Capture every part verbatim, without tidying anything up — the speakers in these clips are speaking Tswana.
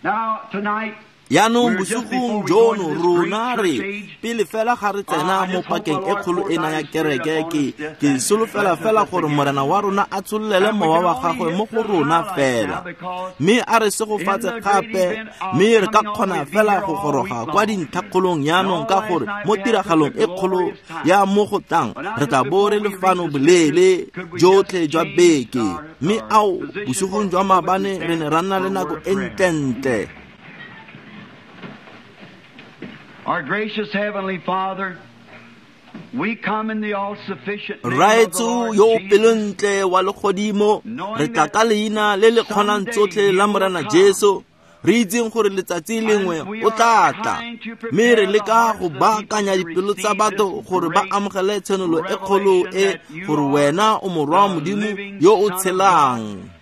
Now, tonight, Yaanong bosigong jono rona re pele fela ga re tsena mo pakeng e kgolo ena ya kereke, ke ke solofela fela gore Morena wa rona a tshololele mowa wa gagwe mo go rona fela, mme a re segofatse gape, mme re ka kgona fela go goroga kwa dintlhakgolong yaanong, ka gore mo tiragalong e kgolo ya mo go tlang re tla bo re le fano boleele jotlhe jwa beke. Mme ao bosigong jwa maabane re ne ra nna le nako e ntlentle. Our gracious Heavenly Father, we come in the all-sufficient name of the Rraetsho Lord yo o Jesus, pelontle wa legodimo, re tla ka leina le le kgonang tsotlhe la Morena Jesu, re itseng gore letsatsi lengwe o tla tla, mme re leka go baakanya dipelo tsa batho gore ba amogele tshenolo e kgolo e, gore wena o morwa wa Modimo yo o tshelang,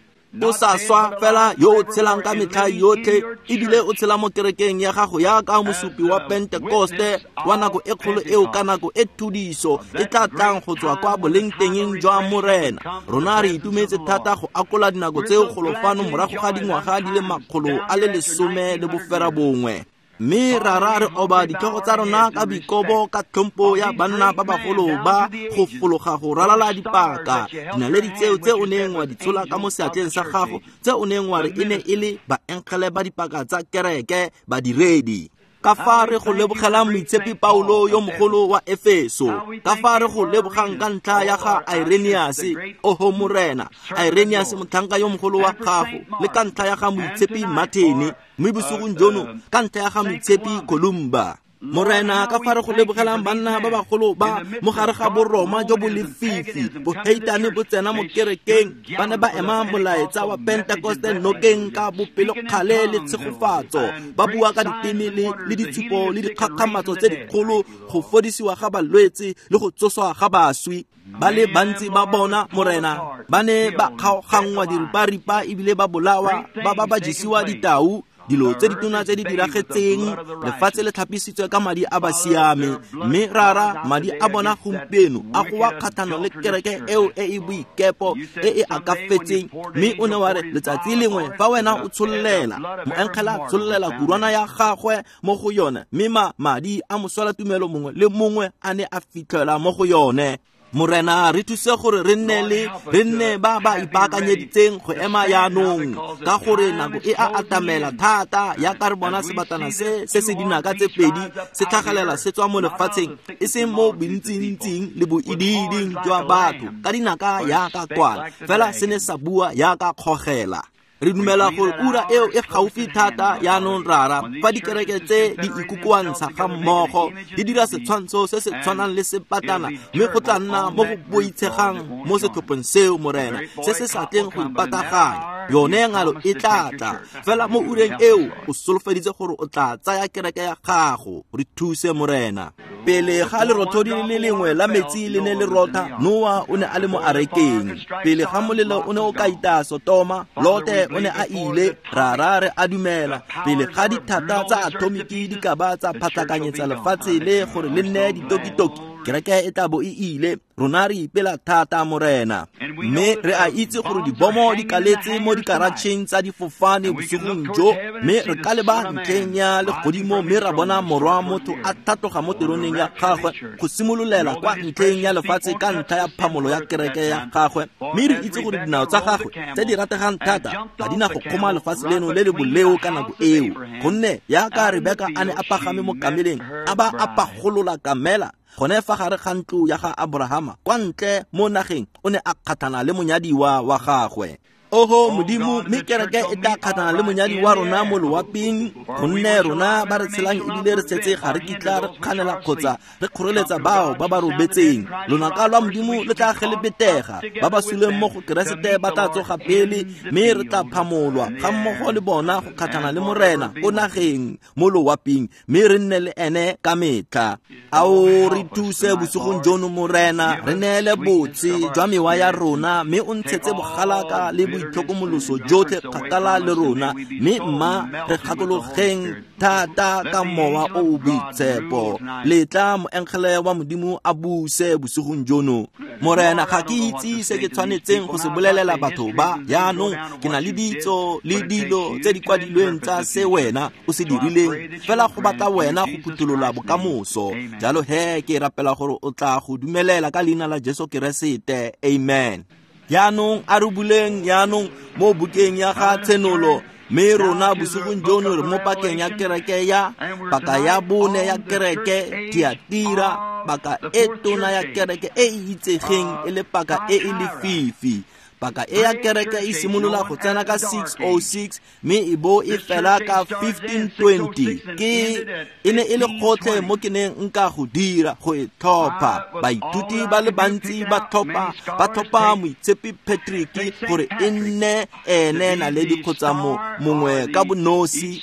o sa swa fela, yo o tshelang ka metlha yotlhe, ebile o tshela mo kerekeng ya gago yaka mosupi wa Pentekoste wa nako e kgolo eo ka nako e thudiso e tla tlang go tswa kwa bolengtengeng jwa Morena. Rona re itumetse thata go akola dinako tseo golo fano morago ga dingwaga di le makgolo a le lesome le boferabongwe. Mme rara re oba ditlhogo tsa rona ka boikobo ka tlhompho ya banna ba bagolo ba go fologa go ralala dipaka, dinaledi tseo tse o neng wa di tshola ka mo seatleng sa gago, tse o neng wa re e ne e le baengele ba dipaka tsa kereke, badiredi. Ka fa re go lebogelang moitshepi Paulo yo mogolo wa Efeso, ka fa re go lebogang ka ntlha ya ga Irenaeus, oho Morena, Irenaeus motlhanka yo mogolo wa gago, le ka ntlha ya ga moitshepi Martin, mme bosigong jono ka ntlha ya ga moitshepi Columba. Morena, ka fa re go lebogelang banna ba bagolo ba mo gare ga boroma jo bo lefifi, boheitane bo tsena mo kerekeng, ba ne ba ema molaetsa wa Pentekoste nokeng ka bopelokgale le tshegofatso, ba bua ka diteme le, le ditshupo le dikgakgamatso tse dikgolo, go fodisiwa ga balwetse le go tsoswa ga baswi. Ba le bantsi ba bona, Morena, ba ne ba kgaoganngwa diriparipa ebile ba bolawa, ba ba ba jesiwa ditau. Dilo tse ditona tse di diragetseng, lefatshe le tlhapisitswe ka madi a basiame, mme rara madi a bona gompieno a goa kgatlhanong le kereke eo e e boikepo e e akafetseng. Mme o ne wa re letsatsi lengwe fa wena o tshollela, moengele a tshollela kurwana ya gagwe mo go yone, mme ma madi a moswelatumelo mongwe le mongwe a ne a fitlhela mo go yone. Morena, re thuse gore re nne le re nne ba ba ipaakanyeditseng go ema yaanong, ka gore nako e a atamela thata yaka re bona sebatana se se se dinaka tse pedi se tlhagelela se tswa mo lefatsheng, e seng mo bontsintsing le boidiiding jwa batho ka dinaka yaka kwala, fela se ne sa bua yaka kgogela. Re dumela gore ura eo e gaufi thata yaanong rara, fa dikereke tse di ikokoantsha ga mmogo di dira setshwantsho se se tshwanang le sepatana, mme go tla nna mo go boitshegang mo setlhopheng seo, Morena, se se sa tleng go ipataganya. Yone ngalo e tla tla fela mo ureng eo o solofeditse gore o tla tsaya kereke ya gago. Re thuse, Morena. Pele ga lerothodi le lengwe la metsi le ne le rotha, Noa o ne a le mo arekeng. Pele ga molelo o ne o ka itaya Sotoma, Lote o ne a ile. Rara re a dumela pele ga dithata tsa atomiki di ka ba tsa phatlakanyetsa lefatshe le gore le nne ditokitoki, kereke e tla bo e ile. Rona re ipela thata, Morena, mme re a itse gore dibomo di kaletse mo dikaratšheng tsa difofane bosigong jo, mme re ka leba ntlheng ya legodimo mme ra bona morwa motho a tlhatloga mo teroneng ya gagwe go simololela kwa ntlheng ya lefatshe ka ntlha ya phamolo ya kereke ya gagwe. Mme re itse gore dinao tsa gagwe tse di rategang thata ga di na go kgoma lefatshe leno le le boleo ka nako eo, gonne yaka Rebeka a ne a pagame mo kameleng a ba a pagolola kamela gone fa gare ga ntlo ya ga Abrahama kwa ntle mo nageng, o ne a kgatlhana le monyadiwa wa gagwe. Oho Modimo, mme kereke e tla kgatlhana le monyadi wa rona mo loaping, gonne rona ba re tshelang ebile re setse ga re kitla re kganela kgotsa re kgoreletsa bao ba ba robetseng. Lonaka lwa Modimo le tla gelepetega, ba ba suleng mo go Keresete ba tla tsoga pele, mme re tla phamolwa ga mmogo le bona go kgatlhana le Morena ko nageng mo loaping, mme re nne le ene ka metlha. Ao re thuse bosigong jono, Morena, re neele botse jwa mewa ya rona, mme o ntshetse bogalaka le boitlhokomoloso jotlhe kgakala le rona, mme mma re gakologeng thata ka Mowa o o Boitshepo. Letla moengele wa Modimo a buse bosigong jono. Morena, ga ke itse se ke tshwanetseng go se bolelela batho ba. Jaanong ke na le ditso le dilo tse di kwadilweng tsa se wena o se dirileng, fela go batla wena go phutholola bokamoso. Jalo he ke rapela gore o tla go dumelela ka leina la Jesu Keresete. Amen. Jaanong a re buleng jaanong mo bukeng ya ga Tshenolo, mme rona bosigong jono re mo pakeng ya kereke ya paka ya bone ya kereke Thiatira, paka e tona ya kereke e e itsegeng e le paka e e lefifi. Paka e ya kereke e simolola go tsena ka six oh six mme e bo e fela ka fifteen twenty. Ke e ne e le gotlhe mo ke neng nka go dira go e tlhopha. Baithuti ba le bantsi ba tlhopha ba tlhopha Moitshepi Patrick gore e nne ene naledi kgotsa mongwe ka bonosi.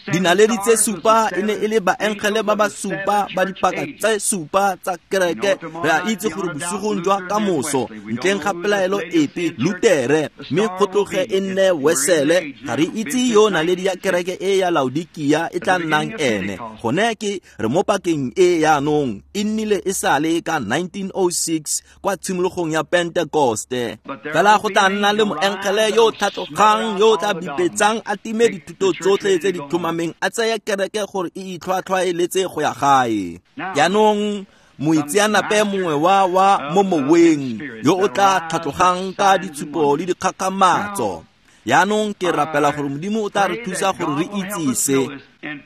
Dinaledi tse supa e ne e le baengele ba ba supa ba dipaka tse supa tsa kereke. Re a itse gore bosigong jwa kamoso ntleng ga pelaelo epe Lutere, mme go tloge e nne Wesele. Ga re itse yo naledi ya kereke e ya Laodikia e tla nnang ene. Gone ke re mo pakeng e yaanong, e nnile e sale ka nineteen oh six kwa tshimologong ya Pentekoste. Fela go tla nna le moengele yo o tlhatlogang, yo o tla bipetsang a time dithuto tsotlhe tse di tlhomameng, a tsaya kereke gore e itlhwatlhwaeletse go ya gae. Jaanong moitseanape mongwe wa wa mo moweng yo o tla tlhatlogang ka ditshupo le dikgakgamatso. Jaanong ke rapela gore Modimo o tla re thusa gore re itse se.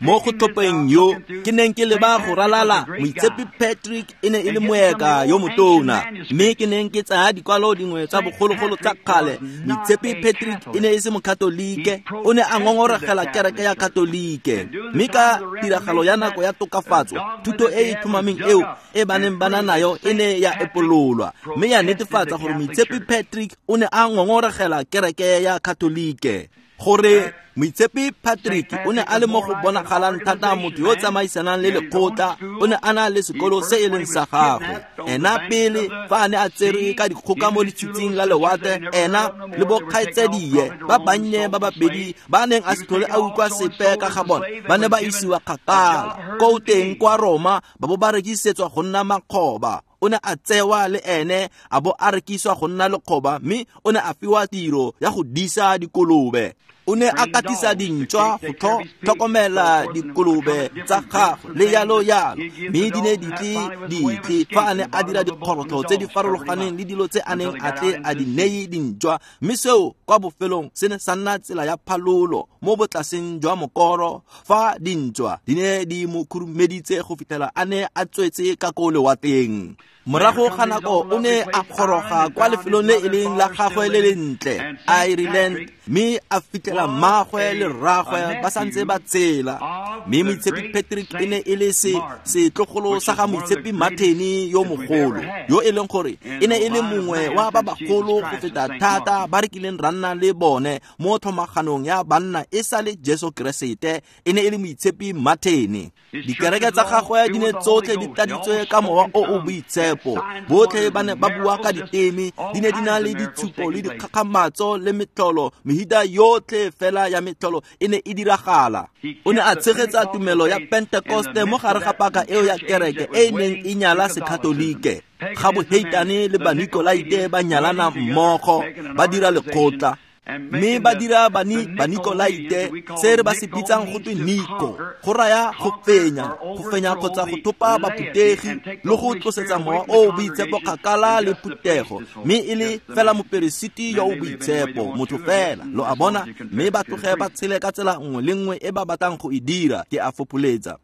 Mo go tlhopheng yo ke neng ke leba go ralala, Moitshepi Patrick e ne e le moeka yo motona, mme ke neng ke tsaya dikwalo dingwe tsa bogologolo tsa kgale. Moitshepi Patrick e ne e se mokatolike, o ne a ngongoregela kereke ya Katolike, mme ka tiragalo ya nako ya tokafatso, thuto e e tlhomameng eo e ba neng ba na nayo e ne ya epololwa, mme ya netefatsa gore Moitshepi Patrick o ne a ngongoregela kereke ya Katolike. Gore Moitshepi Patrick o ne a le mo go bonagalang thata motho yo tsamaisanang le lekgotla, o ne a na le sekolo se e leng sa gagwe. Ena pele fa a ne a tserwe ka dikgoka mo letshitshing la lewatle, ena le bokgaitsadie ba bannye ba babedi ba neng a se tlhole a utlwa sepe ka ga bona, ba ne ba isiwa kgakala ko teng kwa Roma, ba bo ba rekisetswa go nna makgoba. O ne a tsewa le ene a bo a rekiswa go nna lekgoba, mme o ne a fiwa tiro ya go disa dikolobe. O ne a katisa dintšwa go tlhokomela dikolobe tsa gagwe le yalo yalo, mme di ne di tle di tle fa a ne a dira dikgorotlho tse di farologaneng le dilo tse a neng a tle a di neye dintšwa. Mme seo kwa bofelong se ne sa nna tsela ya phalolo mo botlaseng jwa mokoro, fa dintšwa di ne di mo khurumeditse go fitlhela a ne a tswetse ka ko lewatleng. Morago ga nako o ne a goroga kwa lefelong le e leng la gagwe le lentle, Ireland, mme a fitlhela mmagwe le rragwe ba santse ba tsela. Mme Moitshepi Patrick e ne e le se setlogolo sa ga Moitshepi Martin yo mogolo, yo e leng gore e ne e le mongwe wa ba bagolo go feta thata ba re kileng ra nna le bone mo tlhomaganong ya banna e sa le Jesu Keresete. E ne e le Moitshepi Martin. Dikereke tsa gagwe di ne tsotlhe di tladitswe ka mowa o o boitshepo. Botlhe ba ne ba bua ka diteme, di ne di na le ditshupo le dikgakgamatso le metlholo, mehuta yotlhe fela ya metlholo e ne e diragala. O ne a tshegetsa tumelo ya Pentekoste mo gare ga paka eo ya kereke e e neng e nyala Sekatolike. Ga boheitane le Banikolaite ba nyalana mmogo, ba dira lekgotla, mme ba dira bani Banikolaite se re ba se bitsang go twe Niko, go raya go fenya, go fenya kgotsa go thopa baphuthegi le go tlosetsa mowa o o boitshepo kgakala le phuthego, mme e le fela moperesiti yo o boitshepo, motho fela, lo a bona, mme ba tloge ba tshele ka tsela nngwe le nngwe e ba batlang go e dira. Ke a fopholetsa.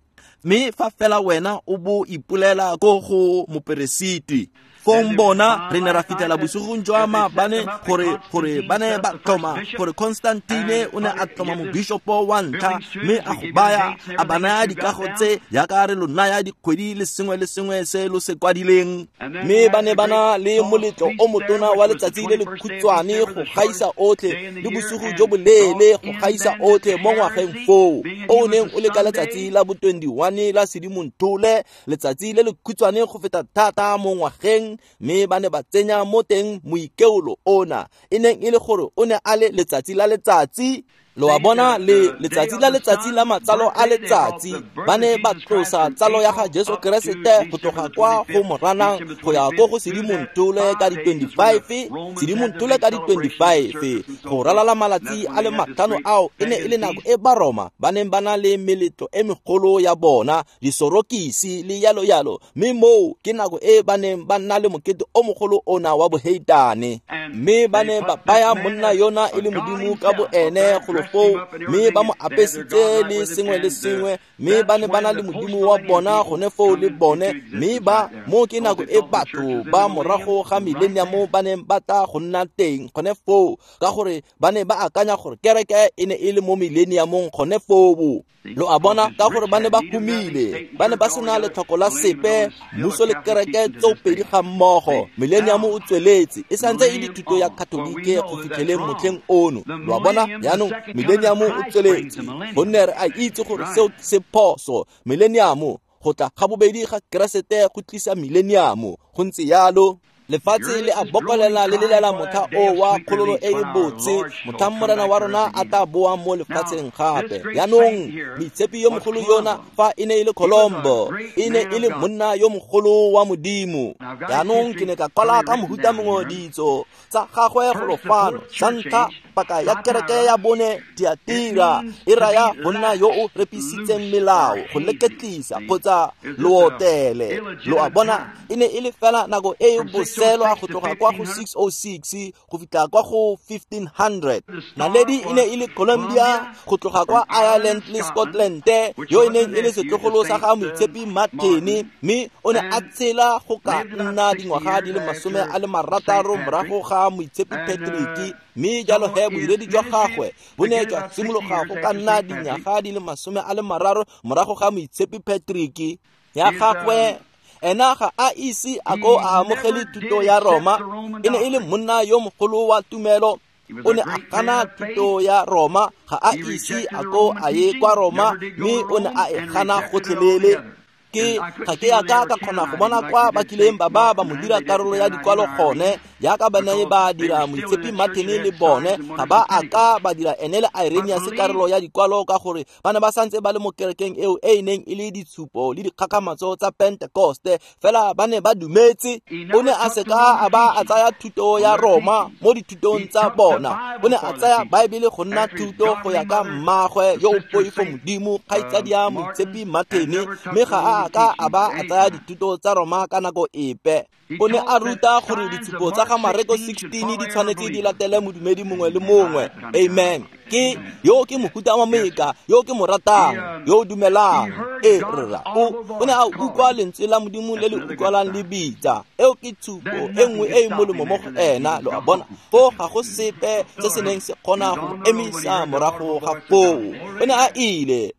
Mme fa fela wena o bo ipolela ko go moperesiti, fong bona re ne ra fitlhela bosigong jwa maabane gore gore ba ne ba tlhoma gore Constantine o ne a tlhoma mobishopo wa ntlha, mme a go baya a ba naya dikago tse jaaka re lo naya dikgwedi le sengwe le sengwe se lo se kwadileng. Mme ba ne ba na le moletlo o motona wa letsatsi le le khutshwane go gaisa otlhe le bosigo jo boleele go gaisa otlhe mo ngwageng foo, o o neng o le ka letsatsi la bo twenty-one la Sedimonthole, letsatsi le le khutshwane go feta thata mo ngwageng. Mme ba ne ba tsenya mo teng moikeolo ona e neng e le gore o ne a le letsatsi la letsatsi. Lo a bona, le letsatsi la letsatsi la matsalo a letsatsi ba ne ba tlosa tsalo ya ga Jesu Keresete go tloga kwa go Moranang go ya ko go Sedimonthole ka di twenty-five, Sedimonthole ka di twenty-five. Go ralala malatsi a le matlhano ao e ne e le nako e Baroma ba neng ba na le meletlo e megolo ya bona, disorokisi le yalo yalo, mme moo ke nako e ba neng ba nna le mokete o mogolo ona wa boheitane. Mme ba ne ba baya monna yona e le modimo ka bo ene go foo, mme ba mo apesitse le sengwe le sengwe, mme ba ne ba na le modimo wa bona gone foo le bone. Mme ba mo ke nako e batho ba morago ga millennium ba neng ba tla go nna teng gone foo, ka gore ba ne ba akanya gore kereke e ne e le mo millenniumong gone foo. Lo a bona, ka gore ba ne ba humile, ba ne ba sena letlhoko la sepe, mmuso le kereke tsopedi ga mmogo. Millennium o tsweletse e santse e le thuto ya Katolike go fitlheleng motlheng ono. Lo a bona, jaanong millennium o tsweletse, gonne re a itse gore seo se phoso. Millennium, go tla ga bobedi ga Keresete go tlisa millennium, go ntse yalo. Lefatshe le a bokolela le lelela motlha o wa kgololo e e botse, motlha Morena wa rona a tla boa mo lefatsheng gape. Jaanong moitshepi yo mogolo yona fa e ne e le Colombo, e ne e le monna yo mogolo wa Modimo. Jaanong ke ne ka kwala ka mohuta mongwe ditso tsa gagwe golo fano. Sa ntlha, paka ya kereke ya bone Tiatira e raya monna yo o repisitseng melao, go leketlisa kgotsa lootele. Lo a bona, e ne e le fela nako e e boselwa go tloga kwa go six oh six go fitlha kwa go fifteen hundred. Naledi e ne e le Colombia go tloga kwa Ireland le Scotland, yo e neng e le setlogolo sa ga moitshepi Martin, mme o ne a tshela go ka nna dingwaga di le masome a le marataro morago ga moitshepi Patrick. Mme jalo he bodiredi jwa gagwe bo ne jwa simologa go ka nna dinyaga di le masome a le mararo morago ga moitshepi Patrick. Ya gagwe ena ga a ise a ko a amogele thuto ya Roma, e ne e le monna yo mogolo wa tumelo. O ne a gana thuto ya Roma, ga a ise a ko a ye kwa Roma, mme o ne a e gana gotlhelele. Ke ga ke a ka ka kgona go bona kwa ba kileng ba ba ba mo dira karolo ya dikwalo gone, jaaka ba ne ba dira moitshepi Martin le bone. Ga ba a ka ba dira ene le Irenaeus karolo ya dikwalo, ka gore ba ne ba santse ba le mo kerekeng eo e e neng e le ditshupo le dikgakgamatso tsa Pentecoste, fela ba ne ba dumetse. O ne a seka a ba a tsaya thuto ya Roma mo dithutong tsa bona, o ne a tsaya Baebele go nna thuto go ya ka mmagwe yo o poifo Modimo, kgaitsadi ya moitshepi Martin, mme ga a ka a ba a tsaya dithuto tsa Roma ka nako epe. O ne a ruta gore ditshupo tsa ga Mareko sixteen di tshwanetse di latele modumedi mongwe le mongwe. Amen. Ke yo ke mohuta wa moeka yo ke mo ratang, yo o dumelang. E rra, o o ne a utlwa lentswe la Modimo le le utlwalang le bitsa. Eo ke tshupo e nngwe e e molemo mo go ena. Lo a bona, foo ga go sepe se se neng se kgona go mo emisa morago ga foo. O ne a ile.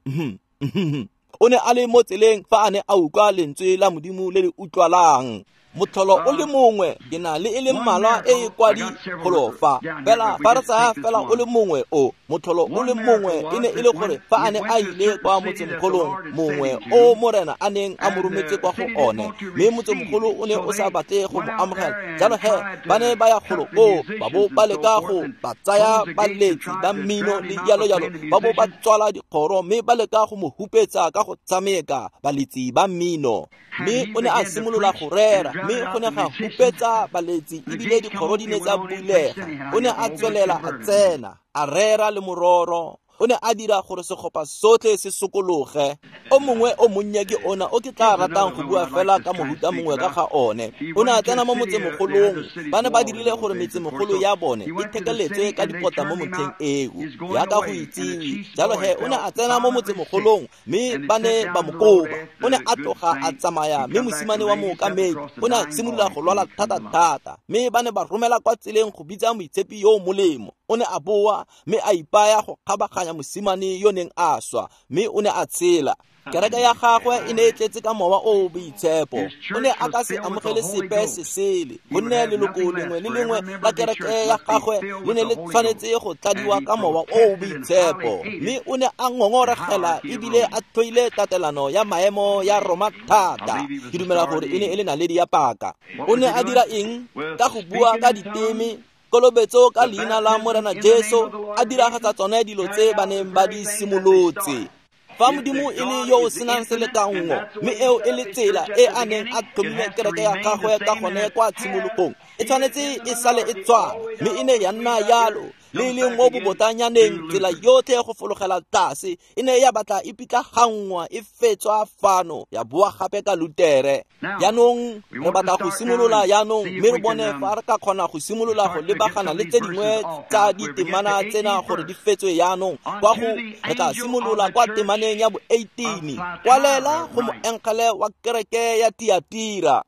O ne a le mo tseleng fa a ne a utlwa lentswe la Modimo le le utlwalang. Motlholo o le mongwe, ke na le e le mmalwa e e kwadi golo fa, fela fa re tsaya fela o le mongwe o motlholo o le mongwe e ne e le gore fa a ne a ile kwa motsemogolong mongwe o Morena a neng a mo rometse kwa go one, mme motsemogolo o ne o sa batle go mo amogela. Jalo he ba ne ba ya golo koo, ba bo ba leka go ba tsaya baletsi ba mmino le jalo jalo, ba bo ba tswala dikgoro mme ba leka go mo hupetsa ka go tshameka baletsi ba mmino. Mme o ne a simolola go rera, mme go ne ga hupetsa baletsi ebile dikgoro di ne tsa bulega. O ne a tswelela a tsena, a rera le mororo. O ne a dira gore segopa sotlhe se sokologe. O mongwe o monnye ke ona o ke tla ratang go bua fela ka mohuta mongwe ka ga one. O ne a tsena mo motsemogolong. Ba ne ba dirile gore metsemogolo ya bone e thekeletswe ka dipota mo motlheng eo, jaaka go itsiwe. Jalo he o ne a tsena mo motsemogolong, mme ba ne ba mo koba. O ne a tloga a tsamaya, mme mosimane wa mookamedi o ne a simolola go lwala thata-thata, mme ba ne ba romela kwa tseleng go bitsa moitshepi yo o molemo. O ne a boa mme a ipaya go kgabaganya mosimane yo neng a swa, mme o ne a tshela. Kereke ya gagwe e ne e tletse ka mowa o o boitshepo. O ne a ka se amogele sepe se sele, gonne leloko lengwe le lengwe la kereke ya gagwe le ne le tshwanetse go tladiwa ka mowa o o boitshepo. Mme o ne a ngongoregela ebile a tlhoile tatelano ya maemo ya Roma thata. Ke dumela gore e ne e le naledi ya paka. O ne a dira eng? Ka go bua ka diteme, kolobetso ka leina la Morena Jesu, a diragatsa tsone dilo tse ba neng ba di simolotse. Fa Modimo e le yo o senang selekanngo, mme eo e le tsela e a neng a tlhomile kereke ya gagwe ka gone kwa tshimologong, e tshwanetse e sale e tswana, mme e ne ya nna yalo. Le e leng mo bobotanyaneng, tsela yotlhe go fologela tlase e ne ya batla e pitlaganngwa, e fetswa fano, ya boa gape ka Lutere. Jaanong re batla go simolola jaanong, mme re bone fa re ka kgona go simolola go lebagana le tse dingwe tsa ditemana tsena gore di fetswe jaanong. Kwa go re tla simolola kwa temaneng ya bo eighteen, kwalela go moengele wa kereke ya Tiatira.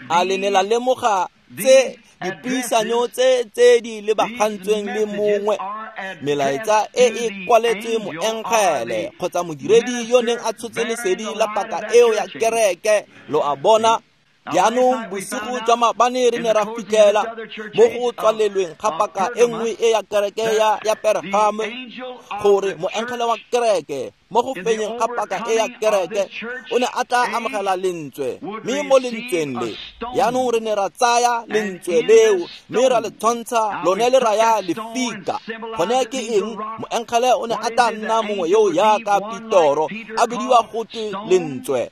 A le ne la lemoga tse dipuisanyo tse tse di lebagantsweng le mongwe? Melaetsa e e kwaletswe moengele kgotsa modiredi yo neng a tshotse lesedi la paka eo ya kereke. Lo a bona? Jaanong bosigo jwa maabane re ne ra fitlhela mo go tswalelweng ga paka e nngwe e ya kereke ya ya Pergame, gore moengele wa kereke mo go fenyeng ga paka e ya kereke o ne a tla amogela lentswe, mme mo lentsweng le jaanong re ne ra tsaya lentswe leo mme ra le tshwantsha lone le raya lefika. Gone ke eng? Moengele o ne a tla nna mongwe yo jaaka Petoro, a bidiwa gotwe lentswe.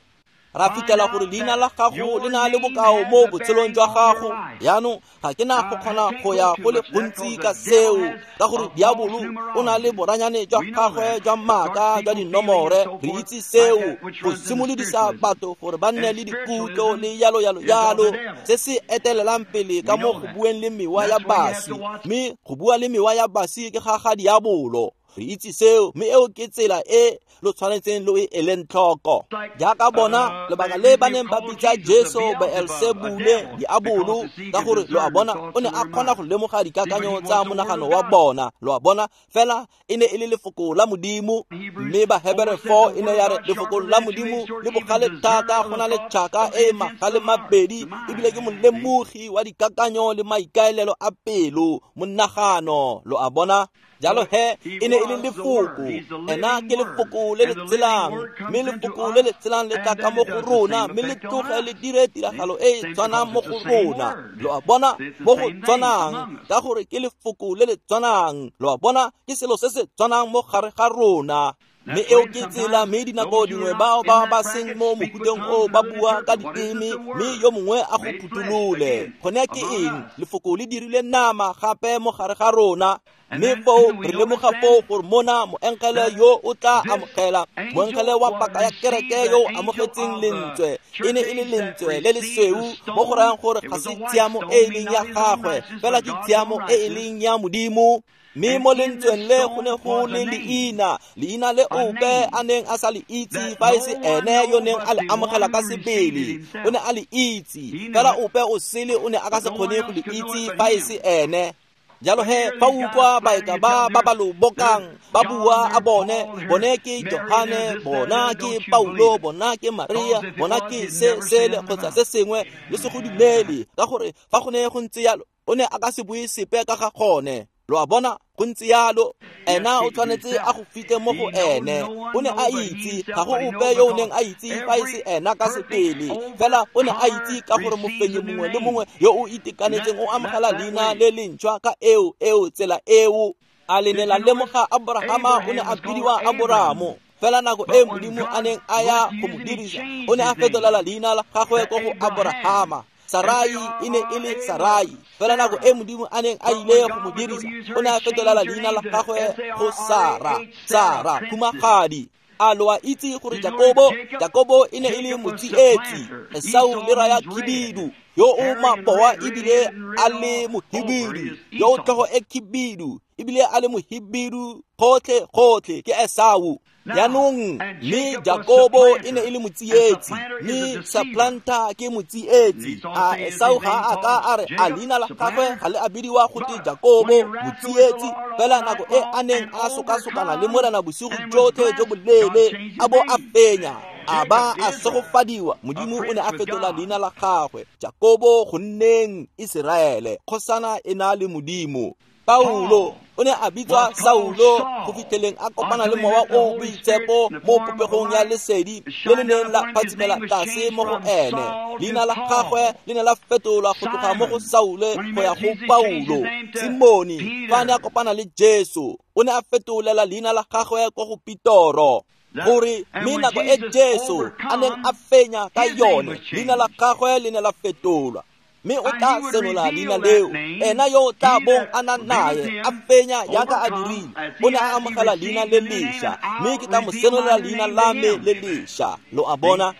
Ra fitlhela gore leina la gago le na le bokao mo botshelong jwa gago. Jaanong ga ke na go kgona go ya go le gontsi ka seo, ka gore diabolo o na le boranyane jwa gagwe jwa maaka jwa dinomore. Re itse seo, go simolodisa batho gore ba nne le dikutlo le yalo yalo yalo, se se etelelang pele ka mo go bueng le mewa ya baswi, mme go bua le mewa ya baswi ke ga ga diabolo. Re itse seo, mme eo ke tsela e lo tshwanetseng lo e eleng tlhoko. Jaaka bona lebaka le ba neng ba bitsa Jesu Beelsebule, diabolo, ka gore lo a bona o ne a kgona go lemoga dikakanyo tsa monagano wa bona. Lo a bona, fela e ne e le lefoko la Modimo. Mme Bahebere four e ne ya re lefoko la Modimo le bogale thata go na le tšhaka e magale mabedi, ebile ke molemogi wa dikakanyo le maikaelelo a pelo, monagano. Lo a bona? Jalo he, e ne e le lefoko. Ena ke lefoko le le tselang, mme lefoko le le tselang le tla ka mo go rona, mme le tloge le dire tiragalo e e tshwanang mo go rona. Lo a bona? Mo go tshwanang, ka gore ke lefoko le le tshwanang. Lo a bona? Ke selo se se tshwanang mo gare ga rona. Mme eo ke tsela, mme dinako dingwe bao ba ba seng mo mofuteng o ba bua ka diteme, mme yo mongwe a go phutholole. Gone ke eng? Lefoko le dirile nama gape mo gare ga rona. Mme foo re lemoga foo gore mona moengele yo o tla amogela, moengele wa paka ya kereke yo o amogetseng lentswe, e ne e le lentswe le lesweu, mo go rayang gore ga se tshiamo e e leng ya gagwe, fela ke tshiamo e e leng ya Modimo. Mme mo lentsweng le go ne go le leina, leina le ope a neng a sa le itse fa e se ene yo neng a le amogela ka sebele. O ne a le itse, fela ope o sele o ne a ka se kgone go le itse fa e se ene. Jalo he, fa utlwa baeka ba ba ba lo bokang ba bua a bone, bone ke Johane, bona ke Paulo, bona ke Maria, bona ke se sele kgotsa se sengwe, le se go dumele, ka gore fa go ne go ntse yalo o ne a ka se bue sepe ka ga gone. Lo a bona? Go ntse yalo. Ena o tshwanetse a go fitlhe mo go ene. O ne a itse, ga go ope yo o neng a itse fa e se ena ka sebele, fela o ne a itse ka gore mofenyi mongwe le mongwe yo o itekanetseng o amogela leina le lentšhwa ka eo eo tsela eo. A le ne la lemoga Abrahama o ne a bidiwa Aboramo, fela nako e Modimo a neng a ya go mo dirisa, o ne a fetolela leina la gagwe ko go Abrahama. Sarai e ne e le Sarai, fela nako e Modimo a neng a ile go mo dirisa, o ne a fetolela leina la gagwe go Sara, Sara khumagadi. A lo a itse gore Jakobo, Jakobo e ne e le motsietsi, Esau le raya khibidu, yo o maboa ebile a le mohibidu, yo o tlhogo e khibidu, ebile a le mohibidu gotlhe gotlhe ke Esau. Jaanong mme Jakobo e ne e le motsietsi, mme supplanter ke motsietsi. A Esau ga a ka a re a leina la gagwe ga le a bidiwa gote Jakobo motsietsi, fela nako e a neng a sokasokana le Morena bosigo jotlhe jo boleele a bo a fenya, a ba a segofadiwa. Modimo o ne a fetola leina la gagwe Jakobo go nneng Iseraele, kgosana e na le Modimo. Paulo o ne a bitswa Saulo go fitlheleng a kopana le mowa o o boitshepo mo popegong ya lesedi le le neng la phatsimela tlase mo go ene. Leina la gagwe le ne la fetolwa go tloga mo go Saule go ya go Paulo. Simone fa a ne a kopana le Jesu o ne a fetolela leina la gagwe ko go Petoro, gore mme nako e Jesu a neng a fenya ka yone leina la gagwe le ne la fetolwa. Mme o tla senola leina leo, ena yo o tla bong a na nae a fenya jaaka a dirile, o ne a amogela leina le lešwa, mme ke tla mo senolela leina la me le lešwa. Lo a bona?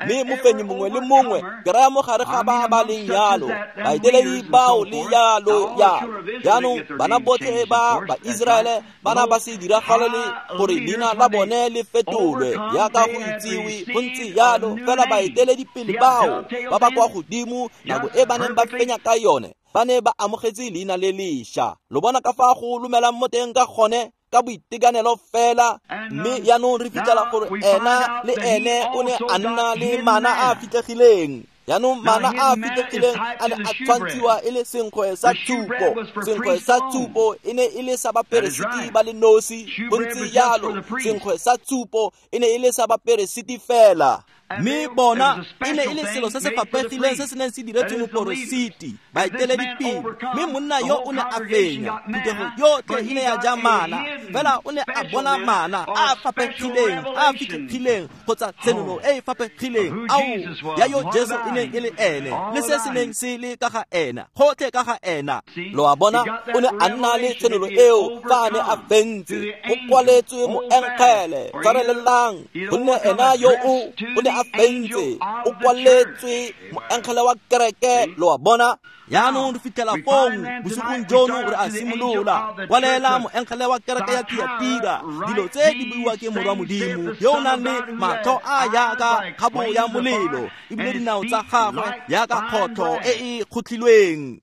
Mme mofenyi mongwe le mongwe ke raya mo gare ga ba ba leng yalo, baeteledi bao le yalo yalo. Jaanong bana botlhe ba Baiseraele ba na ba se diragalele gore leina la bone le fetolwe jaaka go itsiwe go ntse yalo, fela baeteledipele bao ba ba kwa godimo nako e ba neng ba fenya ka yone ba ne ba amogetse leina le lešwa. Lo bona ka fa go lomelang mo teng ka gone ka boitekanelo fela. Mme jaanong re fitlhela gore ena le ene o ne a nna le mana a a fitlhegileng. Jaanong mana a a fitlhegileng a ne a tshwantshiwa e le senkgwe sa tshupo. Senkgwe sa tshupo e ne e le sa baperesiti ba le nosi, go ntse jalo senkgwe sa tshupo e ne e le sa baperesiti fela. Mme bona e ne e le selo se se faphegileng se se neng se diretswe moporositi, baeteledipele. Mme monna yo o ne a fenya, phuthego yotlhe e ne ya ja mana, fela o ne a bona mana a a faphegileng, a a fitlhegileng, kgotsa tshenolo e e faphegileng ao ya yo Jesu e neng e le ene, le se se neng se le ka ga ena, gotlhe ka ga ena. Lo a bona, o ne a nna le tshenolo eo fa a ne a fentse. Go kwaletswe moengele, tshwarelelang, gonne ena yo o o ne a fentse, o kwaletswe moengele wa kereke. Lo a bona? Jaanong re fitlhela fong bosigong jono re a simolola kwalela moengele wa kereke ya Thiatira dilo tse di buiwa ke Morwa Modimo yo o nang le matlho a jaaka kgabo ya molelo, ebile dinao tsa gagwe jaaka kgotlho e e kgotlhilweng.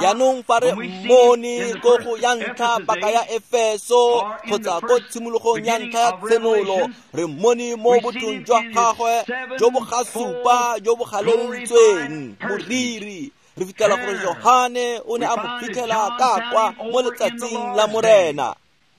Jaanong fa re mmone ko go ya ntlha paka ya Efeso kgotsa ko tshimologong ya ntlha ya tshenolo, re mmone mo bothong jwa gagwe jo bo gasupa jo bo galeleditsweng moriri. Re fitlhela gore Johane o ne a mo fitlhela ka kwa mo letsatsing la Morena.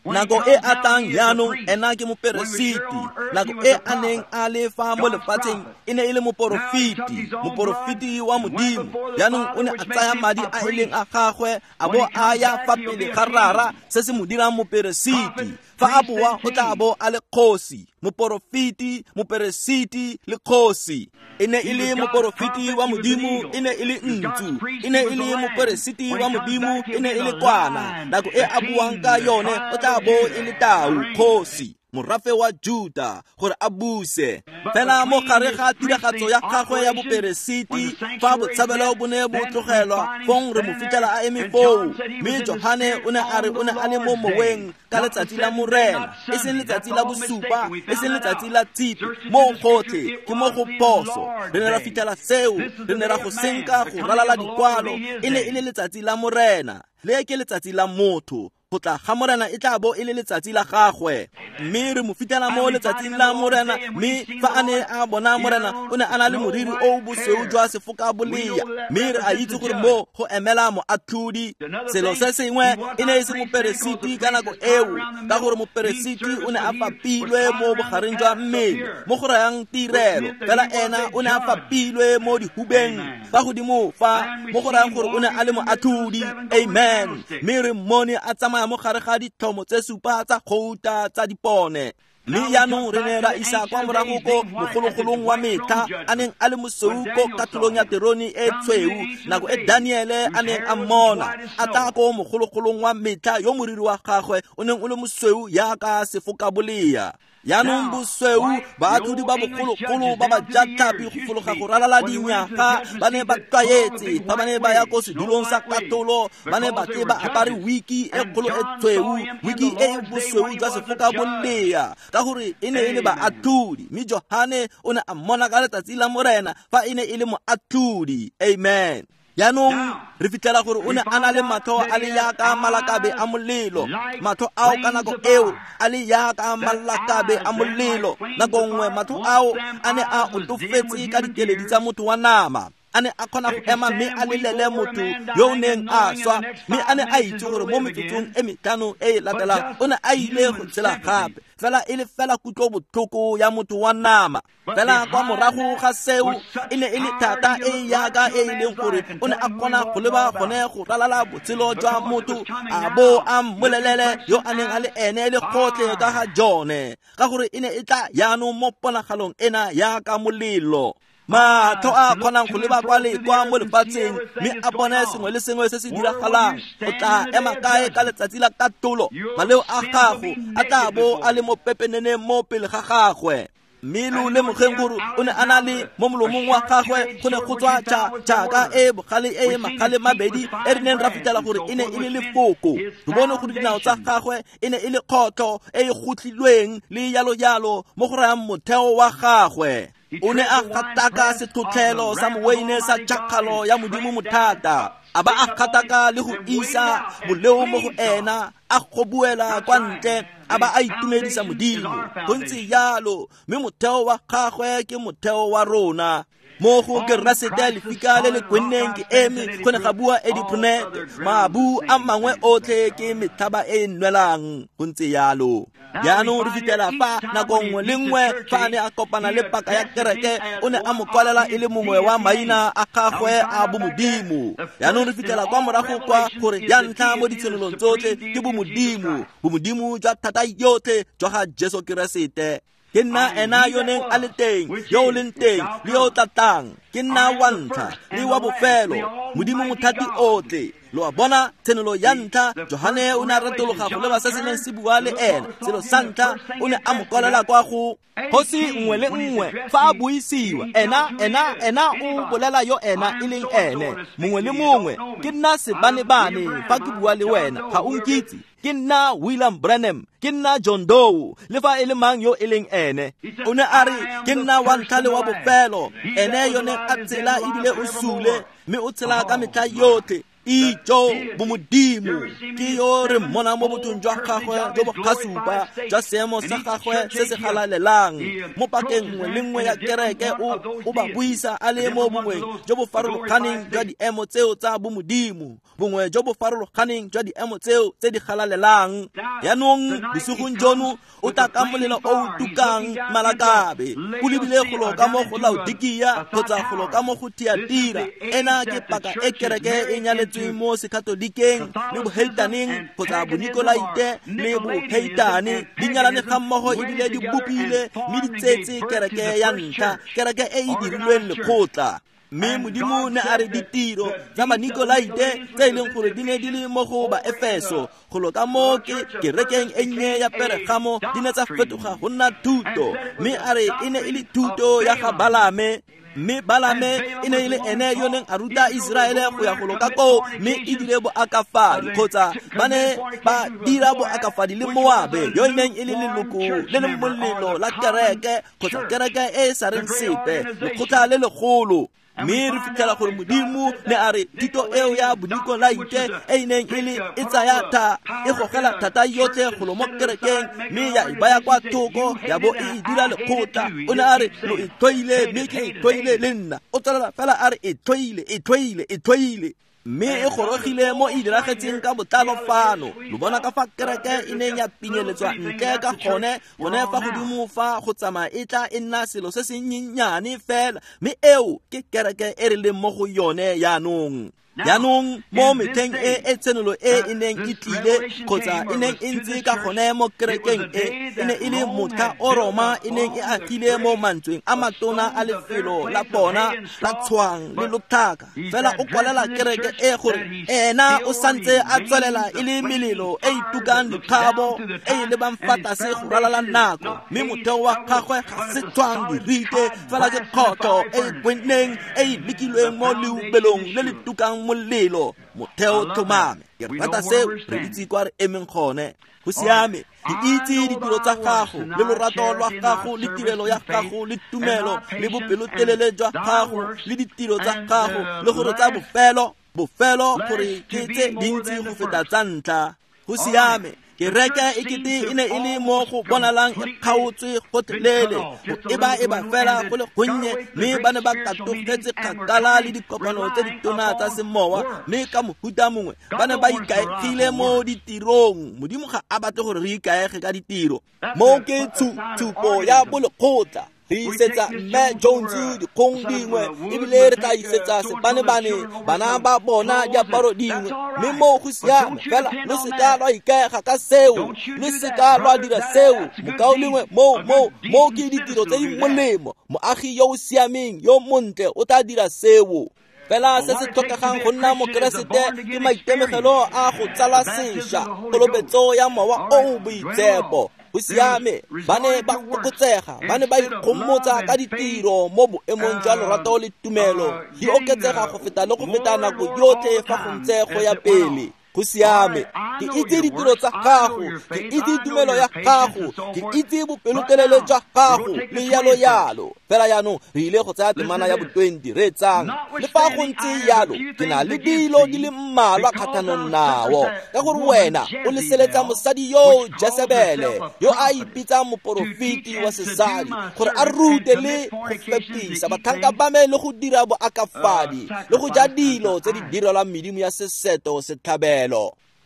Nako e a tlang jaanong ena ke moperesiti. Nako e a neng a le fa mo lefatsheng e ne e le moporofeti, moporofeti wa Modimo. Jaanong o ne a tsaya madi a e leng a gagwe a bo a ya fa pele ga Rara, se se mo dirang moperesiti. Fa a boa o tla bo a le kgosi, moporofeti, moperesiti le kgosi. E ne e le moporofeti wa Modimo, e ne e le ntsu. E ne e le moperesiti wa Modimo, e ne e le kwana. Nako e a buang ka yone o tla bo e le tau, kgosi, morafe wa Juta, gore a buse. Fela mo gare ga tiragatso ya gagwe ya boperesiti, fa botshabelo bo ne bo tlogelwa, fong re mo fitlhela a eme foo. Mme Johane o ne a re o ne a le mo moweng ka letsatsi la Morena, e seng letsatsi la bosupa, e seng letsatsi la tshipi, mo gotlhe ke mo go phoso. Re ne ra fitlhela seo, re ne ra go senka go ralala dikwalo. E ne e le letsatsi la Morena, le ke letsatsi la motho. Go tla ga Morena e tla bo e le letsatsi la gagwe. Mme re mo fitlhela mo letsatsing la Morena. Mme fa a ne a bona Morena, o ne a na le moriri o o bosweu jwa sefoka bolea. Mme re a itse gore mo go emela moatlhodi. Selo se sengwe e ne e se moperesiti ka nako eo, ka gore moperesiti o ne a fapilwe mo bogareng jwa mmele, mo go rayang tirelo. Fela ena o ne a fapilwe mo dihubeng fa godimo fa, mo go rayang gore o ne a le moatlhodi. Amen. Mme re mmone a tsamaya mo gare ga ditlhomo tse supa tsa gouta tsa dipone. Mme jaanong re ne ra isa kwa morago ko mogologolong wa metlha a neng a le mosweu ko katlholong ya terone e tshweu, nako e Daniele a neng a mmona a tla ko mogologolong wa metlha yo moriri wa gagwe o neng o le mosweu jaaka sefokabolea. Jaanong bosweu baatlhodi ba bogologolo ba ba jatlhapi go fologa go ralala dinyaga ba ne ba tlwaetse fa ba ne ba ya ko sedulong sa katolo ba ne ba tle ba apare wiki e kgolo e tshweu, wiki e e bosweu jwa sefoka bolea, ka gore e ne e le baatlhodi. Mme Johane o ne a mmona ka letsatsi la Morena fa e ne e le moatlhodi. Amen. Jaanong re fitlhela gore o ne a na le matlho a le yaka malakabe a molelo, matlho ao ka nako eo a le yaka malakabe a molelo. Nako nngwe matlho ao a ne a otofetse ka dikeledi tsa motho wa nama, a ne a kgona go ema mme a lelele motho yo o neng a swa, mme a ne a itse gore mo metsotsong e metlhano e e latelang o ne a ile go tshela gape, fela e le fela kutlobotlhoko ya motho wa nama. Fela kwa morago ga seo e ne e le thata e yaka e e leng gore o ne a kgona go leba gone go ralala botshelo jwa motho a bo a mmolelele yo a neng a le ene le gotlhe ka ga jone, ka gore e ne e tla jaanong mo ponagalong ena yaka molelo. Matlho a kgonang go leba kwa le kwa mo lefatsheng mme a bone sengwe le sengwe se se diragalang. O tla ema kae ka letsatsi la katolo? Maleo a gago a tla bo a le mo pepeneneng mo pele ga gagwe. Mme lo lemogeng gore o ne a na le mo molomong wa gagwe go ne go tswa tšhaka e bogale e magale mabedi e re neng ra fitlhela gore e ne e le lefoko. Re bone gore dinao tsa gagwe e ne e le kgotlho e e gotlhilweng le yalo-yalo mo go rayang motheo wa gagwe. O ne a gataka sethotlhelo sa moweine sa tšhakgalo ya Modimo mothata, a ba a gataka le go isa boleo mo go ena, a gobuela kwa ntle, a ba a itumedisa Modimo. Go ntse jalo, mme motheo wa gagwe ke motheo wa rona. Mo go Keresete lefika le le kwenneng ke eme, go ne ga bua Eddie Prunet, mabu a mangwe otlhe ke metlhaba e e nwelang. Go ntse jalo. Jaanong re fitlhela fa nako nngwe le nngwe fa a ne a kopana le paka ya kereke o ne a mo kwalela e le mongwe wa maina a gagwe a bomodimo. Jaanong re fitlhela kwa morago kwa gore ya ntlha mo ditshenolong tsotlhe ke bomodimo, bomodimo jwa thata yotlhe jwa ga Jesu Keresete. Ke nna ena yo neng a le teng, yo o leng teng, le yo o tla tlang. Ke nna wa ntlha le wa bofelo, Modimo mothati otlhe. Lo a bona tshenolo ya ntlha, Johane o ne a retologa go leba se se neng se bua le ena. Selo sa ntlha o ne a mo kwalela kwa go kgosi nngwe le nngwe fa a buisiwa, ena ena ena o bolela yo ena e leng ene. Mongwe le mongwe, ke nna sebanebane fa ke bua le wena, ga o nkitse. Ke nna William Branham, ke nna John Doe, le fa e le mang yo e leng ene. O ne a re ke nna wa ntlha le wa bofelo, ene yo neng a tsela ebile o sule, mme o tshela ka metlha yotlhe. Ijo bomodimo ke yo re mmona mo bothong jwa gagwe jo bo kgasupa jwa seemo sa gagwe se se galalelang. Mo pakeng nngwe le nngwe ya kereke o o ba buisa a le mo bongweng jo bo farologaneng jwa diemo tseo tsa bomodimo, bongwe jo bo farologaneng jwa diemo tseo tse di galalelang. Jaanong bosigong jono o tla ka molelo o o tukang malakabe, o lebile golo ka mo go Laodikia kgotsa golo ka mo go Thiatira. Ena ke paka e kereke e nyaletsweng mo sekatolikeng le boheitaneng kgotsa bonikolaite le boheitane, di nyalane ga mmogo ebile di bopile mme di tsetse kereke ya ntlha, kereke e e dirilweng lekgotla. Mme Modimo ne a re ditiro tsa Banikolaite tse e leng gore di ne di le mo go Baefeso golo ka mo ke kerekeng e nnye ya Peregamo di ne tsa fetoga go nna thuto, mme a re e ne e le thuto ya ga Balame. Mme Balame e ne e le ene yo neng a ruta Iseraele go ya go loka koo, mme e dire boakafadi kgotsa ba ne ba dira boakafadi le Moabe yo e neng e le leloko le le molelo la kereke kgotsa kereke e e sa reng sepe, lekgotla le legolo. Mme re fitlhela gore Modimo ne a re thuto eo ya bonikolaite e e neng e le e tsaya tha e gogela thata yotlhe golo mo kerekeng mme ya e baya kwa thoko ya bo e e dira lekgotla. O ne a re lo e tlhoile mme ke e tlhoile le nna. O tswelela fela a re e tlhoile, e tlhoile, e tlhoile. Mme e gorogile mo e diragetseng ka botlalo fano. Lo bona ka fa kereke e neng ya pinyeletswa ntle ka gone, gone fa godimo fa go tsamaya e tla e nna selo se se nnyenyane fela, mme eo ke kereke e re leng mo go yone jaanong. Jaanong mo metlheng e e tshenolo e e neng e tlile kgotsa e neng e ntse ka gone mo kerekeng e e ne e le motlha o Roma e neng e agile mo mantsweng a matona a lefelo la bona la tshwang le lotlhaka. Fela o kwalela kereke e gore ena o santse a tswelela e le melelo e e tukang dikgabo e e lebang fa tlase go ralala nako, mme motheo wa gagwe ga se tshwang dirite fela ke kgotlho e e kwenneng e e lekilweng mo leubelong le le tukang molelo. Motheo tlhomame. Ke rata seo, re itse kwa re emeng gone. Go siame, ke itse ditiro tsa gago le lorato lwa gago le tirelo ya gago le tumelo le bopelotelele jwa gago le ditiro tsa gago le gore tsa bofelo bofelo gore ke tse dintsi go feta tsa ntlha. Go siame, kereke e kete e ne e le mo go bonalang e kgaotswe gotlhelele go eba-eba fela go le gonnye, mme ba ne ba katogetse kgakala le dikopano tse ditona tsa semowa, mme ka mohuta mongwe ba ne ba ikaegile mo ditirong. Modimo ga a batle gore re ikaege ka ditiro. Mo ke tshupo ya bolekgotla. Re isetsa Mme Jones dikgong dingwe, ebile re tla isetsa sebanebane bana ba bona diaparo dingwe, mme mo go siame fela lo seka lwa ikaega ka seo, lo seka lwa dira seo. Mokaulengwe, mo mo mo ke ditiro tse di molemo. Moagi yo o siameng yo montle o tla dira seo. Fela se se tlhokegang go nna mokeresete ke maitemogelo a go tsalwa sešwa, kolobetso ya mowa o o boitshepo. Go siame, ba ne ba fokotsega, ba ne ba ikgomotsa ka ditiro mo boemong jwa lorato le tumelo, di oketsega go feta le go feta nako yotlhe fa go ntse go ya pele. Go siame, ke itse ditiro tsa gago, ke itse tumelo ya gago, ke itse bopelotelele jwa gago le yalo yalo. Fela jaanong re ile go tsaya temana ya bo twenty re tsang. Le fa go ntse yalo, ke na le dilo di le mmalwa kgatlhanong nao, ka gore wena o leseletsa mosadi yo Jesebele yo a ipitsang moporofeti wa sesadi gore a rute le go fepisa batlhanka ba me le go dira boakafadi le go ja dilo tse di direlwang medimo ya seseto setlhabelo.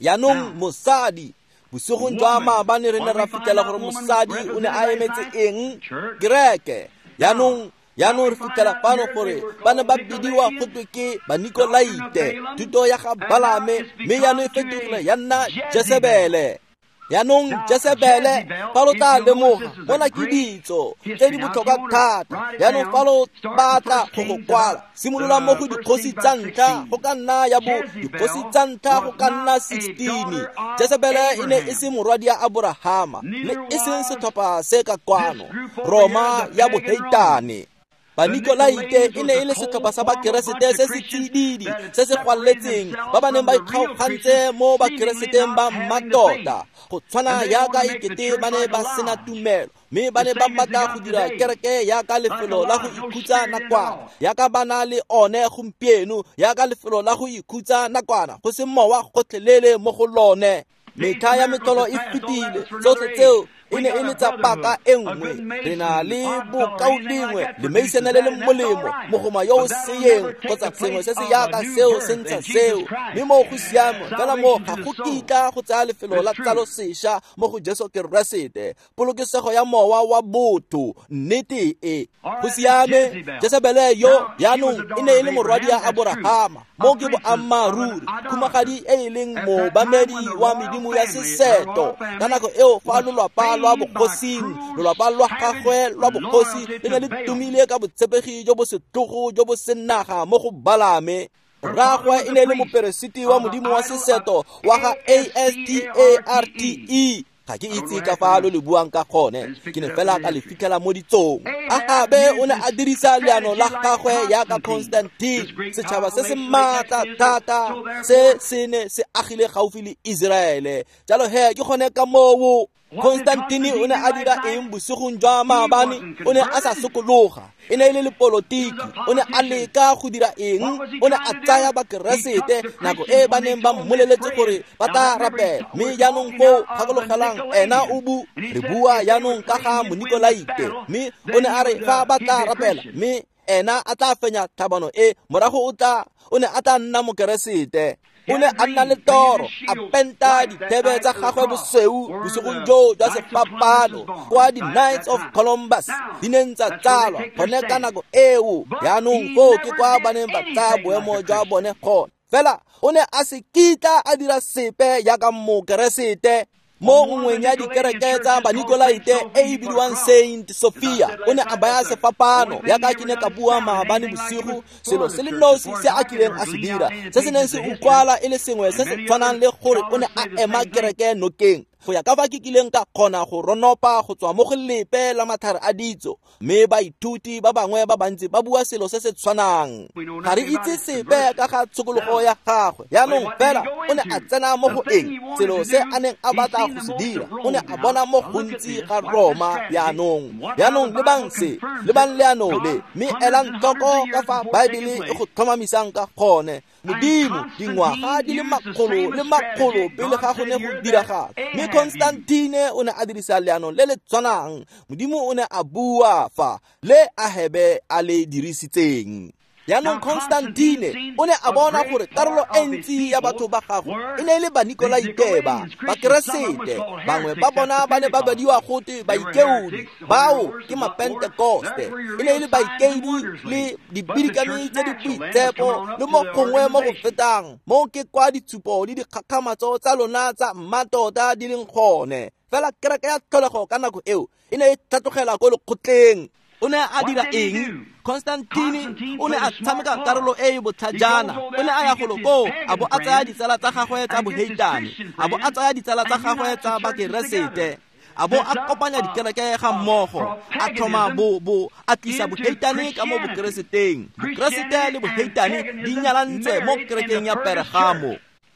Jaanong mosadi, bosigong jwa maabane re ne ra fitlhela gore mosadi o ne a emetse eng? Kereke. Jaanong jaanong re fitlhela fano gore ba ne ba bidiwa go twe ke Banikolaite, thuto ya ga Balame, mme jaanong e fetogile ya nna Jesebele. Jaanong Jesebele, fa lo tla lemoga, mona ke ditso tse di botlhokwa thata. Jaanong fa lo batla go go kwala, simolola mo go dikgosi tsa ntlha go ka nna ya bo dikgosi tsa ntlha go ka nna sixteen. Jesebele e ne e se morwadi ya Aborahama, le e seng setlhopha se ka kwano, Roma ya boheitane. Banikolaite e ne e le setlhopha sa bakeresete se se tsididi se se gwaletseng, ba ba neng ba ikgaogantse mo bakereseteng ba mmatota, go tshwana yaka e kete ba ne ba sena tumelo, mme ba ne ba batla go dira kereke yaka lefelo la go ikhutsa nakwana, yaka ba na le one gompieno, yaka lefelo la go ikhutsa nakwana, go se mowa gotlhelele mo go lone. Metlha ya metlholo e fetile, tsotlhe tseo e ne e le tsa paka e nngwe. Re na le bokaulengwe lemeisana le le molemo, mogoma yo o seyeng kgotsa sengwe se se yaka seo se ntsha seo, mme mo go siame fela mo ga go kitla go tsaya lefelo la tsalo sešwa mo go Jesu Keresete, polokesego ya mowa wa botho. Nnete e go siame. Jesebele yo jaanong e ne e le morwadi ya Aborahama, mo ke boammaaruri, khumagadi e e leng moobamedi wa medimo ya seseto. Ka nako eo fa lolwapa lwa bogosing, lolwapa lwa gagwe lwa bogosi le ne le tumile ka botshepegi jo bo setlhogo jo bo senaga mo go Balame. Rraagwe e ne e le moperesiti wa modimo wa seseto wa ga A S T A R T E. Ga ke itse ka fa lo le buang ka gone, ke ne fela ka le fitlhela mo ditsong. Ahabe o ne a dirisa leano la gagwe yaka Constantine, setšhaba se se maatla thata se se ne se agile gaufi le Iseraele. Jalo he ke gone ka moo Constantine o ne a dira eng bosigong jwa maabane? O ne a sa sokologa, e ne e le lepolotiki. O ne a leka go dira eng? O ne a tsaya bakeresete nako e ba neng ba mmoleletse gore ba tla rapela, mme jaanong foo gakologelang ena o bu re bua jaanong ka ga Monikolaite, mme o ne a re fa ba tla rapela mme ena a tla fenya tlhabano e, morago o tla o ne a tla nna mokeresete. O ne a nna le toro, a penta dithebe tsa gagwe bosweu bosigong joo jwa sefapano kwa di-Knights of Columbus di neng tsa tsalwa gone ka nako eo. Jaanong foo ke kwa ba neng ba tsaya boemo jwa bone gone. Fela o ne a se kitla a dira sepe jaaka Mokeresete. Mo nngweng ya dikereke tsa Banikolaite e e bidiwang Saint Sophia, o ne a baya sefapano jaaka ke ne ka bua maabane bosigo. Selo se le nosi se a kileng a se dira se se neng se utlwala e le sengwe se se tshwanang le gore o ne a ema kereke nokeng, go ya ka fa ke kileng ka kgona go ronopa go tswa mo go lepe la matlhare a ditso. Mme baithuti ba bangwe ba bantsi ba bua selo se se tshwanang. Ga re itse sepe ka ga tshokologo ya gagwe. Jaanong fela o ne a tsena mo go eng? Selo se a neng a batla go se dira, o ne a bona mo gontsi ga Roma. Jaanong jaanong lebang se, lebang leano le, mme elang tlhoko ka fa Baebele e go tlhomamisang ka gone. Modimo dingwaga di le makgolo le makgolo pele ga go ne go diragala. Mme Constantine o ne a dirisa leano le le tshwanang. Modimo o ne a bua fa le Ahebe a le dirisitseng. Jaanong Constantine o ne a bona gore karolo e ntsi ya batho ba gagwe e ne e le Banikolaite ba Bakeresete. Bangwe ba bona ba ne ba badiwa gote baikeodi, bao ke Mapentekoste. E ne e le baikeodi le dibidikami tse di boitshepo le mo gongwe mo go fetang. Mo ke kwa ditshupo le dikgakgamatso tsa lona tsa mmatota di leng gone. Fela kereke ya tlholego ka nako eo e ne e tlhatlogela ko lekgotleng. O ne a dira eng? Constantine o ne a tshameka karolo e e botlhajana. O ne a ya golo koo a bo a tsaya ditsala tsa gagwe tsa boheitane, a bo a tsaya ditsala tsa gagwe tsa Bakeresete, a bo a kopanya dikereke ga mmogo, a tlhoma bo bo a tlisa boheitane ka mo Bokereseteng. Bokeresete le boheitane di nyalantswe mo kerekeng ya Pergamo.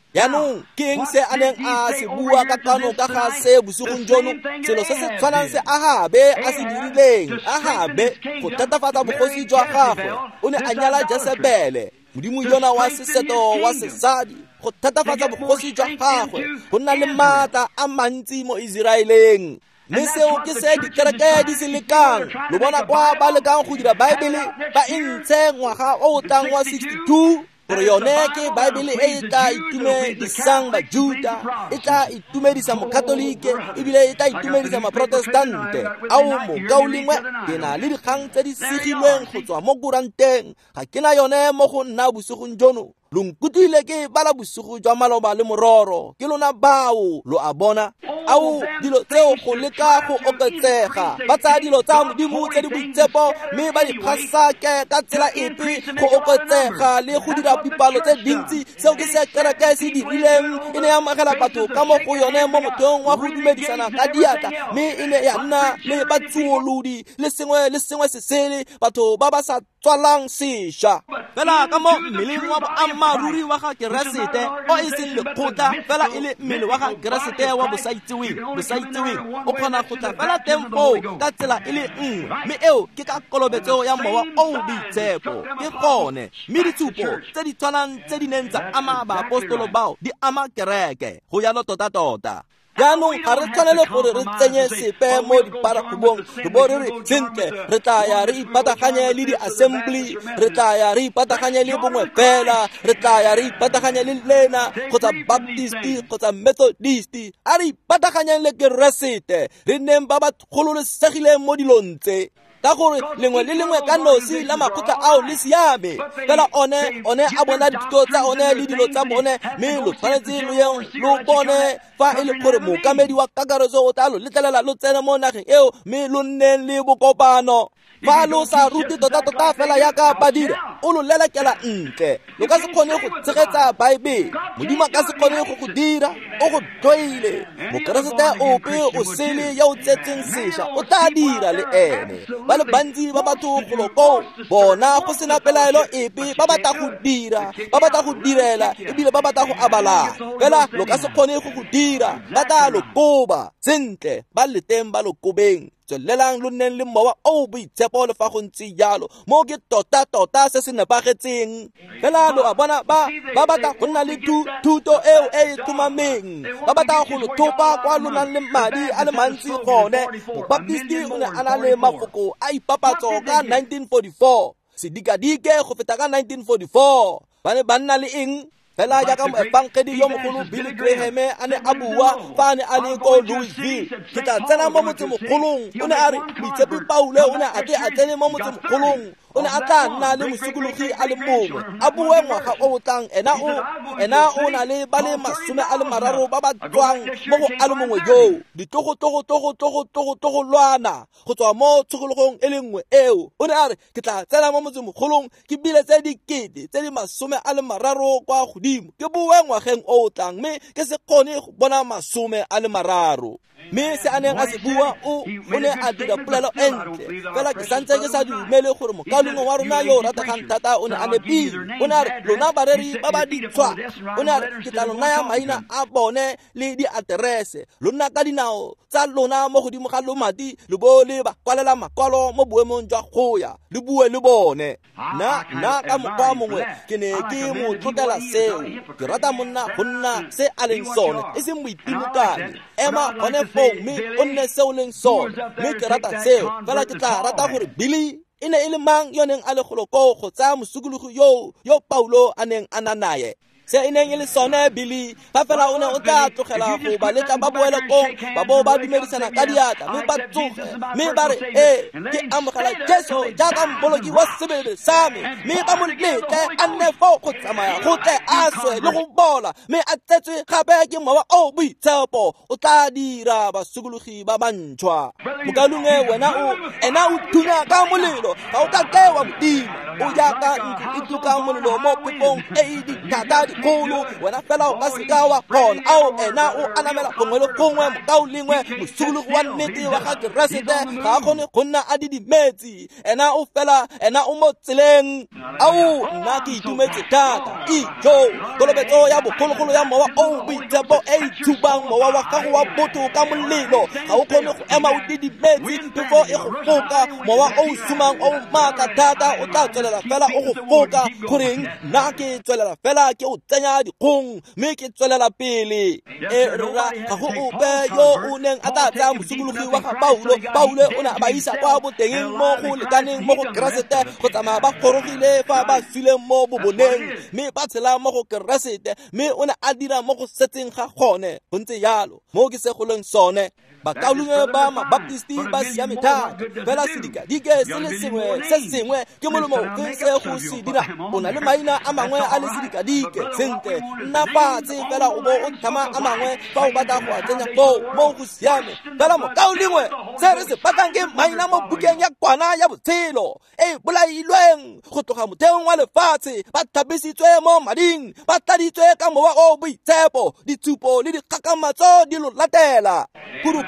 Jaanong ke eng se a neng a se bua ka kwano ka ga se bosigong jono? Selo se se tshwanang se Ahabe a se dirileng. Ahabe go thatafatsa bogosi jwa gagwe, o ne a nyala Jesebele, modimo yona wa seseto wa sesadi, go thatafatsa bogosi jwa gagwe, go nna le maatla a mantsi mo Iseraeleng. Mme seo ke se dikereke di se lekang. Lo bona kwa ba lekang go dira Baebele ba e ntshe ngwaga o o tlang wa sixty-two, gore yone ke Baebele e e tla itumedisang Bajuta, e tla itumedisa Mokatolike, ebile e tla itumedisa Maprotestante. Ao mokaulengwe, ke na le dikgang tse di segilweng go tswa mo kuranteng. Ga ke na yone mo go nna bosigong jono. Lo nkutlwile ke bala bosigo jwa maloba le mororo. Ke lona bao, lo a bona. Ao dilo tseo go leka go oketsega. Ba tsaya dilo tsa Modimo tse di boitshepo mme ba di gasake ka tsela epe go oketsega le go dira dipalo tse dintsi. Seo ke se kereke se dirileng. E ne ya amogela batho ka mo go yone mo motheong wa go dumedisana ka diatla, mme e ne ya nna le batsuolodi le sengwe le sengwe se sele, batho ba ba sa tswalang sešwa. Fela ka mo mmeleng wa boammaaruri wa ga Keresete, o e seng lekgotla, fela e le mmele wa ga Keresete wa bosaitseweng, bosaitseweng, o kgona go tla fela teng foo ka tsela e le nngwe, mme eo ke ka kolobetso ya Mowa o o Boitshepo. Ke gone mme ditshupo tse di tshwanang tse di neng tsa ama baapostolo bao di ama kereke. Go jalo tota-tota. Jaanong ga re tshwanele gore re tsenye sepe mo diparakgobong, re bo re re sentle re tla ya re ipataganye le di-assembly, re tla ya re ipataganye le bongwe fela, re tla ya re ipataganye le lena kgotsa Baptist kgotsa Methodist. A re ipataganyeng le Keresete, re nneng ba ba gololesegileng mo dilong tse. Ka gore lengwe le lengwe ka nosi la makgotla ao le siame, fela one one a bona dithuto tsa one le dilo tsa bone, mme lo tshwanetse lo yeng lo bone fa e le gore mookamedi wa kakaretso o tla lo letlelela lo tsene mo nageng eo, mme lo nneng le bokopano. Fa lo sa rute tota-tota fela yaka ba dira, o lo lelekela ntle. Lo ka se kgone go tshegetsa Baebele. Modimo a ka se kgone go go dira, o go tloile. Mokeresete ope o sele ya o tsetseng sešwa o tla dira le ene. Ba le bantsi ba batho golo koo, bona go sena pelaelo epe, ba batla go dira, ba batla go direla, ebile ba batla go abalana. Fela lo ka se kgone go go dira, ba tla lo koba. Sentle, ba le teng ba lo kobeng. Tswelelang lo nneng le Mowa o o Boitshepo le fa go ntse jalo. Mo ke tota-tota se se nepagetseng. Fela lo a bona ba ba batla go nna le thuto eo e e tlhomameng. Ba batla go lo thopa kwa lo nang le madi a le mantsi gone. Mobaptisti o ne a na le mafoko a ipapatso ka nineteen forty-four. Sedikadike go feta ka nineteen forty-four. Ba ne ba nna le eng? Fela jaaka moefangedi yo mogolo Billy Graham a ne a bua fa a ne a le ko Louisville, ke tla tsena mo motsemogolong. O ne a re Moitshepi Paulo o ne a tle a tsene mo motsemogolong, O ne a tla nna le mosokologi a le mongwe a boe ngwaga o o tlang. Ena o ena o na le ba le masome a le mararo ba ba tswang mo go a le mongwe yoo, ditlogo-tlogo-tlogo-tlogo-tlogo-lwana go tswa mo tshokologong e le nngwe eo. O ne a re, ke tla tsena mo motsemogolong ke bile tse dikete tse di masome a le mararo kwa godimo, ke boe ngwageng o o tlang mme ke se kgone go bona masome a le mararo. Mme se a neng a se bua, o o ne a dira polelo e ntle, fela ke santse ke sa dumele gore mokaulengwe wa rona yo o rategang thata o ne a nepile. O ne a re, lona bareri ba ba ditshwa, o ne a re, ke tla lo naya maina a bone le diaterese, lo nna ka dinao tsa lona mo godimo ga lomati, lo bo le ba kwalela makwalo mo boemong jwa go ya le bue le bone. Nna nna ka mokgwa mongwe ke ne ke mo tlotlela seo. Ke rata monna go nna se a leng sone, e seng moitimokanyi. Ema gone foo mme o nne se o leng sone, mme ke rata seo. Fela ke tla rata gore Billy e ne e le mang yo neng a le golo koo go tsaya mosokologi yoo yo Paulo a neng a na naye. Se e neng e le sone Billy, fa fela o ne o tla tlogela go ba letla ba boele kong, ba bo ba dumedisana ka diatla mme ba tsoge mme ba re, ee, ke amogela Jesu jaaka mmoloki wa sebele sa me, mme ba mo letle a nne foo go tsamaya go tle a swe le go bola, mme a tsetswe gape ke Mowa o Boitshepo, o tla dira basokologi ba bantšhwa. Mokaulengwe, wena o ena o thunya ka molelo, ga o ka ke wa modimo, o jaaka ntlo e tuka molelo mo phefong e e dithata dikgolo, wena fela o ka seka wa kgona. Ao, ena o anamela gongwe le gongwe. Mokaulengwe, mosokologi wa nnete wa ga Keresete ga a kgone go nna a didimetse, ena o fela ena o mo tseleng. Ao, nna ke itumetse thata. Ijo, kolobetso ya bogologolo ya Mowa o Boitshepo e e thubang mowa wa gago wa botho ka molelo, ga o kgone go ema o didimetse phefo e go foka. Mowa o o sumang o maatla thata o tla tswelela fela o go foka. Goreng nna ke tswelela fela ke o tsenya dikgong mme ke tswelela pele. E rra, ga go ope yo o neng a tla tsaya mosokologi wa ga Paulo. Paulo o ne a ba isa kwa botengeng mo go lekaneng mo go Keresete go tsamaya ba gorogile fa ba suleng mo boboneng, mme ba tshela mo go Keresete, mme o ne a dira mo go setseng ga gone. Go ntse jalo mo ke se go leng sone. Bakaulengwe ba Mabaptisti ba siame thata, fela sedikadike se le sengwe se sengwe ke molemo ofe se go se dira? O na le maina a mangwe a le sedikadike, sentle, nna fatshe fela o bo o tlhama a mangwe fa o batla go a tsenya foo, mo go siame. Fela mokaulengwe, se re se batlang ke maina mo bukeng ya kwana ya botshelo e bolailweng go tloga motheong wa lefatshe, ba tlhapisitswe mo mading, ba tladitswe ka Mowa o Boitshepo, ditshupo le dikgakgamatso di lo latela.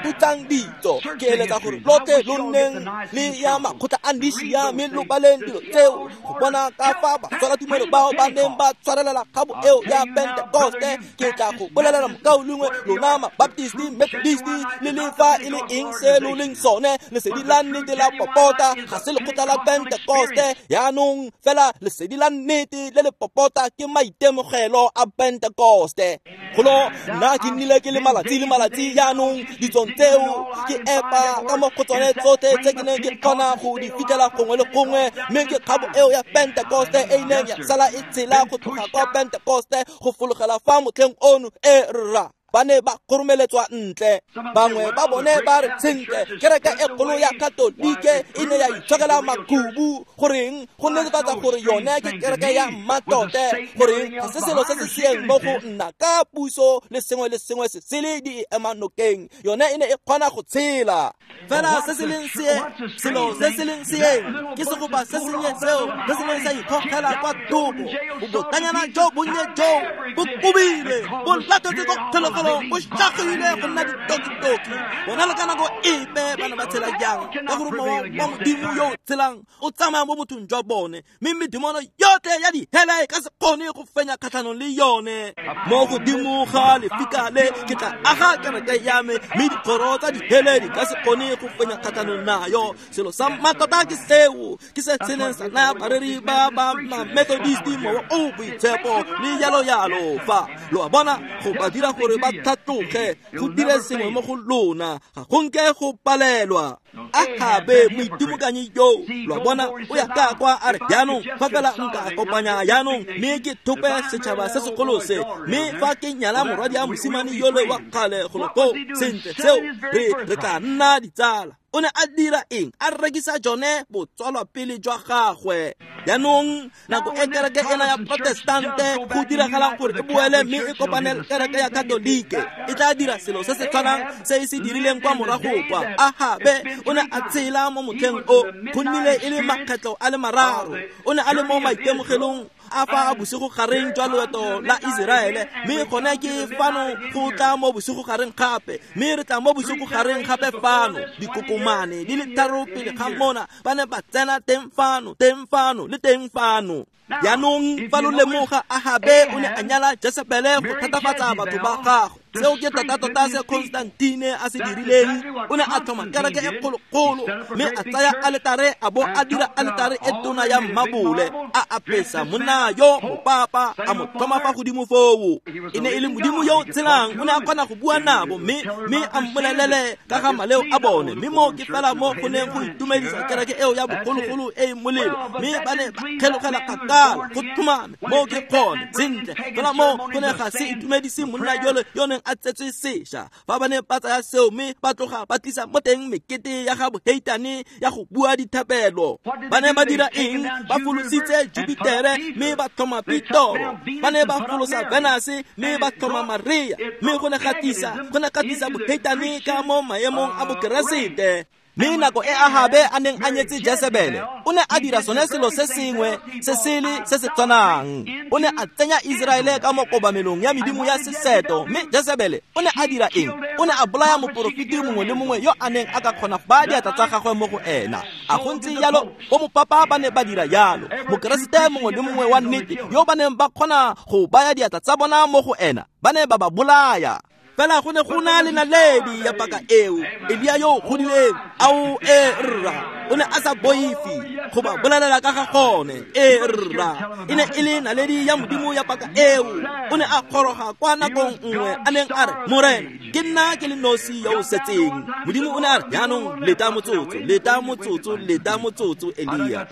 Putsang ditso, ke eletsa gore lotlhe lo nneng le ya makgotla a Nishia mme lo baleng dilo tseo go bona ka fa batshwaratumelo bao ba neng ba tshwarelela kgabo eo ya Pentekoste. Ke tla go bolelela mokaulengwe, lona Mabaptisti, Methodisti le le fa e le eng se lo leng sone, lesedi la nnete la popota ga se lekgotla la Pentekoste. Yaanong fela lesedi la nnete le le popota ke maitemogelo a Pentekoste. Golo nna ke nnile ke le malatsi le malatsi yaanong ditsong tseo ke epa ka mo go tsone tsotlhe tse ke neng ke kgona go di fitlhela gongwe le gongwe, mme ke kgabo eo ya Pentekoste e ileng ya sala e tshela go tloga kwa Pentekoste go fologela fa motlheng ono. E rra, ba ne ba kgoromeletswa ntle. Bangwe ba bone ba re, sentle, kereke e kgolo ya Katolike e ne ya itshokela makhubu. Goreng? Go netefatsa gore yone ke kereke ya mmatote. Goreng? Ga se selo se se seeng mo go nna ka puso le sengwe le sengwe se sele di e ema nokeng. Yone e ne e kgona go tshela. Fela se se leng seeng, selo se se leng seeng ke segopa se sennye seo se se neng sa ikgogela kwa thoko. Bobotanyana jo bonnye joo bo kobile, bo latetse ko kgolegelong, bo šagile go nna ditokitoki. Bona le ka nako epe ba ne ba tshela jang, ka gore mowa wa Modimo yo o tshelang o tsamaya mo bothong jwa bone, mme medimono yotlhe ya dihele e ka se kgone go fenya kgatlhanong le yone. Mo godimo ga lefika le ke tla aga kereke ya me, mme dikgoro tsa dihele di ka se kgone go fenya kgatlhanong nayo. Selo sa mmatota ke seo, ke se se neng sa naya bareri ba ba Methodisti Mowa o Boitshepo le jalo jalo. Fa lo a bona, go ba dira gore ba tlhatloge, go dire sengwe mo go lona, ga go nke go palelwa. Ahabe moitimokanyi yo lo a bona o ya ka kwa a re jaanong fa fela nka kopanya jaanong mme ke thope setšhaba se segolo se mme fa ke nyala morwadi a mosimane yole wa kgale golo koo sentle seo re re tla nna ditsala. O ne a dira eng? A rekisa jone botswalwa pele jwa gagwe. Jaanong nako e kereke ena ya protestante go diragalang gore e boele mme e kopane le kereke ya katolike e tla dira selo se se tshwanang se e se dirileng kwa morago kwa. Ahabe o ne a tshela mo motlheng o go nnile e le makgetlho a le mararo. O ne a le mo maitemogelong a fa bosigo gareng jwa loeto la Iseraele mme gone ke fano go tla mo bosigo gareng gape mme re tla mo bosigo gareng gape fano dikokomane di le tharo pele ga mona ba ne ba tsena teng fano teng fano le teng fano. Jaanong fa lo lemoga Ahabe o ne a nyala Jesebele go thatafatsa batho ba gagwe. Seo ke tota-tota se Constantine a se dirileng. O ne a tlhoma kereke e kgolokgolo mme a tsaya aletare a bo a dira aletare e tona ya mmabole a apesa monna yo mopapa a mo tlhoma fa godimo foo. E ne e le modimo yo o tshelang, o ne a kgona go bua nabo mme mme a mmolelele ka ga maleo a bone mme mo ke fela mo go neng go itumedisa kereke eo ya bogologolo e e molelo mme ba ne ba kgelogela kgakala go tlhomame mo ke kgone sentle fela mo go ne ga se itumedise monna yole yo neng a tsetswe sešwa. Fa ba ne ba tsaya seo mme ba tloga ba tlisa mo teng mekete ya ga boheitane ya go bua dithapelo. Ba ne ba dira eng? Ba folositse Jupitere mme ba tlhoma Pitoro. Ba ne ba folosa Venus mme ba tlhoma Maria mme go ne ga tlisa go ne ga tlisa boheitane ka mo maemong a bokeresete. Mme nako e Ahabe a neng a nyetse Jesebele o ne a dira sone selo se sengwe se sele se se tshwanang. O ne a tsenya Iseraele ka mo kobamelong ya medimo ya seseto mme Jesebele o ne a dira eng? O ne a bolaya moporofeti mongwe le mongwe yo a neng a ka kgona go baya diatla tsa gagwe mo go ena. A go ntse jalo bo mopapa ba ne ba dira jalo. Mokeresete mongwe le mongwe wa nnete yo ba neng ba kgona go baya diatla tsa bona mo go ena ba ne ba ba bolaya. Fela go ne go na le naledi ya paka eo Elia yo godileng ao e rra o ne a sa boife go ba bolelela ka ga gone e rra e ne e le naledi ya modimo ya paka eo. O ne a goroga kwa nakong nngwe a neng a re morena ke nna ke le nosi yo o setseng. Modimo o ne a re jaanong leta motsotso leta motsotso leta motsotso Elia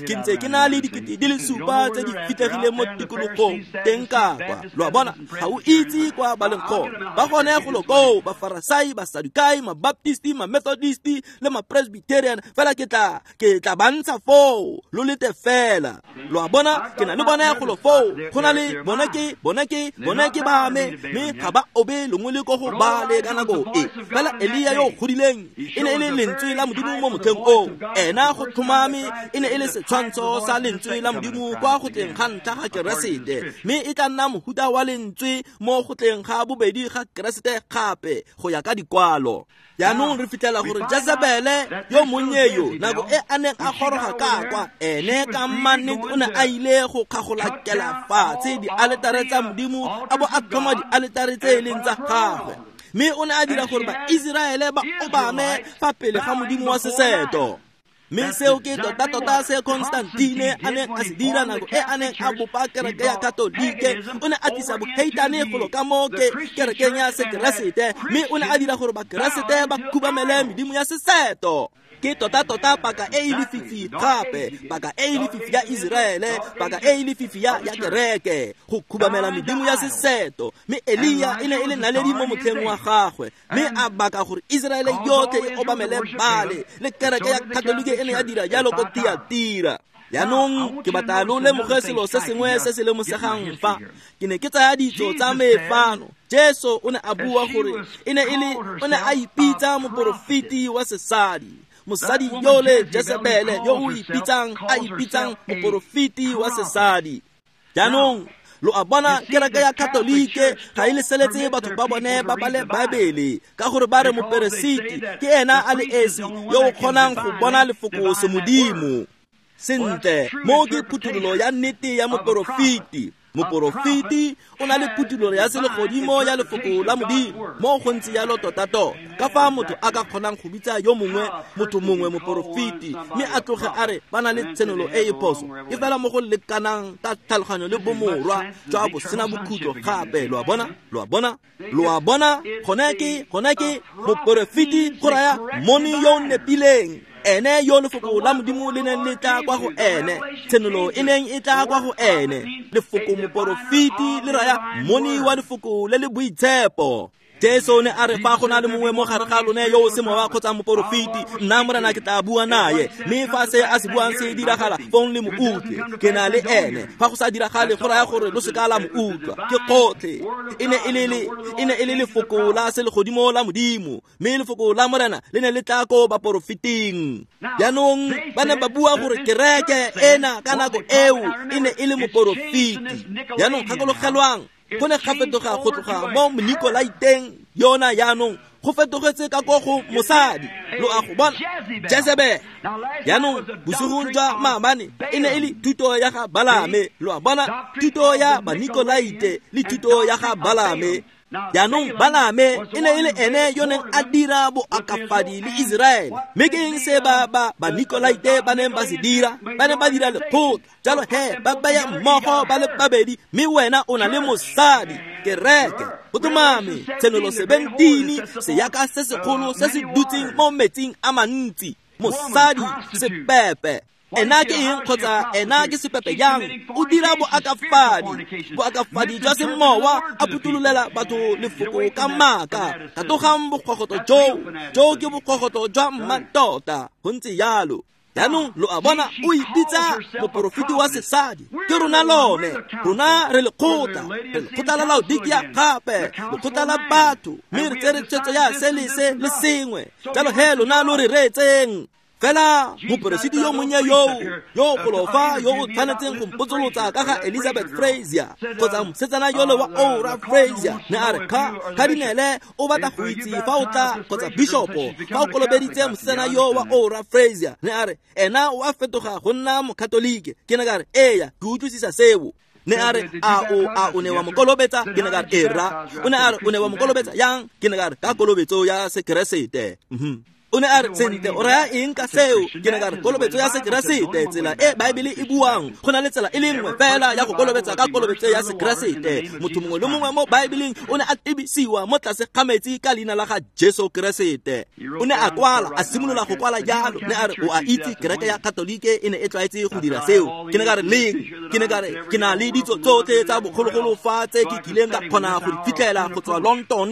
ke ntse ke na le dikete di le supa tse di fitlhegileng mo tikologong teng ka kwa. Lo a bona ga o itse kwa ba leng gone. Ba gone golo koo Bafarasai, Basadukai, Mabaptisti, Mamethodisti le Mapresbyterian fela ke tla ke tla ba ntsha foo lo lete fela. Lo a bona ke na le bone golo foo go na le bone ke bone ke bone ke ba me mme ga ba obe longwe le ko go ba le ka nako e. Fela Elia yo godileng e ne e le lentswe la modimo mo motlheng oo. Ena go tlhomame e ne e le setshwantsho sa lentswe la modimo kwa go tleng ga ntlha ga Keresete mme e tla nna mohuta wa lentswe mo go tleng ga bobedi ga Keresete gape go ya ka dikwalo. Jaanong re fitlhela gore Jezebele yo monnye yo nako e a neng a goroga ka kwa ene ka mannete o ne a ile go kgagolakela fatshe dialetare tsa modimo a bo a tlhoma dialetare tse e leng tsa gagwe mme o ne a dira gore Baiseraele ba obame fa pele ga modimo wa seseto. Mme seo ke tota-tota se Constantine a neng a se dira nako e a neng a bopa kereke ya katolike. O ne a tlisa boheitane golo ka mo ke kerekeng ya sekeresete mme o ne a dira gore bakeresete ba khubamele medimo ya seseto. Ke tota-tota paka e e lefifi gape paka e e lefifi ya Iseraele paka e e lefifi ya ya kereke go khubamela medimo ya seseto. Mme Elia e ne e le naledi mo motlheng wa gagwe mme a baka gore Iseraele yotlhe e obamele Baale le kereke ya katolike e ne ya dira jalo ko Tiatira. Jaanong ke batla lo lemoge selo se sengwe se se lemosegang fa. Ke ne ke tsaya ditso tsa me fano. Jesu o ne a bua gore e ne e le o ne a ipitsa moporofeti wa sesadi. Mosadi yole Jezebele yo o ipitsang a ipitsang moporofeti wa sesadi. Jaanong lo a bona kereke ya katolike ga e leseletse batho ba bone ba bale Baebele ka gore ba re moperesiti ke ena a le esi yo o kgonang go bona lefoko se modimo. Sentle mo ke phuthololo ya nnete ya moporofeti. Moporofeti o na le putulolo ya selegodimo ya lefoko la Modimo mo go ntse jalo tota-tota. Ka fa motho a ka kgonang go bitsa yo mongwe motho mongwe moporofeti mme a tloge a re ba na le tshenolo e e phoso, e fela mo go lekanang ka tlhaloganyo le bomorwa jwa bosena bokhutlo gape. Lo a bona? Lo a bona? Lo a bona? Gone ke gone ke moporofeti go raya moni yo o nepileng, ene yo lefoko la Modimo le neng le tla kwa go ene, tshenolo e neng e tla kwa go ene. Lefoko moporofeti le raya moni wa lefoko le le boitshepo. Jesu ne a re fa go na le mongwe mo gare ga lone yo o se mowa kgotsa moporofeti, nna Morena ke tla bua naye, mme fa se a se buang se diragala, fong le mo utlwe, ke na le ene. Fa go sa diragale go raya gore lo se ka la mo utlwa. Ke gotlhe. E ne e le le e ne e le lefoko la selegodimo la Modimo, mme lefoko la Morena le ne le tla ko baporofeting. Jaanong ba ne ba bua gore kereke ena ka nako eo e ne e le moporofeti. Jaanong gakologelwang, go ne ga fetoga go tloga mo Monikolaiteng yona jaanong go fetogetse ka ko go mosadi. Lo a go bona? Jezebel. Jaanong bosigong jwa maabane e ne e le thuto ya ga Balame. Lo a bona? Thuto ya Banikolaite le thuto ya ga Balame. Jaanong Balame e ne e le ene yo neng a dira boakafadi le Iseraele. Mme ke eng se ba ba Banikolaite ba neng ba se dira? Ba ne ba dira lekgotla. Jalo he ba baya mmogo ba le babedi, mme wena o na le mosadi, kereke. Go tlhomame, tshenolo seventeen, seaka se segolo se se dutseng mo metsing a mantsi, mosadi sepepe. Ena ke eng kgotsa ena ke sepepe jang? O dira boakafadi, boakafadi jwa semowa, a phuthulolela batho lefoko ka maaka. Katogang bokgogoto joo, joo ke bokgogoto jwa mmatota. Go ntse jalo. Jaanong lo a bona, o ipitsa moporofeti wa sesadi. Ke rona lone, rona re lekgotla, re lekgotla la Laodikia gape, lekgotla la batho, mme re tsere tshwetso ya se le se le sengwe. Jalo he lona lo re reetseng. Fela moporofeti yo monnye yoo yo golofa yo o tshwanetseng go mpotsolotsa ka ga Elizabeth Frazier kgotsa mosetsana yole wa Ora Frazier, ne a re kha kardinele o batla go itse fa o tla kgotsa bishopo fa o kolobeditse mosetsana yo wa Ora Frazier, ne a re ena o a fetoga go nna mokatolike. Ke ne ka re eya, ke utlwisisa seo. Ne a re a o a o ne wa mo kolobetsa? Ke ne ka re era. O ne a re o ne wa mo kolobetsa yang? Ke ne ka re ka kolobetso ya Sekeresete. Mhm. O ne a re sentle o raya eng ka seo? Ke ne ka re kolobetso ya Sekeresete, tsela e Baebele e buang, go na le tsela e le nngwe fela ya go kolobetsa ka kolobetso ya Sekeresete. Motho mongwe le mongwe mo Baebeleng o ne a tebisiwa mo tlase ga metsi ka leina la ga Jesu Keresete. O ne a kwala, a simolola go kwala jalo. Ne a re o a itse kereke ya Katolike e ne e tlwaetse go dira seo. Ke ne ka re leng? Ke ne ka re ke na le ditso tsotlhe tsa bogologolo fa tse ke kileng ka kgona go di fitlhela go tswa London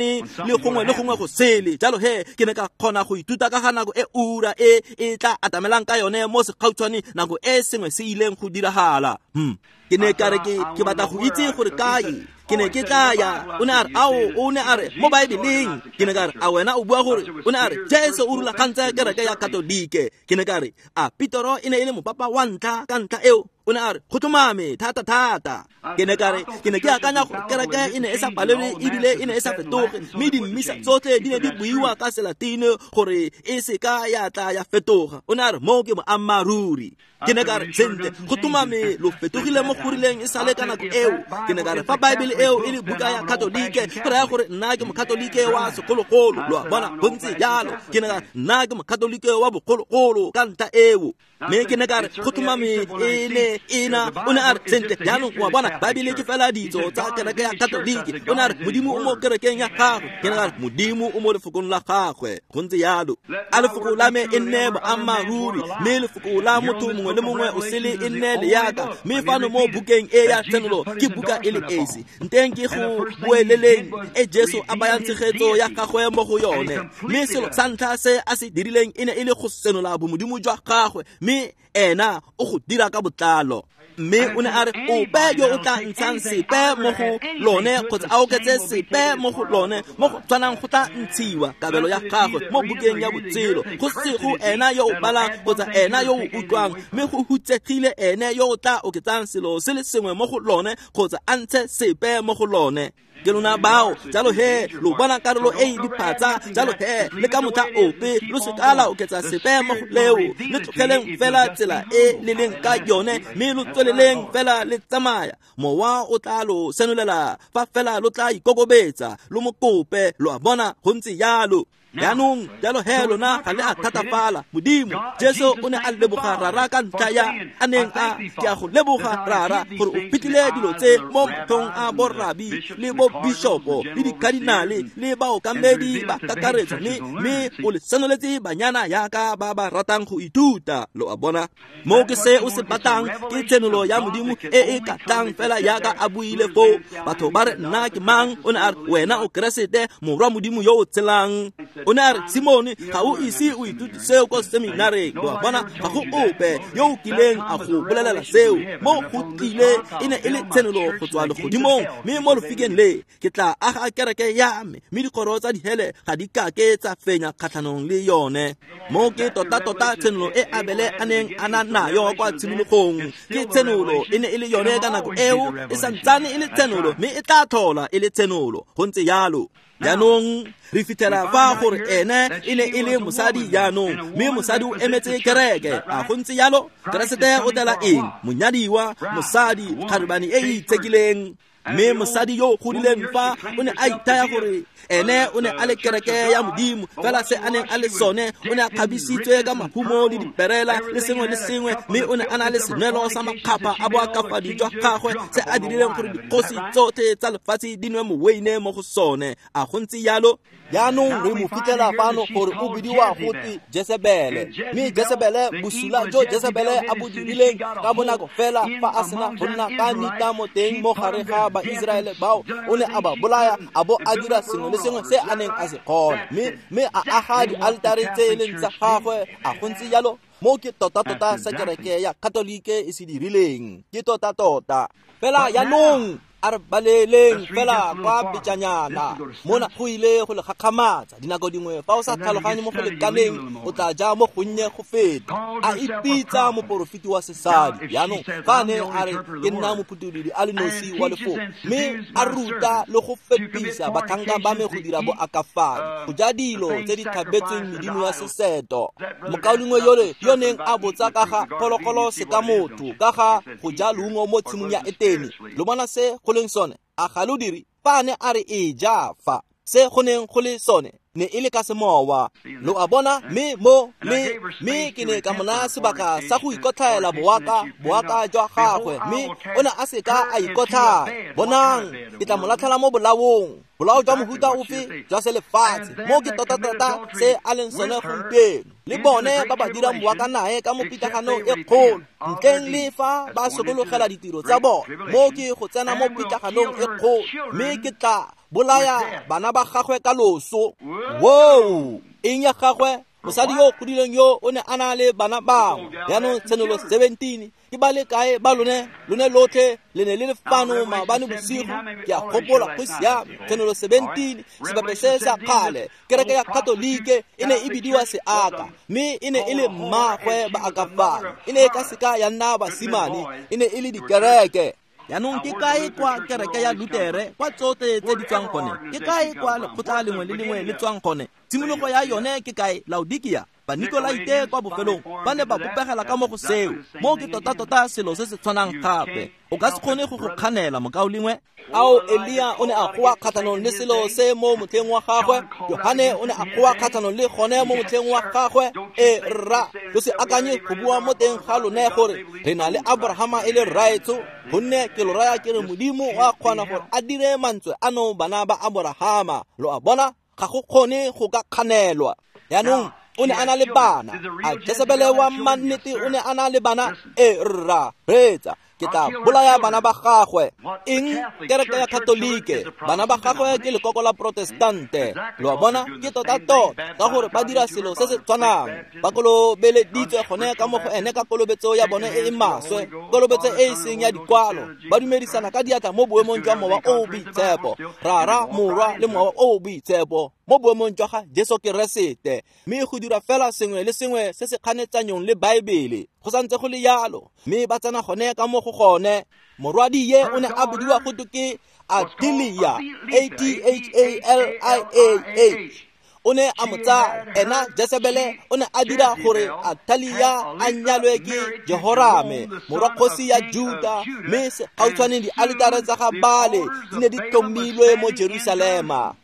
le gongwe le gongwe go sele. Jalo he ke ne ka kgona go ithuta ka ga nako e ura e e tla atamelang ka yone mo segautshwane, nako e sengwe se ileng go diragala. Hmm. Ke ne ka re ke ke batla go itse gore kae ke ne ke tla ya. O ne a re ao, o ne a re mo Baebeleng. Ke ne ka re a wena o bua gore? O ne a re Jesu o rulagantse kereke ya Katolike. Ke ne ka re a Petro e ne e le mopapa wa ntlha ka ntlha eo? O ne a re go tlhomame thata thata. Ke ne ka re ke ne ke akanya gore kereke e ne e sa palelwe ebile e ne e sa fetoge, mme dimmisa tsotlhe di ne di buiwa ka Selatine gore e se ka ya tla ya fetoga. O ne a re mo ke boammaaruri. Ke ne ka re sentle go tlhomame lo fetogile mo go rileng e sale ka nako eo. Ke ne ka re fa Baebele eo e le buka ya Katolike, go raya gore nna ke mokatolike wa segologolo. Lo a bona, go ntse jalo. Ke ne ka re nna ke mokatolike wa bogologolo ka ntlha eo. Mme ke ne ka re go tlhomame e ne ena. O ne a re sentle jaanong o a bona Baebele ke fela ditso tsa kereke ya Katolike. O ne a re Modimo o mo kerekeng ya gagwe. Ke ne ka re Modimo o mo lefokong la gagwe. Go ntse jalo. A lefoko la me e nne boammaaruri, mme lefoko la motho mongwe le mongwe o sele e nne leaka. Mme fano mo bukeng e ya Tshenolo ke buka e le esi nteng ke go boeleleng e Jesu a bayang tshegetso ya gagwe mo go yone. Mme selo sa ntlha se a se dirileng e ne e le go senola bomodimo jwa gagwe, mme ena o go dira ka botlalo. Mme o ne a re ope yo o tla ntshang sepe mo go lone kgotsa a oketse sepe mo go lone mo go tshwanang go tla ntshiwa kabelo ya gagwe mo bukeng ya botshelo. Go sego ena yo o balang kgotsa ena yo o utlwang, mme go hutsegile ene yo o tla oketsang selo se le sengwe mo go lone kgotsa a ntshe sepe mo go lone. Ke lona bao, jalo he, lo bona karolo e e diphatsa, jalo he, le ka motlha ope, lo seka la oketsa sepe mo go leo, le tlogeleng fela tsela e le leng ka yone, mme lo tsweleleng fela le tsamaya. Mowa o tla lo senolela fa fela lo tla ikokobetsa, lo mo kope, lo a bona, go ntse jalo. Jaanong jalo he lona ga le a thatafala. Modimo Jesu o ne a leboga Rara ka ntlha ya a neng a ke a go leboga Rara gore o fitlhile dilo tse mo matlhong a borabi le bo bishopo le dikadinale le baokamedi ba kakaretso, mme mme o le senoletse banyana yaka ba ba ratang go ithuta. Lo a bona, mo ke se o se batlang ke tshenolo ya Modimo e e ka tlang fela yaka a buile foo. Batho ba re nna ke mang? O ne a re wena o Keresete, morwa Modimo yo o tshelang. O ne a re Simone, ga o ise o ithute seo ko seminareng. Lo a bona, ga go ope yo o kileng a go bolelela seo. Mo go tlile e ne e le tshenolo go tswa legodimong, mme mo lefikeng le ke tla aga kereke ya me, mme dikgoro tsa dihele ga di kake tsa fenya kgatlhanong le yone. Mo ke tota-tota tshenolo e Abele a neng a na nayo kwa tshimologong. Ke tshenolo e ne e le yone ka nako eo, e santsane e le tshenolo, mme e tla tlhola e le tshenolo. Go ntse jalo. Jaanong re fitlhela fa gore ene e ne e le mosadi jaanong, mme mosadi o emetse kereke. A go ntse jalo? Keresete o tela eng? Monyadiwa, mosadi, kgarebane e e itshekileng. Mme mosadi yo o godileng fa o ne a ithaya gore ene o ne a le kereke ya Modimo, fela se a neng a le sone, o ne a kgabisitswe ka mahumo le diperela le sengwe le sengwe, mme o ne a na le senwelo sa makgapha a boakafadi jwa gagwe se a dirileng gore dikgosi tsotlhe tsa lefatshe di nwe moweine mo go sone. A go ntse jalo? Jaanong re mo fitlhela fano gore o bidiwa gote Jesebele, mme Jesebele, bosula jo Jesebele a bo dirileng ka bonako fela fa a sena go nna ka nitamo teng mo gare ga Baiseraele bao, o ne a ba bolaya a bo a dira sengwe le sengwe se a neng a se kgona, mme mme a aga dialtare tse e leng tsa gagwe. A go ntse jalo? Mo ke tota-tota se kereke ya Katolike e se dirileng, ke tota-tota fela. Jaanong a re baleleng fela kwa pejanyana mona, go ile go le gakgamatsa. Dinako dingwe fa o sa tlhaloganye mo go lekaneng, o tla ja mo gonnye go feta. A ipitsa moporofeti wa sesadi. Jaanong fa a ne a re ke nna mophutholodi a le nosi wa lefoko, mme a ruta le go fepisa batlhanka ba me go dira boakafadi, go ja dilo tse di tlhabetsweng medimo ya seseto. Mokaulengwe yole yo neng a botsa ka ga phologolo seka motho, ka ga go ja leungo mo tshimong ya Etene, lo bona se go leng sone? A ga lo dire? Fa a ne a re e ja fa, se go neng go le sone ne e le ka semowa. Lo a bona? Mme mo le mme ke ne ka mo naya sebaka sa go ikotlhaela boaka boaka jwa gagwe, mme o ne a seka a ikotlhaya. Bonang, ke tla mo latlhela mo bolaong. Bolao jwa mohuta ofe? Jwa selefatshe. Mo ke tota-tota se a leng sone gompieno. Le bone ba ba dirang boaka nae ka mo pitlaganong e kgolo, ntleng le fa ba sokologela ditiro tsa bone. Mo ke go tsena mo pitlaganong e kgolo, mme ke tla bolaya bana ba gagwe ka loso. Wow! Eng ya gagwe? Mosadi yo o godileng yo o ne a na le bana bangwe. Jaanong tshenolo seventeen, ke ba le kae ba lone? Lone lotlhe le ne le le fano maabane bosigo, ke a gopola go siame. Tshenolo seventeen, sebape se sa kgale, kereke ya Katolike e ne e bidiwa seaka, mme e ne e le mmagwe baakafadi. E ne e ka seka ya nna basimane, e ne e le dikereke. Jaanong ke kae kwa kereke ya Lutere, kwa tsotlhe tse di tswang gone? Ke kae kwa lekgotla lengwe le lengwe le tswang gone? Tshimologo ya yone ke kae? Laodikia. Banikolaite kwa bofelong ba ne ba bopegela ka mo go seo. Mo ke tota-tota selo se se tshwanang gape. O ka se kgone go go kganela, mokaulengwe. Ao, Elia o ne a goa kgatlhanong le selo se mo motlheng wa gagwe. Johane o ne a goa kgatlhanong le gone mo motlheng wa gagwe. E rra, lo se akanye go bua mo teng ga lone gore re na le Abrahama e le rraetsho, gonne ke lo raya ke re Modimo o a kgona gore a dire mantswe ano bana ba Abrahama. Lo a bona, ga go kgone go ka kganelwa. Jaanong o ne a na le bana. A Jesebele wa mannete o ne a na le bana? E rra, reetsa, ke tla bolaya bana ba gagwe. Eng? Kereke ya Katolike, bana ba gagwe ke lekoko la Protestante. Lo a bona, ke tota-tota ka gore ba dira selo se se tshwanang. Ba kolobeleditswe gone ka mo go ene ka kolobetso ya bone e e maswe, kolobetso e e seng ya dikwalo. Ba dumedisana ka diatla mo boemong jwa Mowa o o Boitshepo, Rara, Morwa le Mowa o o Boitshepo, mo boemong jwa ga Jesu Keresete. Mme go dira fela sengwe le sengwe se se kganetsanyong le Baebele. Go santse go le jalo, mme ba tsena gone ka mo go gone. Morwadi ye o ne a bidiwa go twe ke Athalia, A T H A L I A H. O ne a mo tsaya ena Jesebele o ne a dira gore Athalia a nyalwe ke Jehorame morwa kgosi ya Juda, mme gautshwane dialetare tsa ga Baale di ne di tlhomilwe mo Jerusalema.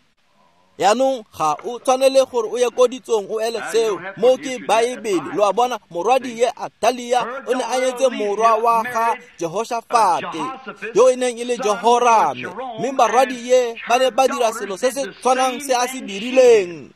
Yaanong ga o tshwanele gore o ye ko ditsong o ele seo, mo ke Baebele. Lo a bona, morwadi ye Athalia o ne a nyetse morwa wa ga Jehoshafate yo e neng e le Jehorame, mme barwadi ye ba ne ba dira selo se se tshwanang se a se dirileng.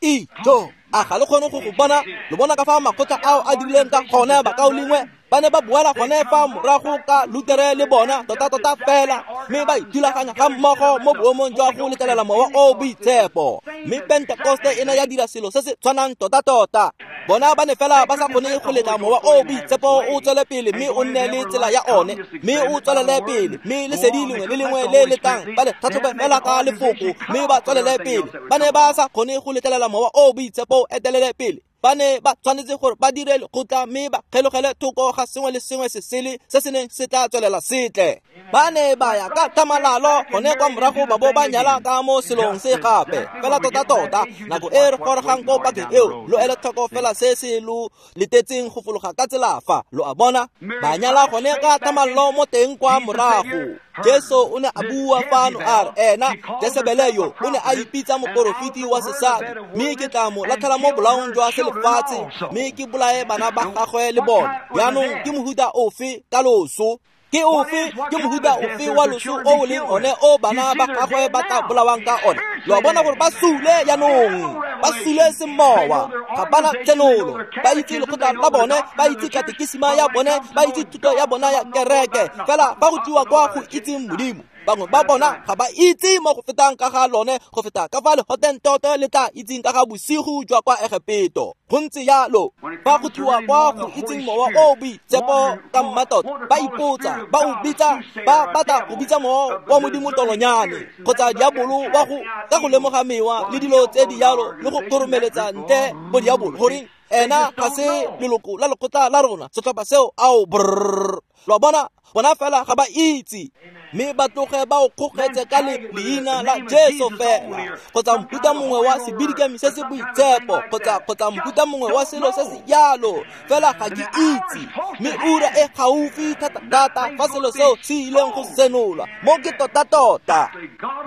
Ijo, a ga le kgone go go bona? Lo bona ka fa makgotla ao a dirileng ka gone, bakaulengwe? Ba ne ba boela gone fa morago ka Lutere le bona tota-tota fela, mme ba ithulaganya ga mmogo mo boemong jwa go letlelela Mowa o o Boitshepo. Mme Pentekoste e ne ya dira selo se se tshwanang tota-tota. Bona ba ne fela ba sa kgone go letla Mowa o o Boitshepo o tswele pele mme o nne le tsela ya one, mme o tswelele pele, mme lesedi lengwe le lengwe le le tlang ba le tlhatlhobe fela ka lefoko mme ba tswelele pele. Ba ne ba sa kgone go letlelela Mowa o o Boitshepo o etelele pele. Ba ne ba tshwanetse gore ba dire lekgotla mme ba kgelogele thoko ga sengwe le sengwe se sele se se neng se tla tswelela setle. Ba ne ba ya ka thamalalo gone kwa morago ba bo ba nyala ka mo selong se gape. Fela tota-tota nako e re gorogang ko pakeng eo, lo ele tlhoko fela se se lo letetseng go fologa ka tsela fa. Lo a bona, ba nyala gone ka thamalalo mo teng kwa morago. Jesu o ne a bua fano a re ena Jesebele yo o ne a ipitsa moporofeti wa sesadi, mme ke tla mo latlhela mo bolaong jwa selefatshe mme ke bolaye bana ba gagwe le bone. Jaanong ke mohuta ofe ka loso? Ke ofe ke mohuta ofe wa loso o o leng one o bana ba gagwe ba tla bolawang ka one? Lo a bona gore ba sule jaanong, ba sule semowa, ga bana tshenolo. Ba itse lekgotla la bone, ba itse katekisima ya bone, ba itse thuto ya bona ya kereke, fela ba go tliwa kwa go itseng Modimo. Bangwe ba bona ga ba itse mo go fetang ka ga lone go feta ka fa lehotentoto le tla itseng ka ga bosigo jwa kwa Egepeto. Go ntse jalo, fa go tliwa kwa go itseng Mowa o o Boitshepo ka mmatota, ba ipotsa, ba o bitsa, ba batla go bitsa Mowa wa Modimo tolonyane kgotsa diabolo wa go ka go lemoga mewa le dilo tse di jalo le go kgoromeletsa ntle bo diabolo. Goreng ena ga se leloko la lekgotla la rona, setlhopha seo, ao brrr. Lo a bona, bona fela ga ba itse, mme ba tloge ba o kgogetse ka leina la Jesu fela, kgotsa mohuta mongwe wa sebidikami se se boitshepo, kgotsa kgotsa mohuta mongwe wa selo se se jalo, fela ga ke itse. Mme ura e gaufi thata-thata fa selo seo se ileng go senolwa, mo ke tota-tota.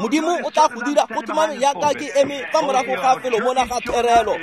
Modimo o tla go dira go tlhomame jaaka ke eme fa morago ga felo mona ga therelo,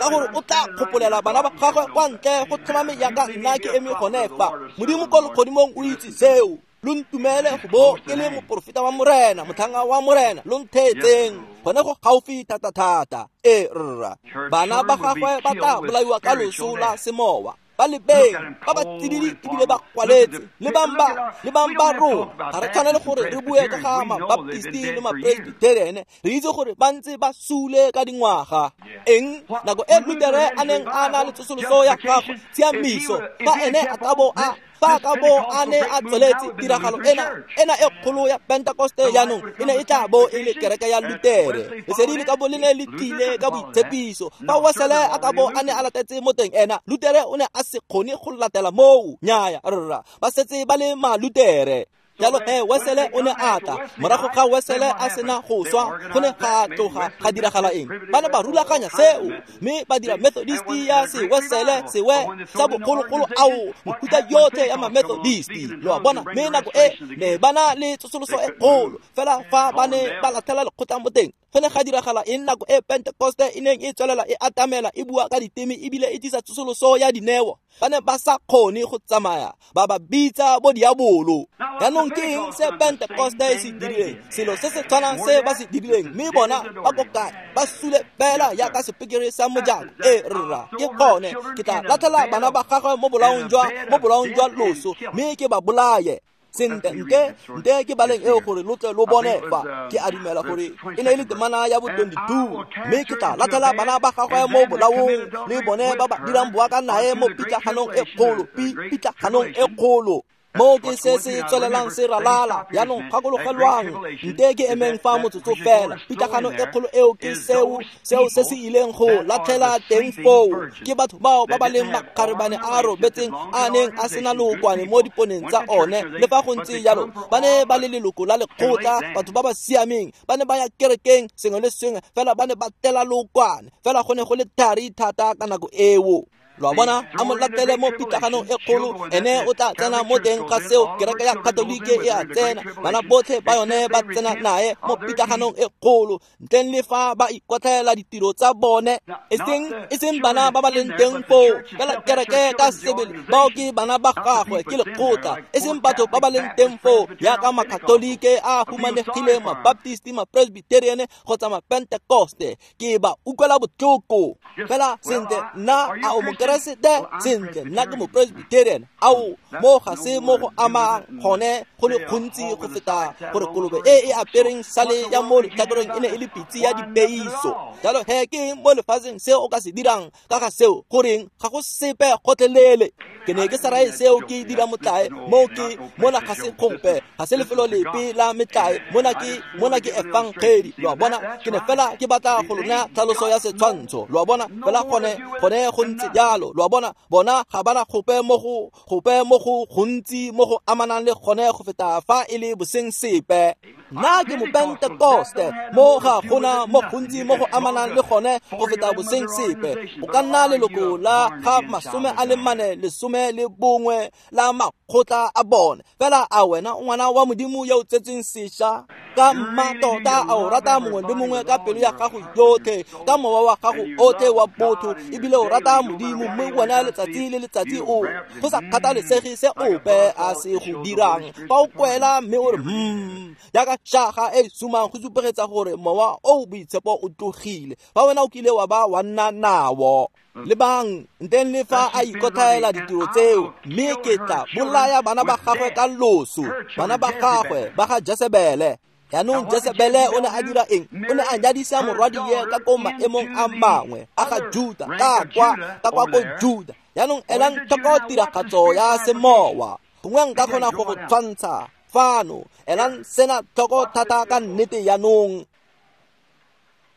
ka gore o tla kgopolela bana ba gagwe kwa ntle go tlhomame jaaka nna ke eme gone fa. Modimo ko legodimong o itse seo. Lo ntumele go bo ke le moporofeta wa Morena, motlhanga wa Morena, lo ntheetseng gone go gaufi thata-thata. E rra, bana ba gagwe ba tla bolaiwa ka loso la semowa. Ba lebeng, ba ba tsididi ebile ba kwaletse, le bang ba, le bang ba rona. Ga re tshwanele gore re bue ka ga mabaptisti le mapresbitheriene, re itse gore ba ntse ba sule ka dingwaga. Eng nako e Lutere a neng a na le tsosoloso ya gagwe, tshiamiso, fa ene a ka bo a fa ka bo a ne a tsweletse tiragalo ena ena e kgolo ya Pentekoste jaanong e ne e tla bo e le kereke ya Lutere. Lesedi le ka bo le ne le tlile ka boitshepiso. Fa Wesele a ka bo a ne a latetse mo teng ena, Lutere o ne a se kgone go latela moo. Nnyaya rra, ba setse ba le Malutere. Jalo he Wesele o ne a tla. Morago ga Wesele a sena go swa, go ne ga tloga ga diragala eng? Ba ne ba rulaganya seo, mme ba dira Methodist ya se Wesele sewe sa bogologolo ao mohuta yotlhe ya ma-Methodist. Lo a bona, mme nako e ne ba na le tsosoloso e kgolo, fela fa ba ne ba latlhela lekgotla mo teng, go ne ga diragala eng nako e Pentekoste e neng e tswelela e atamela e bua ka diteme ebile e tlisa tsosoloso ya dineo? Ba ne ba sa kgone go tsamaya, ba ba bitsa bo diabolo. Jaanong ke eng se Pentekoste e se dirileng? Selo se se tshwanang se ba se dirileng, mme bona ba ko kae? Ba sule fela jaaka sepekere sa mojako. E rra, ke gone ke tla latlhela bana ba gagwe mo bolaong jwa mo bolaong jwa loso, mme ke ba bolaye. Sentle, nte nte ke baleng eo gore lo tle lo bone fa ke a dumela gore e ne e le temana ya bo twenty-two, mme ke tla latlhela bana ba gagwe mo bolaong le bone ba ba dirang boaka nae mo pitlaganong e kgolo, pitlaganong e kgolo. Mo ke se se tswelelang se ralala. Jaanong gakologelwang, nte ke emeng fa motsotso fela. Pitlagano e kgolo eo ke seo seo se se ileng go latlhela teng foo. Ke batho bao ba ba leng makgarebane a robetseng a neng a sena lookwane mo diponeng tsa one. Le fa go ntse jalo, ba ne ba le leloko la lekgotla, batho ba ba siameng, ba ne ba ya kerekeng sengwe le sengwe, fela ba ne ba tela lookwane. Fela go ne go le thari thata ka nako eo. Lo a bona, a mo latele mo pitlaganong e kgolo, ene o tla tsena mo teng ga seo. Kereke ya Katolike e a tsena, bana botlhe ba yone ba tsena nae mo pitlaganong e kgolo, ntleng le fa ba ikotlhaela ditiro tsa bone. Eseng eseng bana ba ba leng teng foo, fela kereke ka sebele, bao ke bana ba gagwe, ke lekgotla. Eseng batho ba ba leng teng foo jaaka Makatolike a humanegileng, Mabaptisti, Mapresbyterian kgotsa Mapentekoste. Ke ba utlwela botlhoko. Fela sentle, nna a o mo Keresete, sentle, nna ke mopresbyterian. Ao, mo ga se mo go amang gone go le gontsi go feta gore kolobe e e apereng sale ya mo letlhakoreng e ne e le pitse ya dipeiso. Jalo he, ke eng mo lefatsheng se o ka se dirang ka ga seo? Goreng, ga go sepe gotlhelele. Ke ne ke sa raye seo ke dira motlae. Mo ke mona ga se kgompe, ga se lefelo lepe la metlae. Mona ke mona ke efangedi. Lo a bona, ke ne fela ke batla go lona tlhaloso ya setshwantsho. Lo a bona, fela gone gone go ntse jalo. Lo a bona, bona ga bana gope mo go gope mo go gontsi mo go amanang le gone go feta fa e le boseng sepe. Nna ke Mopentekoste, mo ga gona mo gontsi mo go amanang le gone go feta boseng sepe. O ka nna leloko la ga masome a le mane lesome le bongwe la makgotla a bone, fela a wena o ngwana wa Modimo yo o tsetsweng sešwa ka mmatota? A o rata mongwe le mongwe ka pelo ya gago yotlhe, ka mowa wa gago otlhe wa botho, ebile o rata Modimo, mme wena letsatsi le letsatsi o go sa kgathalesege se ope a se go dirang. Fa o kwela mme o re hmm, jaaka shaga e sumang, go supegetsa gore mowa o boitshepo o tlogile. Fa wena o kile wa ba wa nna nao. Lebang, nteng le fa a ikotlhaela ditiro tseo, mme ke tla bolaya bana ba gagwe ka loso, bana ba gagwe ba ga Jesebele. Jaanong Jesebele o ne a dira eng? O ne a nyadisa morwadie ka ko maemong a mangwe a ga Juda, ka kwa ka kwa ko Juda. Jaanong elang tlhoko tiragatso ya semowa. Gongwe nka kgona go go tshwantsha fano. Elang sena tlhoko thata ka nnete jaanong.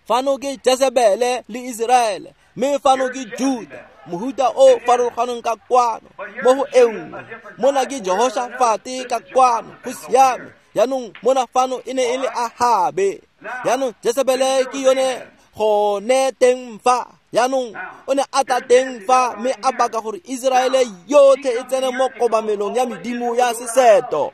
Fano ke Jesebele le Iseraele, mme fano ke Juda, mohuta o farologaneng ka kwano. Mo go e nngwe, mona ke Jehoshafate ka kwano, go siame. Jaanong mona fano e ne e le Ahabe. Jaanong Jesebele ke yone gone teng fa. Jaanong o ne a tla teng fa mme a baka gore Iseraele yotlhe e tsene mo kobamelong ya medimo ya seseto.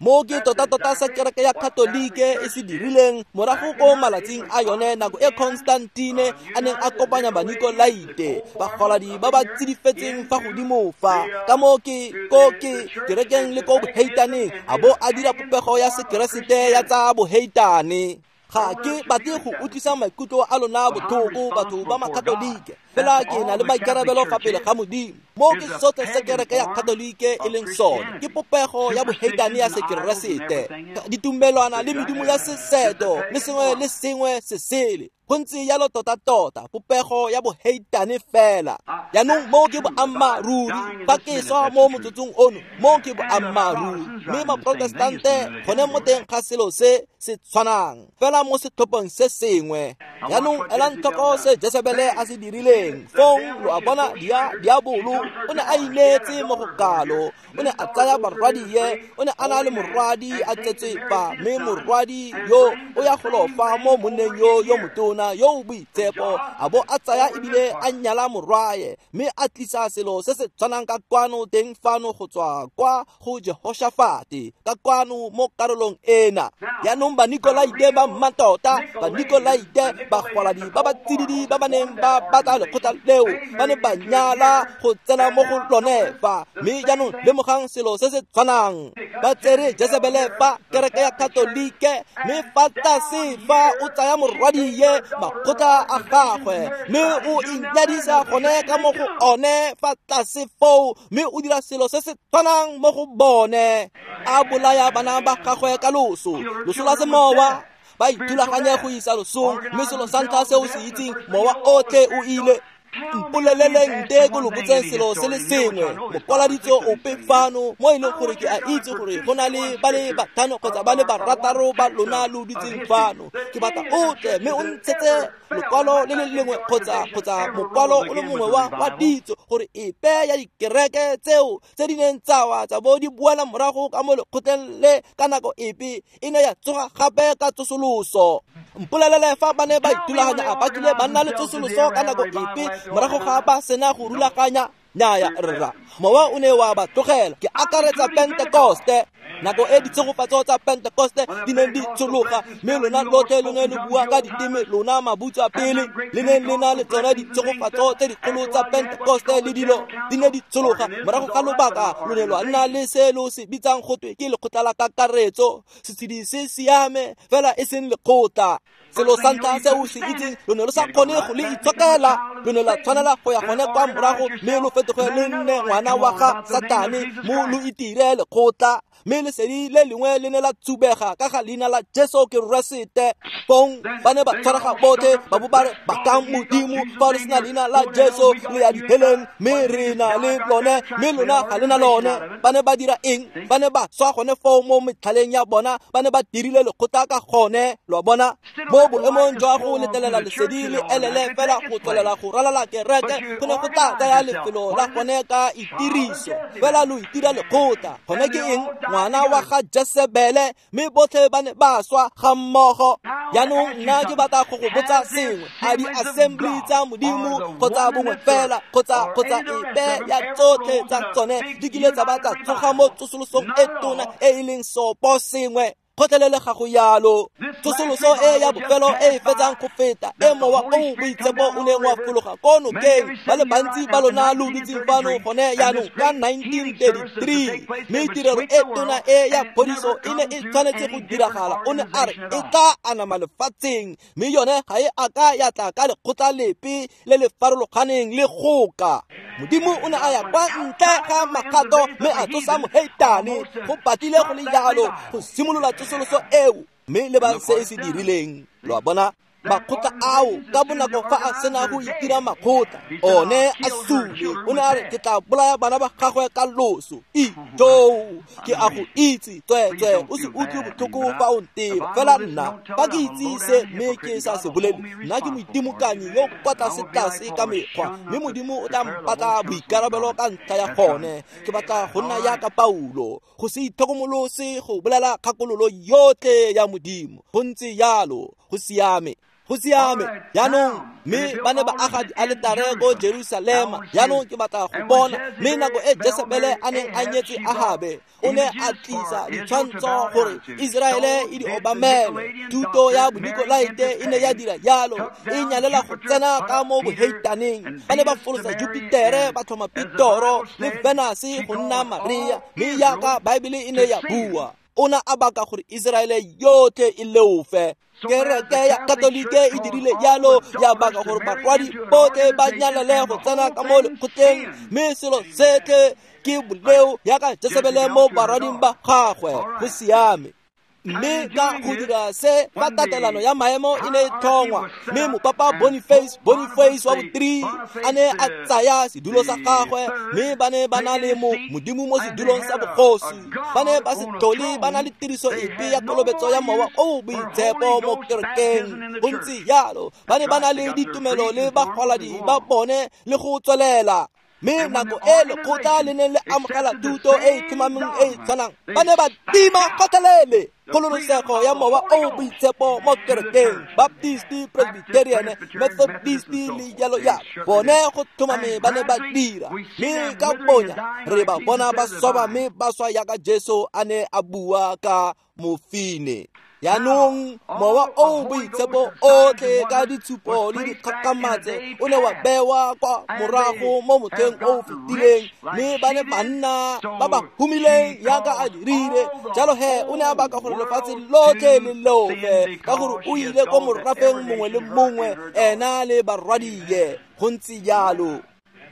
Mo ke tota-tota sa kereke ya Katolike e se dirileng morago ko malatsing a yone nako e Constantine a neng a kopanya Banikolaite, bagoladi ba ba tsidifetseng fa godimo fa. Ka mo ke ko ke kerekeng le ko boheitaneng, a bo a dira popego ya sekeresete ya tsa boheitane. Ga ke batle go utlwisa maikutlo a lona botlhoko, batho ba Makatolike, fela ke na le maikarabelo fa pele ga Modimo. Mo ke sotlhe se kereke ya Katolike e leng sone, ke popego ya boheitane ya sekeresete, ditumelwana le medimo ya seseto le sengwe le sengwe se sele. Go ntse jalo tota-tota, popego ya boheitane fela. Jaanong mo ke boammaaruri. Fa ke swa mo motsotsong ono, mo ke boammaaruri. Mme Maprotestante gone mo teng ga selo se se tshwanang, fela mo setlhopheng se sengwe. Jaanong elang tlhoko se Jesebele a se dirileng. Fong lo a bona, dia diabolo o ne a ineetse mo go kalo. O ne a tsaya barwadie, o ne a na le morwadi a tsetswe fa, mme morwadi yo o ya golo fa mo monneng yo yo motona yo o boitshepo, a bo a tsaya ebile a nyala morwae, mme a tlisa selo se se tshwanang ka kwano teng fano go tswa kwa go Jehoshafate ka kwano mo karolong ena. Jaanong Banikolaite ba mmatota, Banikolaite bagwaladi ba ba tsididi ba ba neng ba batla lekgotla leo, ba ne ba nyala go tsena mo go lone fa. Mme jaanong lemogang selo se se tshwanang. Ba tsere Jesebele fa kereke ya Katolike, mme fa tlase fa o tsaya morwadie makgotla a gagwe, mme o inyadisa gone ka mo go one fa tlase foo, mme o dira selo se se tshwanang mo go bone. A bolaya bana ba gagwe ka loso, loso la semowa. Ba ithulaganye go isa losong, mme selo sa ntlha se o se itseng, mowa otlhe o ile. Mpoleleleng nte ko lo botseng selo se le sengwe, mokwaladitso ope fano mo e leng gore ke a itse gore go na le ba le batlhano kgotsa ba le barataro ba lona lo dutseng fano. Ke batla o tle mme o ntshetse lokwalo le le lengwe kgotsa kgotsa mokwalo o le mongwe wa wa ditso gore epe ya dikereke tseo tse di neng tsa wa tsa bo di boela morago ka mo lekgotleng le ka nako epe e ne ya tsoga gape ka tsosoloso. Mpolelele fa ba ne ba ithulaganya a ba kile ba nna le tsosoloso ka nako epe morago ga ba sena go rulaganya. Nnyaya rra, mowa o ne wa ba tlogela. Ke akaretsa Pentekoste, nako e ditshegofatso tsa Pentekoste di neng di tshologa, mme lona lotlhe lo ne lo bua ka diteme, lona mabutswa pele le neng le na le tsone ditshegofatso tse dikgolo tsa Pentekoste le dilo di ne di tshologa. Morago ga lobaka lo ne lwa nna le se lo se bitsang gotwe ke lekgotla la kakaretso. Setshedi se siame fela e seng lekgotla. Selo sa ntlha se o se itseng, lo ne lo sa kgone go le itshokela, lo ne la tshwanela go ya gone kwa morago mme lo fetoge le nne ngwana wa ga Satane mo lo itire lekgotla. Mme lesedi le lengwe le ne la tsubega ka ga leina la Jesu Keresete. Fong ba ne ba tshwarega botlhe ba bo ba re bakang Modimo, fa le sena leina la Jesu le ya diheleng, mme re na le lone, mme lona ga le na lone. Ba ne ba dira eng? Ba ne ba swa gone foo mo metlhaleng ya bona, ba ne ba dirile lekgotla ka gone. Lo a bona? Mo boemong jwa go letelela lesedi le elele fela go tswelela go ralala kereke, go ne go tla tsaya lefelo la gone ka itiriso. Fela lo itira lekgotla. Gone ke eng? Ngwana wa ga Jesebele, mme botlhe ba ne ba swa ga mmogo. Jaanong nna ke batla go go botsa sengwe. A di-assembly tsa Modimo kgotsa bongwe fela kgotsa kgotsa epe ya tsotlhe tsa tsone di kile tsa ba tsa tsoga mo tsosolosong e tona e e leng sopo sengwe? Kgotlelele ga go yalo. Tsosoloso e ya bofelo e e fetsang go feta e mowa o boitshepo o neng wa fologa ko nokeng, ba le bantsi ba lona lo dutseng fano gone jaanong ka nineteen thirty-three, mme tirelo e tona e ya phodiso e ne e tshwanetse go diragala. O ne a re e tla anama lefatsheng, mme yone ga e a ka ya tla ka lekgotla lepe le le farologaneng le goka. Modimo o ne a ya kwa ntle ga magato mme a tsosa moheitane. Go batlile go le jalo go simolola tsosoloso eo, mme lebang se e se dirileng. Lo a bona? Makgotla ao ka bonako fa a sena go itira makgotla, one a sule. O ne a re ke tla bolaya bana ba gagwe ka loso. Ijoo, ke a go itse, tsweetswe o se utlwe botlhoko fa o nteba. Fela nna fa ke itse se mme ke sa se bolele, nna ke moitimokanyi yo kwa tlase-tlase ka mekgwa, mme Modimo o tla mpatla boikarabelo ka ntlha ya gone. Ke batla go nna jaaka Paulo, go se itlhokomolose go bolela kgakololo yotlhe ya Modimo. Go ntse jalo, go siame. Go siame. Jaanong mme ba ne ba aga dialetare ko Jerusalema. Jaanong ke batla go bona, mme nako e Jesebele a neng a nyetse Ahabe, o ne a tlisa ditshwantsho gore Iseraele e di obamele. Thuto ya Bonikolaite e ne ya dira jalo, e nyalela go tsena ka mo boheitaneng. Ba ne ba folosa Jupitere, ba tlhoma Pitoro le Venus go nna Maria, mme jaaka Baebele e ne ya bua, o ne a baka gore Iseraele yotlhe e leofe. Kereke ya Katolike e dirile jalo, ya baka gore barwadi botlhe ba nyalele go tsena ka mo lekgotleng, mme selo setlhe ke boleo jaaka Jesebele mo barwading ba gagwe. Go siame. Mme ka go dira se, fa tatelano ya maemo e ne e tlhongwa, mme mopapa Boniface Boniface wa bothree a ne a tsaya sedulo sa gagwe, mme ba ne ba na le mo Modimo mo sedulong sa bogosi. Ba ne ba se tlhole ba na le tiriso epe ya kolobetso ya mowa o o boitshepo mo kerekeng. Go ntse jalo, ba ne ba na le ditumelo le bagwaladi ba bone le go tswelela. Mme nako e lekgotla le neng le amogela thuto e e tlhomameng e e tshwanang, ba ne ba tima kgotlhelele kgololosego ya mowa o boitshepo mo kerekeng. Baptist, Presbyterian, Methodist le jalo jalo, bone go tlhomame ba ne ba dira. Mme ka bonya re ba bona ba swaba mme ba swa jaaka Jesu a ne a bua ka mofine. Jaanong mowa o boitshepo otlhe ka ditshupo le dikgakgamatse o ne wa bewa kwa morago mo motlheng o o fetileng, mme ba ne banna ba ba humileng jaaka a dirile. Jalo he o ne a baka gore lefatshe lotlhe le leofe, ka gore o ile ko morafeng mongwe le mongwe, ena le barwadie. Go ntse jalo.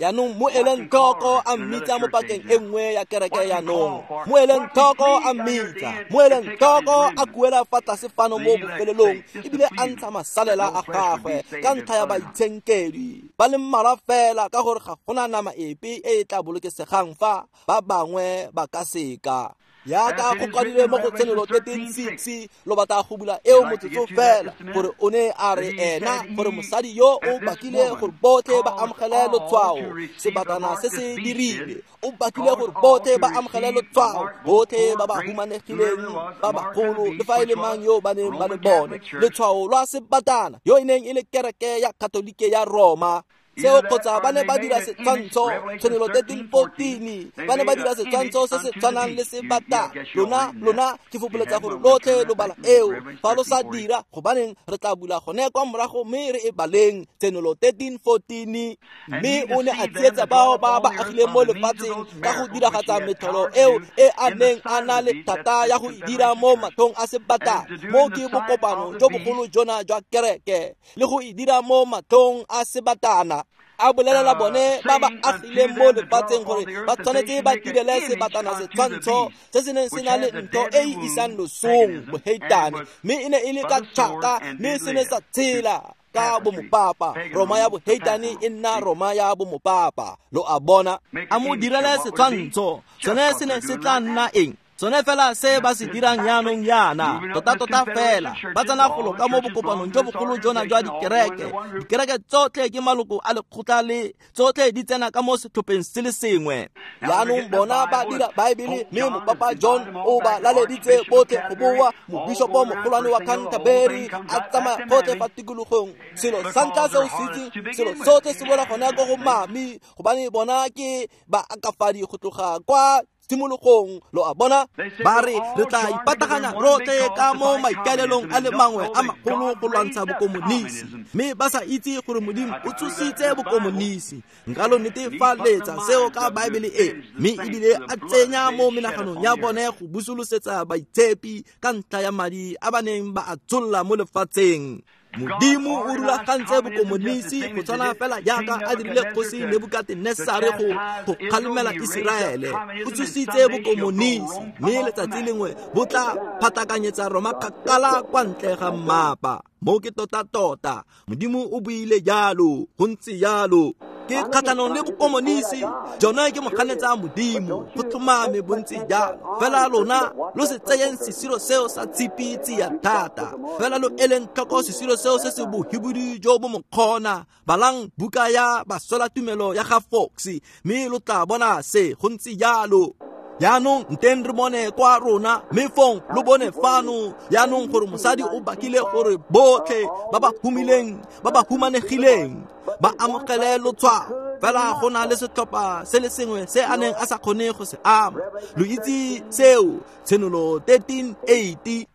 Jaanong mo eleng tlhoko a mmitsa mo pakeng e nngwe ya kereke jaanong. Mo eleng tlhoko a mmitsa, mo eleng tlhoko a kuela fa tlase fano mo bofelelong, ebile a ntsha masalela a gagwe ka ntlha ya baitshenkedwi ba le mmalwa fela, ka gore ga gona nama epe e e tla bolokesegang fa ba bangwe ba ka seka. Yaka go kwadilwe mo go Tshenolo thirteen six, lo batla go bula eo motsotso fela, gore o ne a re ena gore mosadi yo o bakile gore botlhe ba amogele lotshwao, sebatana se se dirile, o bakile gore botlhe ba amogele lotshwao, botlhe ba ba humanegileng, ba bagolo, le fa e le mang yo ba neng ba le bone, letshwao lwa sebatana, yo e neng e le kereke ya Katolike ya Roma. Seo kgotsa ba ne ba dira setshwantsho, Tshenolo thirteen fourteen, ba ne ba dira setshwantsho se se tshwanang le sebata. Lona, lona, ke fopoletsa gore lotlhe lo bala eo. Fa lo sa dira, gobaneng re tla bula gone kwa morago mme re e baleng, Tshenolo thirteen fourteen. Mme o ne a tsietsa bao ba ba agileng mo lefatsheng ka go diragatsa metlholo eo e a neng a na le thata ya go e dira mo matlhong a sebata. Mo ke bokopano jo bogolo jona jwa kereke, le go e dira mo matlhong a sebatana. A bolelela bone ba ba agileng mo lefatsheng gore ba tshwanetse ba direle sebatana setshwantsho se se neng se na le ntho e e isang losong, boheitane, mme e ne e le ka tšhaka, mme se ne sa tshela ka bomopapa. Roma ya boheitane e nna Roma ya bomopapa. Lo a bona? A mo direle setshwantsho, sone se ne se tla nna eng? Sone fela se ba se dirang jaanong jaana, tota-tota fela ba tsena golo ka mo bokopanong jo bogolo jona jwa dikereke. Dikereke tsotlhe ke maloko a lekgotla le tsotlhe di tsena ka mo setlhopheng se le sengwe. Jaanong bona ba dira Baebele, mme Mopapa John o ba laleditse botlhe go boa. Mobishopo mogolwane wa Canterbury a tsamaya gotlhe fa tikologong. Selo sa ntlha se o se itseng, selo sotlhe se boela gone ko go mami, gobane bona ke baakafadi go tloga kwa tshimologong. Lo a bona? Ba re re tla ipataganya rotlhe ka mo maikaelelong a le mangwe a magolo go lwantsha bokomonisi, mme ba sa itse gore Modimo o tsositse bokomonisi. Nka lo netefaletsa seo ka Baebele e, mme ebile a tsenya mo menaganong ya bone go busolosetsa baitshepi ka ntlha ya madi a ba neng ba a tsholla mo lefatsheng. Modimo o rulagantse bokomonisi go tshwana fela jaaka a dirile kgosi Nebukatenesare go go kgalemela Iseraele. O tsositse bokomonisi, mme letsatsi lengwe bo tla phatakanyetsa Roma kgakala kwa ntle ga mmapa. Mo ke tota-tota, Modimo o buile jalo, go ntse jalo. Ke kgatlhanong le bokomonisi, jona ke moganetsa Modimo, go tlhomame bontsi jalo. Fela lona lo se tseyeng sesiro seo sa tshipi tsia thata, fela lo eleng tlhoko sesiro seo se se bohibidu jo bo mokgona. Balang buka ya Baswelatumelo ya ga Fox, mme lo tla bona se, go ntse jalo. Jaanong nteng re bone kwa rona, mme fong lo bone fano jaanong gore mosadi o bakile gore botlhe ba ba humileng, ba ba humanegileng ba amogele lotshwao. Fela go na le setlhopha se le sengwe se a neng a sa kgone go se ama. Lo itse seo, Tshenolo thirteen eight.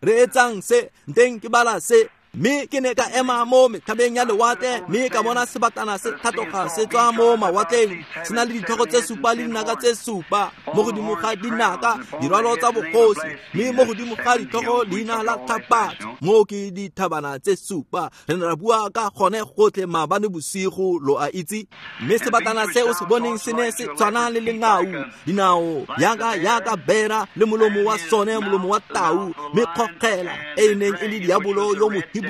Re etsang se, nteng ke bala se. Mme ke ne ka ema mo metlhabeng ya lewatle, mme ka bona sebatana se tlhatloga se tswa mo mawatleng, se na le ditlhogo tse supa le dinaka tse supa, mo godimo ga dinaka dirwalo tsa bogosi, mme mo godimo ga ditlhogo leina la tlhapatso. Mo ke dithabana tse supa. Re ne ra bua ka gone gotlhe maabane bosigo, lo a itse. Mme sebatana se o se boneng se ne se tshwana le lengau, dinao yaka yaka bera, le molomo wa sone molomo wa tau, mme kgokgela e e neng e le diabolo yo mohibidu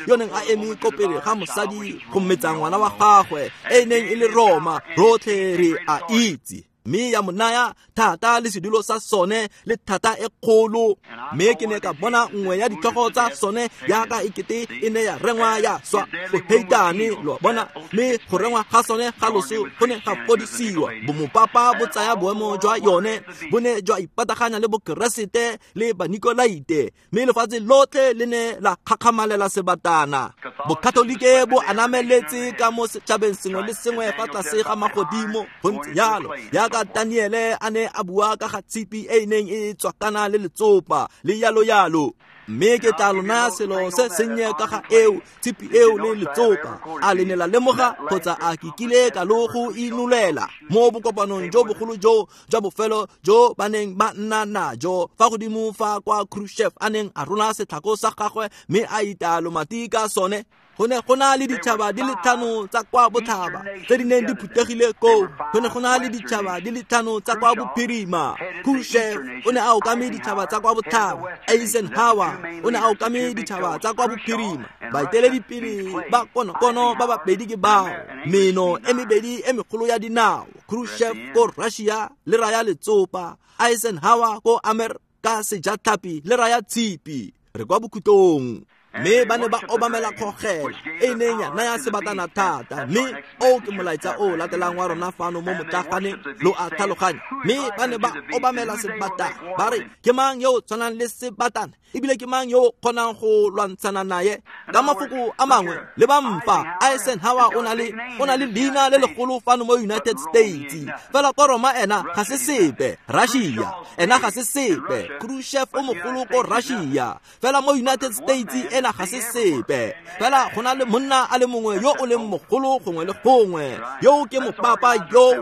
yo neng a eme ko pele ga mosadi go mmetsa ngwana wa gagwe, e neng e le Roma. Rotlhe re a itse. Mme ya mo naya thata le sedulo sa sone le thata e kgolo. Mme ke ne ka bona nngwe ya ditlhogo tsa sone jaaka ekete e ne ya rengwa ya swa boheitane, lo bona. Mme go rengwa ga sone ga loso go ne ga fodisiwa. Bomopapa bo tsaya boemo jwa yone, bo ne jwa ipataganya le bokeresete le banikolaite, mme lefatshe lotlhe le ne la kgakgamalela sebatana. Bokatolike bo anameletse ka mo setšhabeng sengwe le sengwe fa tlase ga magodimo. Go ntse jalo jaaka Daniele a ne a bua ka ga tshipi e e neng e tswakana le letsopa le yalo yalo. Mme ke tla lo naya selo se sennye ka ga eo, tshipi eo le letsopa. A le ne la lemoga kgotsa a ke kile ka lo go inolela mo bokopanong jo bogolo jo jwa bofelo jo ba neng ba nna najo fa godimo fa kwa Khrushchev a neng a rola setlhako sa gagwe mme a ita lomati ka sone. Go ne go na le ditšhaba di le tlhano tsa kwa botlhaba tse di neng di phuthegile koo. Go ne go na le ditšhaba di le tlhano tsa kwa bophirima. Khrushchev o ne a okame ditšhaba tsa kwa botlhaba. Eisenhower o ne a okame ditšhaba tsa kwa bophirima. Baeteledipele ba konokono ba babedi ke bao, meno e mebedi e megolo ya dinao. Khrushchev ko Russia le raya letsopa, Eisenhower ko Amerika sejatlhapi le raya tshipi. Re kwa bokhutlong. Mme ba ne ba obamela kgogela e neng ya naya sebatana thata. Mme o ke molaetsa o latelang wa rona fano mo motlaganeng, lo a tlhaloganya. Mme ba ne ba obamela sebatana, ba re ke mang yo o tshwanang le sebatana, ebile ke mang yo o kgonang go lwantshana naye. Ka mafoko a mangwe, le ba mpa Eisenhower o na le o na le leina le legolo fano mo United States, fela ko Roma ena ga se sepe. Russia ena ga se sepe. Khrushchev o mogolo ko Russia, fela mo United States ena ga se sepe. Fela go na le monna a le mongwe yo o leng mogolo gongwe le gongwe, yo ke mopapa yo.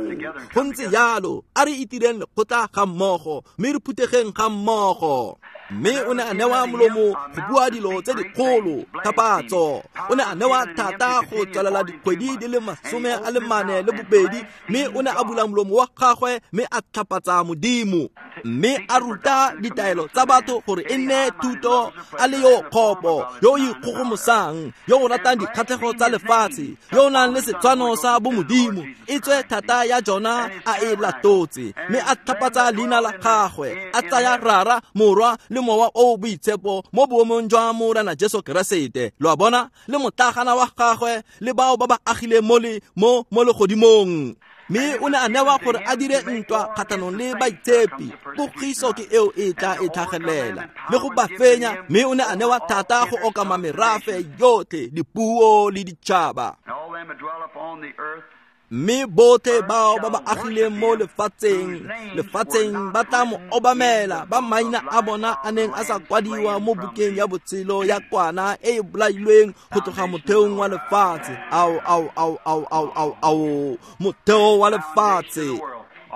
Go ntse jalo, a re itireng lekgotla ga mmogo, mme re phuthegeng ga mmogo. Mme o ne a newa molomo go bua dilo tse dikgolo, tlhapatso. O ne a newa thata go tswelela dikgwedi di le masome a le mane le bobedi, mme o ne a bula molomo wa gagwe mme a tlhapatsa Modimo. Mme a ruta ditaelo tsa batho gore e nne thuto, a le yo kgopo, yo o ikgogomosang, yo o ratang dikgatlhego tsa lefatshe, yo o nang le setshwano sa bomodimo, e tswe thata ya jona a e latotse. Mme a tlhapatsa leina la gagwe, a tsaya Rara, Morwa le Mowa o Boitshepo mo boemong jwa Morena Jesu Keresete. Lo a bona, le motlagana wa gagwe le bao ba ba agileng mo le mo mo legodimong. Mme o ne a newa gore a dire ntwa kgatlhanong le baitshepi. Pogiso ke eo e tla e tlhagelela le go ba fenya. Mme o ne a newa thata go okama merafe yotlhe, dipuo le ditšhaba. Mme botlhe bao ba ba agileng mo lefatsheng lefatsheng ba tla mo obamela, ba maina a bona a neng a sa kwadiwa mo bukeng ya botshelo ya kwana e e bolailweng go tloga motheong wa lefatshe. Ao, ao, ao, ao, ao, ao, ao, motheo wa lefatshe.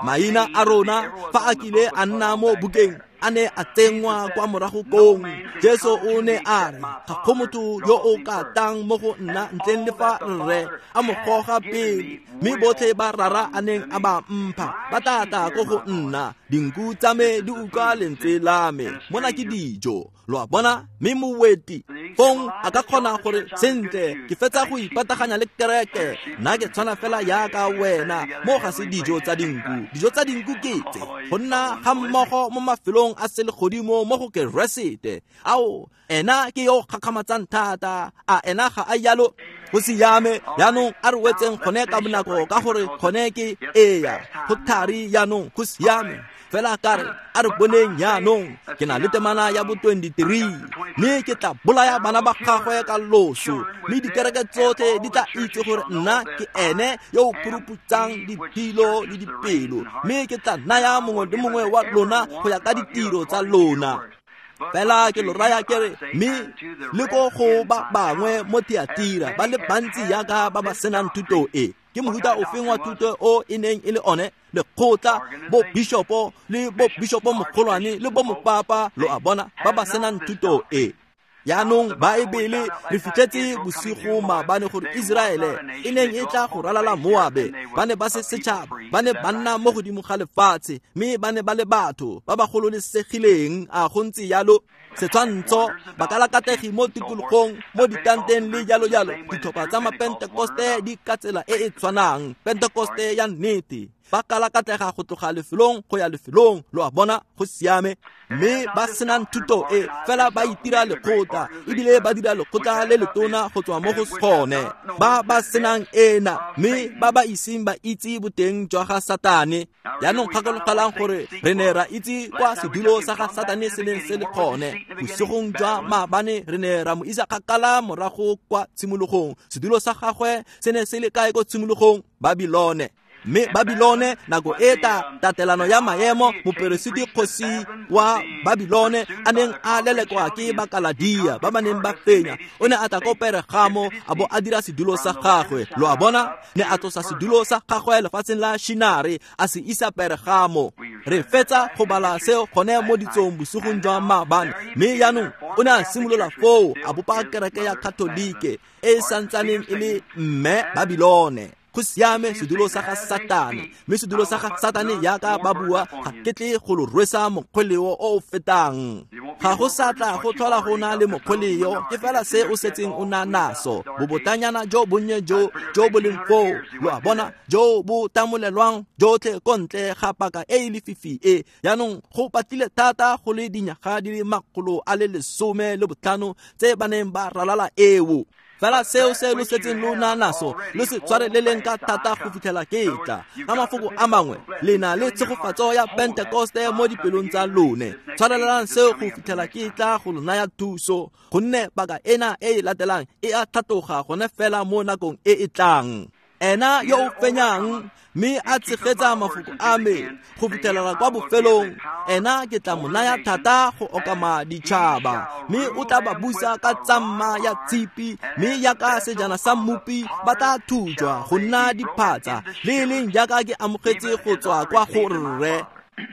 Maina a rona fa a kile a nna mo bukeng a ne a tsenngwa kwa morago kong. Jesu o ne a re, ga go motho yo o ka tang mo go nna ntleng le fa rre a mo goga pele, mme botlhe ba rara a neng a ba mpha ba tla tla ko go nna. Dinku tsa me di utlwa lentswe la me, mona ke dijo. Lo a bona? Mme moweti fong a ka kgona gore, sentle, ke fetsa go ipataganya le kereke, nna ke tshwana fela jaaka wena. Mo ga se dijo tsa dinku. Dijo tsa dinku ke tse, go nna ga mmogo mo mafelong a selegodimo mo go Keresete. Ao, ena ke yo gakgamatsang thata. A ena ga a jalo? Go siame. Jaanong a re wetseng gone ka bonako, ka gore gone ke eya go thari. Jaanong go siame. Fela ka re a re boneng jaanong, ke na le temana ya bo twenty-three, mme ke tla bolaya bana ba gagwe ka loso, mme dikereke tsotlhe di tla itse gore nna ke ene yo o phuruputsang diphilo le dipelo, mme ke tla naya mongwe le mongwe wa lona go ya ka ditiro tsa lona. Fela ke lo raya ke re, mme le ko go ba bangwe mo Thiatira ba le bantsi jaaka ba ba senang thuto e. Ke mohuta ofeng wa thuto o e neng e le one? Lekgotla, bo bishopo le bo bishopo mogolwane le bo mopapa, lo a bona, ba ba senang thuto e. Jaanong Baebele re fitlhetse bosigo maabane gore Iseraele e neng e tla go ralala Moabe, ba ne ba se setšhaba, ba ne ba nna mo godimo ga lefatshe, mme ba ne ba le batho ba ba gololesegileng. A go ntse jalo? Setshwantsho, bakalakategi mo tikologong, mo ditanteng le jalo jalo. Ditlhopha tsa mapentekoste di ka tsela e e tshwanang, Pentekoste ya nnete, ba kalakatega go tloga lefelong go ya lefelong. Lo a bona? Go siame. Mme ba senang thuto e, fela ba itira lekgotla, ebile ba dira lekgotla le letona go tswa mo go gone. Ba ba senang ena, mme ba ba iseng ba itse boteng jwa ga Satane. Jaanong gakologelang gore re ne ra itse kwa sedulo sa ga Satane se neng se le gone. Bosigong jwa maabane re ne ra mo isa kgakala morago kwa tshimologong. Sedulo sa gagwe se ne se le kae ko tshimologong? Babilone. Mme Babilone nako e ta tatelano ya maemo, moperesiti kgosi wa Babilone a neng a lelekwa ke Bakaladia ba ba neng ba fenya, o ne a tla ko Peregamo a bo a dira sedulo sa gagwe. Lo a bona? Ne a tlosa sedulo sa gagwe lefatsheng la Shinare a se isa Peregamo. Re fetsa go bala seo gone mo ditsong bosigong jwa maabane. Mme jaanong o ne a simolola foo a bopa kereke ya Katolike e e santsaneng e le mme Babilone. Go siame sedulo sa ga Satane, mme sedulo sa ga Satane yaka ba bua ga ke tle go lo rwesa mokgweleo o o fetang. Ga go sa tla go tlhola go na le mokgweleo, ke fela se o setseng o na naso. Bobotanyana jo bonnye jo jo bo leng foo, lo a bona, jo bo tamolelwang jotlhe ko ntle ga paka e e lefifi e. Jaanong go patile thata go le dinyaga di le makgolo a le lesome le botlhano tse ba neng ba ralala eo. Fela seo se lo setseng lo na naso lo se tshwareleleng ka thata go fitlhela ke tla. Ka mafoko a mangwe, le na le tshegofatso ya Pentekoste mo dipelong tsa lone. Tshwarelelang seo go fitlhela ke tla go lo naya thuso, gonne paka ena e e latelang e a tlhatloga gone fela mo nakong e e tlang. Ena yo o fenyang mme a tshegetsa mafoko a me go fitlhelela kwa bofelong, ena ke tla mo naya thata go okama ditšhaba, mme o tla ba busa ka tsamma ya tshipi, mme yaka sejana sa mmopi ba tla thujwa go nna diphatsa, le e leng jaaka ke amogetse go tswa kwa go rre.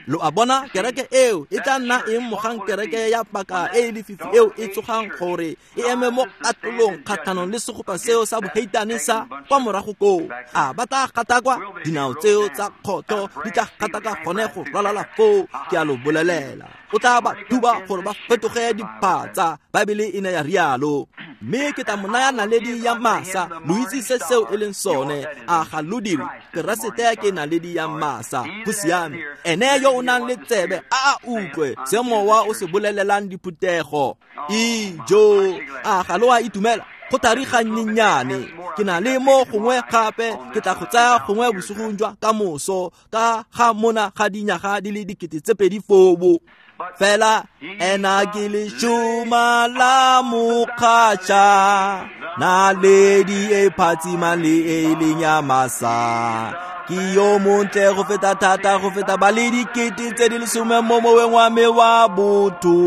Lo a bona, kereke eo e tla nna eng mogang kereke ya paka e e lefifi eo e tsogang gore e eme mo katolong kgatlhanong le segopa seo sa boheitane sa kwa morago koo? A ba tla gatakwa? Dinao tseo tsa kgotho di tla gataka gone go ralala foo, ke a lo bolelela. O tla ba duba gore ba fetoge diphatsa, Baebele e ne ya rialo. Mme ke tla mo naya naledi ya masa, lo itse se seo e leng sone, a ga lo dire? Keresete ke naledi ya masa. Go siame. Ene yo o nang le tsebe a a utlwe se mowa o se bolelelang diphuthego. Ijo, a ga lo a itumela? Go thari gannyenyane. Ke na le mo gongwe gape, ke tla go tsaya gongwe bosigong jwa ka moso, ka ga mona ga dinyaga di le dikete tse pedi foo. Fela ena ke leshoma la mokgatšha, naledi e phatsimang le e leng ya masa. Ke yo montle go feta thata go feta ba le dikete tse di lesome mo moweng wa me wa botho.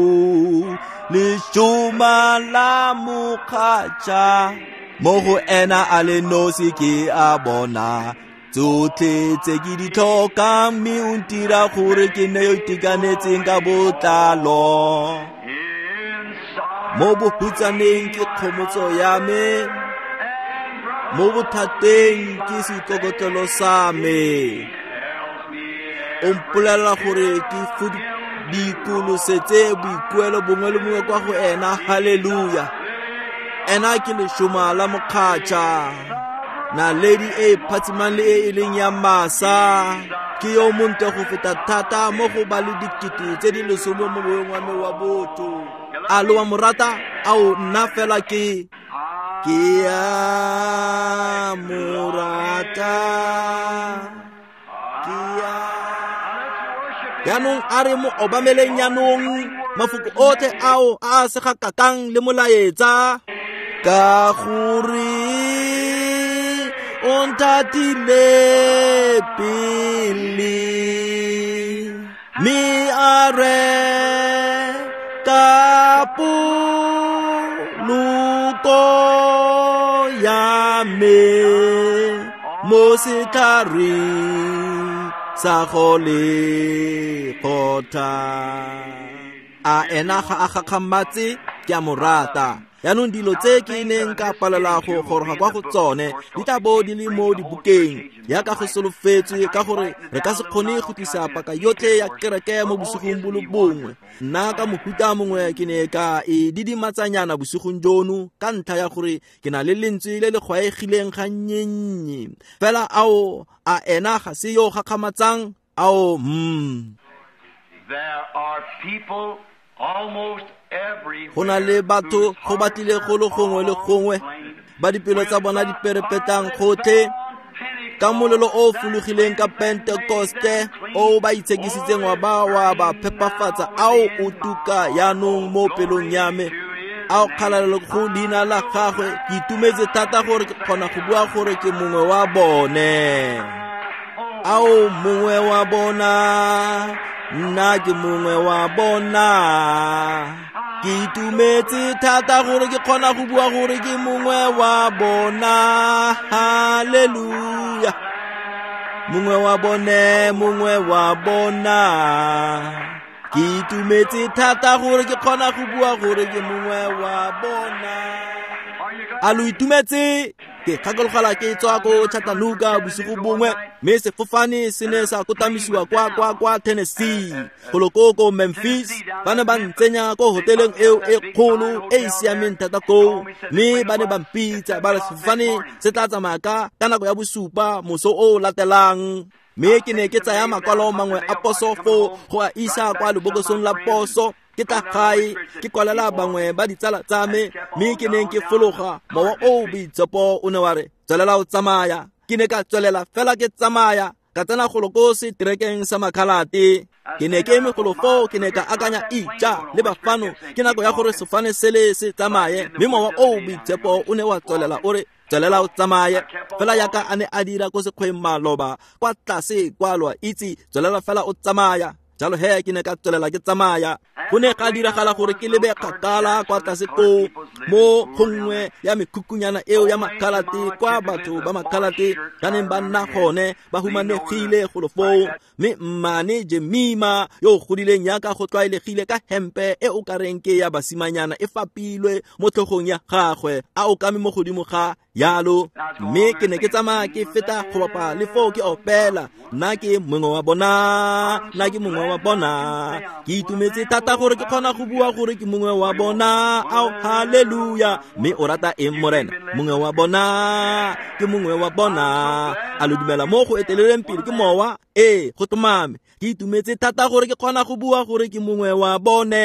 Leshoma la mokgatšha, mo go ena a le nosi ke a bona tsotlhe tse ke di tlhokang, mme o ntira gore ke nne yo itekanetseng ka botlalo. Mo bohutsaneng ke kgomotso ya me, mo bothateng ke seikokotlelo sa me. O mpolelela gore ke dikolosetse boikuelo bongwe le bongwe kwa go ena. Haleluya. Ena ke leshoma la mokgatšha, naledi e phatsimang le e e leng ya masa. Ke yo montle go feta thata mo go ba le dikete tse di lesome mo moweng wa me wa botho. A lo wa mo rata? Ao, nna fela ke ke a mo rata, ke a. Jaanong a re mo obameleng jaanong mafoko otlhe ao a a segakakang le molaetsa, ka gore o nthatile pele, mme a re ka poloko ya me mo setlhareng sa Golgotha. A ena ga a gakgamatse? Ke a mo rata. Jaanong dilo tse ke neng ka palela go goroga kwa go tsone di tla bo di le mo dibukeng yaka go solofetswe, ka gore re ka se kgone go tlisa paka yotlhe ya kereke mo bosigong bo le bongwe. Nna ka mohuta mongwe ke ne ka e didimatsanyana bosigong jono ka ntlha ya gore ke na le lentswe le le gwaegileng gannye. Fela ao, a ena ga se yo gakgamatsang? Ao, mm. There are people almost Go na le batho go batlile go le gongwe le gongwe ba dipelo tsa bona di perepetang gotlhe ka molelo o o fologileng ka Pentekoste o ba itshekisitseng wa ba wa ba phepafatsa, ao o tuka jaanong mo pelong ya me. Ao kgalalelo go leina la gagwe. Ke itumetse thata gore ke kgona go bua gore ke mongwe wa bone. Ao mongwe wa bona, nna ke mongwe wa bona. Ke itumetse thata gore ke kgona go bua gore ke mongwe wa bona. Haleluya. Mongwe wa bone, mongwe wa bona. Ke itumetse thata gore ke kgona go bua gore ke mongwe wa bona. A lo itumetse? Ke gakologelwa ke tswa ko Chattanooga bosigo bongwe, mme sefofane se ne sa kotamisiwa kwa kwa kwa Tennessee, golo ko ko Memphis. Ba ne ba ntsenya ko hoteleng eo e kgolo e e siameng thata koo, mme ba ne ba mpitsa ba re sefofane se tla tsamaya ka ka nako ya bosupa moso o o latelang. Mme ke ne ke tsaya makwalo mangwe a poso foo go a isa kwa lebokosong la poso. Ke tla gae ke kwalela bangwe ba ditsala tsa me, mme ke neng ke fologa, mowa o o boitshepo o ne wa re tswelela o tsamaya. Ke ne ka tswelela fela ke tsamaya, ka tsena golo ko seterekeng sa Makhalate. Ke ne ke eme golo foo, ke ne ka akanya, ija le bafano, ke nako ya gore sefofane sele se tsamaye. Mme mowa o o boitshepo o ne wa tswelela o re tswelela o tsamaye, fela yaka a ne a dira ko sekgweng maloba kwa tlase kwa, lo a itse, tswelela fela o tsamaya. Jalo he ke ne ka tswelela ke tsamaya. Go ne ga diragala gore ke lebe kgakala kwa tlase koo mo gongwe ya mekhukhunyana eo ya Makhalate, kwa batho ba Makhalate ba neng ba nna gone, ba humanegile golo foo. Mme mmane Jemima yo o godileng yaka go tlwaelegile ka hempe e o ka reng ke ya basimanyana e fapilwe mo tlhogong ya gagwe, a okame mo godimo ga yalo. Mme ke ne ke tsamaya ke feta go bapa le foo ke opela, nna ke mongwe wa bona, nna ke mongwe wa bona. Ke itumetse thata gore ke kgona go bua gore ke mongwe wa bona. Ao, haleluya. Mme o rata eng Morena? Mongwe wa bona, ke mongwe wa bona. A lo dumela mo go eteleleng pele ke mowa? Ee, go tlhomame. Ke itumetse thata gore ke kgona go bua gore ke mongwe wa bone.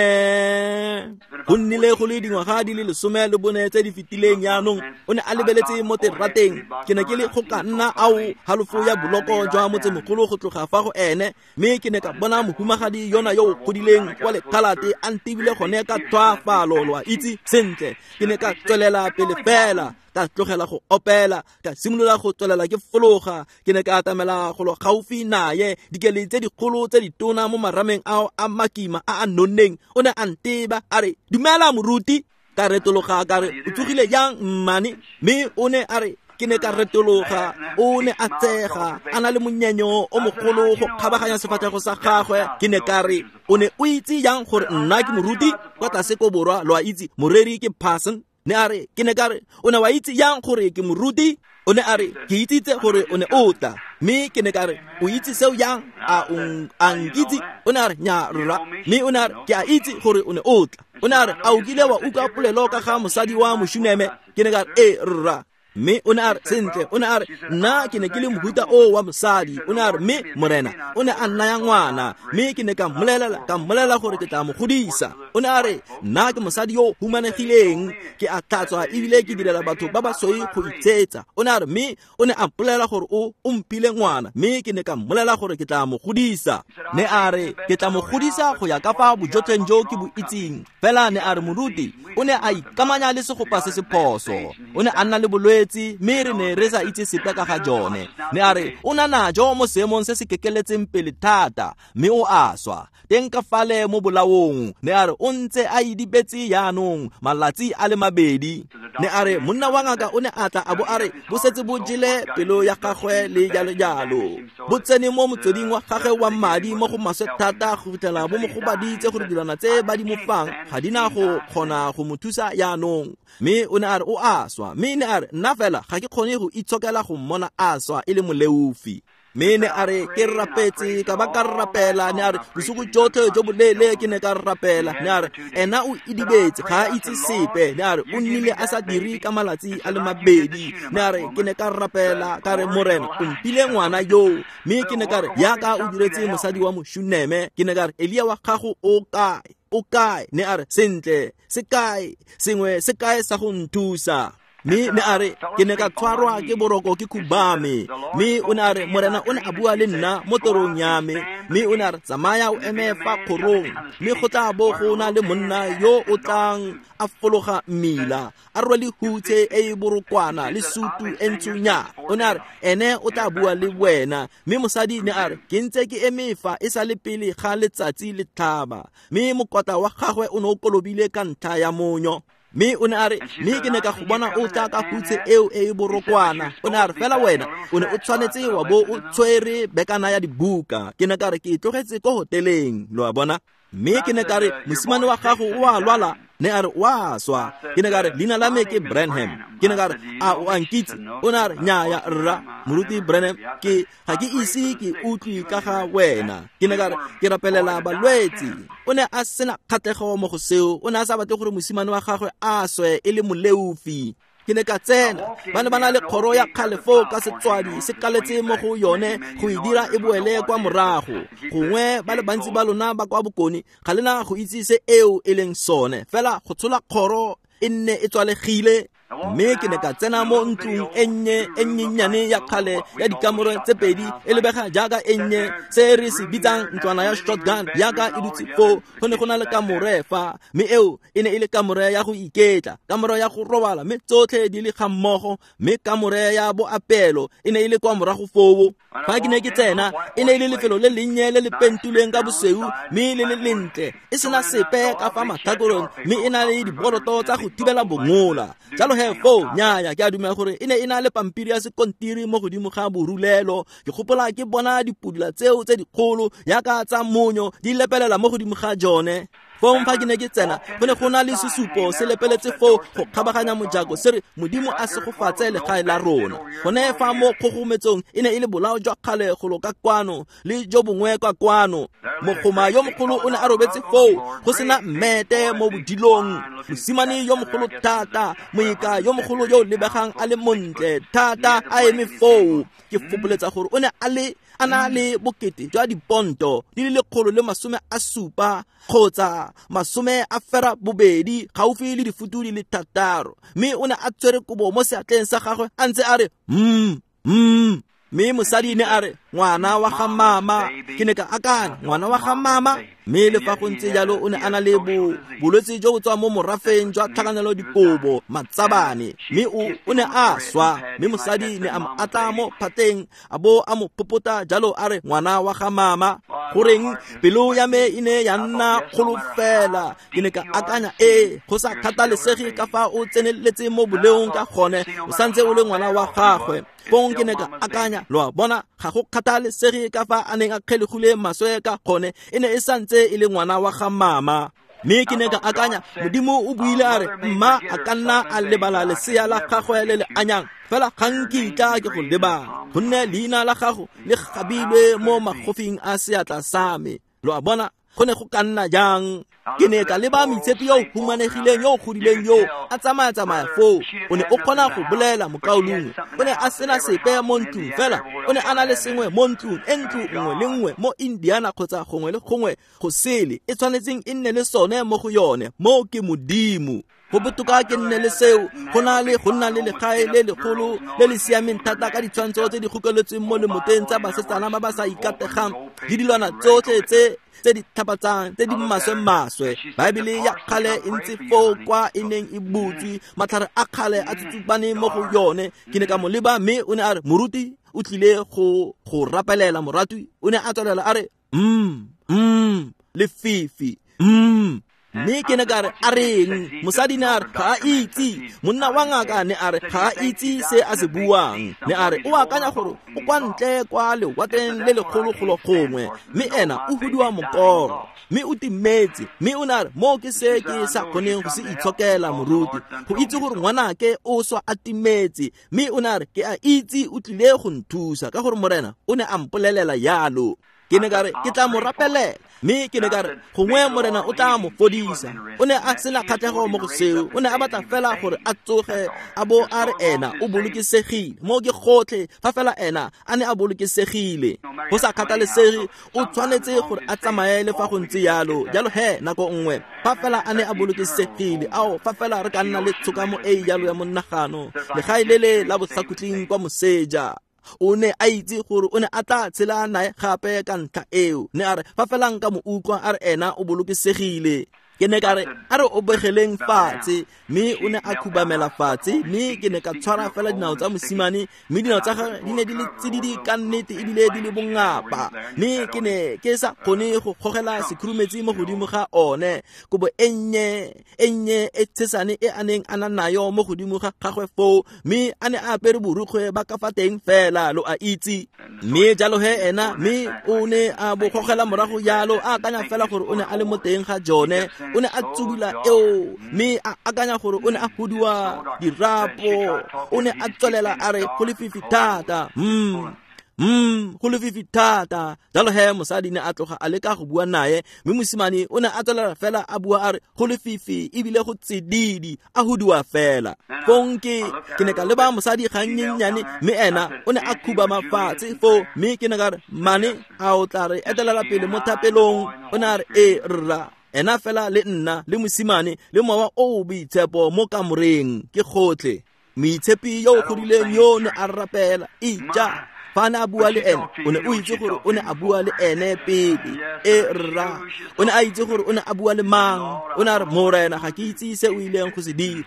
Go nnile go le dingwaga di le lesome le bone tse di fetileng jaanong. O ne a lebeletse mo terateng. Ke ne ke le go ka nna ao halofo ya boloko jwa motsemogolo go tloga fa go ene, mme ke ne ka bona mohumagadi yona yo o godileng kwa Lekhalate a ntebile gone ka tlhoafalo, lo a itse sentle. Ke ne ka tswelela pele fela, ka tlogela go opela, ka simolola go tswelela ke fologa. Ke ne ka atamela golo gaufi naye, dikele tse dikgolo tse ditona mo marameng ao a makima a a nonneng. O ne a nteba a re, dumela moruti. Ka retologa ka re, o tsogile jang mmane? Mme o ne a re, ke ne ka retologa. O ne a tsega a na le monyenyo o mogolo go kgabaganya sefatlhego sa gagwe. Ke ne ka re, o ne o itse jang gore nna ke moruti? Kwa tlase ko borwa, lo a itse, moreri ke parson. Ne a re, ke ne ka re, o ne wa itse jang gore ke moruti? O ne a re, ke itsitse gore o ne o tla. Mme ke ne ka re, o itse seo jang? A o a nkitse? O ne a re, nya rra. Mme o ne a re, ke a itse gore o ne o tla. O ne a re, a o kile wa utlwa polelo ka ga mosadi wa Moshuneme? Ke ne ka re, ee rra. Mme o ne a re, sentle. O ne a re, nna ke ne ke le mohuta o wa mosadi. O ne a re, mme morena o ne a nnaya ngwana, mme ke ne ka mmolelela, ka mmolelela gore ke tla mo godisa. O ne a re, nna ke mosadi yo humanegileng, ke a tlhatswa ebile ke direla batho ba basweu go itshetsa. O ne a re, mme o ne a mpolelela gore o o mphile ngwana, mme ke ne ka mmolelela gore ke tla mo godisa. Ne a re, ke tla mo godisa go ya ka fa bojotlheng jo ke bo itseng. Fela ne a re, moruti o ne a ikamanya le segopa se se phoso. O ne a nna le bolwetse, mme re ne re sa itse sepe ka ga jone. Ne a re, o na najo mo seemong se se kekeletseng pele thata, mme o a swa teng ka fale mo bolaong. Ne a re, o ntse a idibetse jaanong malatsi a le mabedi. Ne a re, monna wa ngaka o ne a tla a bo a re bo setse bo jele pelo ya gagwe le jalo jalo, bo tsene mo motsweding wa gagwe wa madi mo go maswe thata go fitlhela bo mo gobaditse gore dilwana tse ba di mo fang ga di na go kgona go mo thusa jaanong. Mme o ne a re o a swa. Mme ne a re, nna fela ga ke kgone go itshokela go mmona a swa e le moleofi. Mme ne a re, ke rapetse ka ba ka rapela. Ne a re, bosigo jotlhe jo boleele ke ne ka rapela. Ne a re, ena o idibetse, ga a itse sepe. Ne a re, o nnile a sa dire ka malatsi a le mabedi. Ne a re, ke ne ka rapela ka re, morena o mphile ngwana yo. Mme ke ne ka re, yaka o diretse mosadi wa Moshuneme. Ke ne ka re, Elia wa gago o kae? O kae? Ne a re, sentle, se kae? Sengwe se kae sa go nthusa? Mme ne a re, ke ne ka tshwarwa ke boroko ke khubame. Mme o ne a re, morena o ne a bua le nna mo torong ya me. Mme o ne a re, tsamaya o eme fa kgorong, mme go tla bo go na le monna yo o tlang a fologa mmila, a rwele hutshe e e borokwana le sutu e ntshunya. O ne a re, ene o tla bua le wena. Mme mosadi ne a re, ke ntse ke eme fa e sa le pele ga letsatsi le tlhaba. Mme mokotla wa gagwe o ne o kolobile ka ntlha ya monyo. Mme o ne a re, mme ke ne ka go bona o tla ka hutshe eo e e borokwana. O ne a re, fela wena o ne o tshwanetse wa bo o tshwere bekana ya dibuka. Ke ne ka re ke e tlogetse ko hoteleng, lo a bona. Mme ke ne ka re, mosimane wa gago o a lwala. Ne a re, wa swa. Ke ne ka re, leina la me ke Branham. Ke ne ka re, a o a nkitse? O ne a re, nnyaya rra, moruti Branham, ke ga ke ise ke utlwe ka ga wena. Ke ne ka re, ke rapelela balwetse. O ne a sena kgatlhego mo go seo. O ne a sa batle gore mosimane wa gagwe a swe e le moleofi. Ke ne ka tsena, ba ne ba na le kgoro ya kgale foo ka setswadi se kaletse mo go yone go e dira e boele kwa morago. Gongwe ba le bantsi ba lona ba kwa bokone ga le na go itse se eo e leng sone, fela go tshola kgoro e nne e tswalegile. Mme ke ne ka tsena mo ntlong e nnye e nnyenyane ya kgale ya dikamore tse pedi, e lebega jaaka e nnye, se re se bitsang ntlwana ya shotgun jaaka e dutse foo. Go ne go na le kamore fa, mme eo e ne e le kamore ya go iketla, kamore ya go robala, mme tsotlhe di le ga mmogo. Mme kamore ya boapeelo e ne e le kwa morago foo. Fa ke ne ke tsena, e ne e le lefelo le lennye le le pentilweng ka bosweu mme le le lentle, e sena sepe ka fa matlhakoreng, mme e na le diboroto tsa go thibela bongola. Jalo he foo, nnyaya, ke a dumela gore e ne e na le pampiri ya sekontiri mo godimo ga borulelo. Ke gopola ke bona dipudula tseo tse dikgolo jaaka tsa monyo di lepelela mo godimo ga jone. Fong fa ke ne ke tsena, go ne go na le sesupo se lepeletse foo go kgabaganya mojako se re, Modimo a segofatse legae la rona. Gone fa mo kgogometsong e ne e le bolao jwa kgale golo ka kwano le jo bongwe kwa kwano. Mogoma yo mogolo o ne a robetse foo go sena mmete mo bodilong. Mosimane yo mogolo thata, moika yo mogolo yo o lebegang a le montle thata a eme foo. Ke fopoletsa gore o ne a le a na le bokete jwa diponto di le lekgolo le masome a supa kgotsa masome a fera bobedi, gaufi le difutu di le thataro. Mme o ne a tshwere kobo mo seatleng sa gagwe a ntse a re mm mm. Mme mosadi ne a re, ngwana wa ga mama. Ke ne ka akanya, ngwana wa ga mama. Mme le fa go ntse jalo o ne a na le bo bolwetse jo bo tswang mo morafeng jwa tlhakanelo dikobo, matsabane. Mme o o ne a swa. Mme mosadi ne a mo atla mo phateng a bo a mo popota jalo a re, ngwana wa ga mama. Goreng pelo ya me e ne ya nna kgolo fela. Ke ne ka akanya, ee, go sa kgathalesege ka fa o tseneletse mo boleong ka gone, o santse o le ngwana wa gagwe. Fong ke ne ka akanya, lo a bona, ga go kgathalesege ka fa a neng a kgelegile maswe ka gone, e ne e santse e le ngwana wa ga mama. Mme ke ne ka akanya, Modimo o buile a re, mma a ka nna a lebala lesea la gagwe le le anyang, fela ga nkitla ke go lebala, gonne leina la gago le gabilwe mo magofing a seatla sa me. Lo a bona, go ne go ka nna jang? Ke ne ka leba moitshepi yo o humanegileng yo o godileng yo a tsamaya-tsamaya foo. O ne o kgona go bolela mokaulengwe. O ne a sena sepe mo ntlong, fela o ne a na le sengwe mo ntlong e ntlo nngwe le nngwe mo Indiana kgotsa gongwe le gongwe go sele e tshwanetseng e nne le sone mo go yone. Mo ke Modimo. Go botoka ke nne le seo go na le go nna le legae le legolo le le siameng thata ka ditshwantsho tse di gokeletsweng mo lemoteng tsa basetsana ba ba sa ikategang le dilwana tsotlhe tse tse di tlhapatsang tse di maswe-maswe. Baebele ya kgale e ntse foo kwa e neng e butswe, matlhare a kgale a tsutsubane mo go yone. Ke ne ka mo leba mme o ne a re, moruti o tlile go go rapelela moratwi. O ne a tswelela a re, mm mm lefifi mm. Mme ke ne ka re, a reng? Mosadi ne a re, ga a itse. Monna wa ngaka ne a re, ga a itse se a se buang. Ne a re, o akanya gore o kwa ntle kwa lewatleng le legologolo gongwe, mme ena o hudiwa mokoro, mme o timetse. Mme o ne a re, mo ke se ke sa kgoneng go se itshokela moruti, go itse gore ngwanake o swa a timetse. Mme o ne a re, ke a itse o tlile go nthusa ka gore Morena o ne a mpolelela yalo. Ke ne ka re, ke tla mo rapelela. Mme ke ne ka re, gongwe Morena o tla mo fodisa. O ne a sena kgatlhego mo go seo. O ne a batla fela gore a tsoge a bo a re ena o bolokesegile. Mo ke gotlhe fa fela ena a ne a bolokesegile. Go sa kgathalesege, o tshwanetse gore a tsamaye le fa go ntse yalo. Jalo he, nako nngwe fa fela a ne a bolokesegile, ao fa fela re ka nna le tshokamo e jalo ya monagano, legae le le la bosakhutleng kwa moseja. O ne a itse gore o ne a tla tshela nae gape ka ntlha eo. Ne a re, fa fela nka mo utlwa a re ena o bolokesegile. Ke ne ka re a re obegeleng fatshe, mme o ne a khubamela fatshe, mme ke ne ka tshwara fela dinao tsa mosimane, mme dinao tsa gagwe di ne di le tsididi ka nnete ebile di le bongapa, mme ke ne ke sa kgone go gogela sekhurumetsi mo godimo ga one. Kobo e nnye e nnye e tshesane e a neng a na nayo mo godimo ga gagwe foo, mme a ne a apere borukgwe ba ka fa teng fela, lo a itse. Mme jalo he ena, mme o ne a bo gogela morago jalo, a akanya fela gore o ne a le mo teng ga jone. O ne a tsubula eo, mme a akanya gore o ne a huduwa dirapo. O ne a tswelela a re go lefifi thata, mm mm go lefifi thata. Jalo he mosadi ne a tloga a leka go bua naye, mme mosimane o ne a tswelela fela a bua a re go lefifi ebile go tsididi, a huduwa fela. Fong ke ke ne ka leba mosadi gannyenyane, mme ena o ne a khubama fatshe foo, mme ke ne ka re, mane a o tla re etelela pele mo thapelong? O ne a re e rra, ena fela le nna le mosimane le mowa o boitshepo mo kamoreng ke gotlhe. Moitshepi yo o godileng yo ne a rapela ija. Fa ne a bua le ene, o ne o itse gore o ne a bua le ene pele. E rra, o ne a itse gore o ne a bua le mang. O ne a re, Morena, ga ke itse se o ileng go se dira.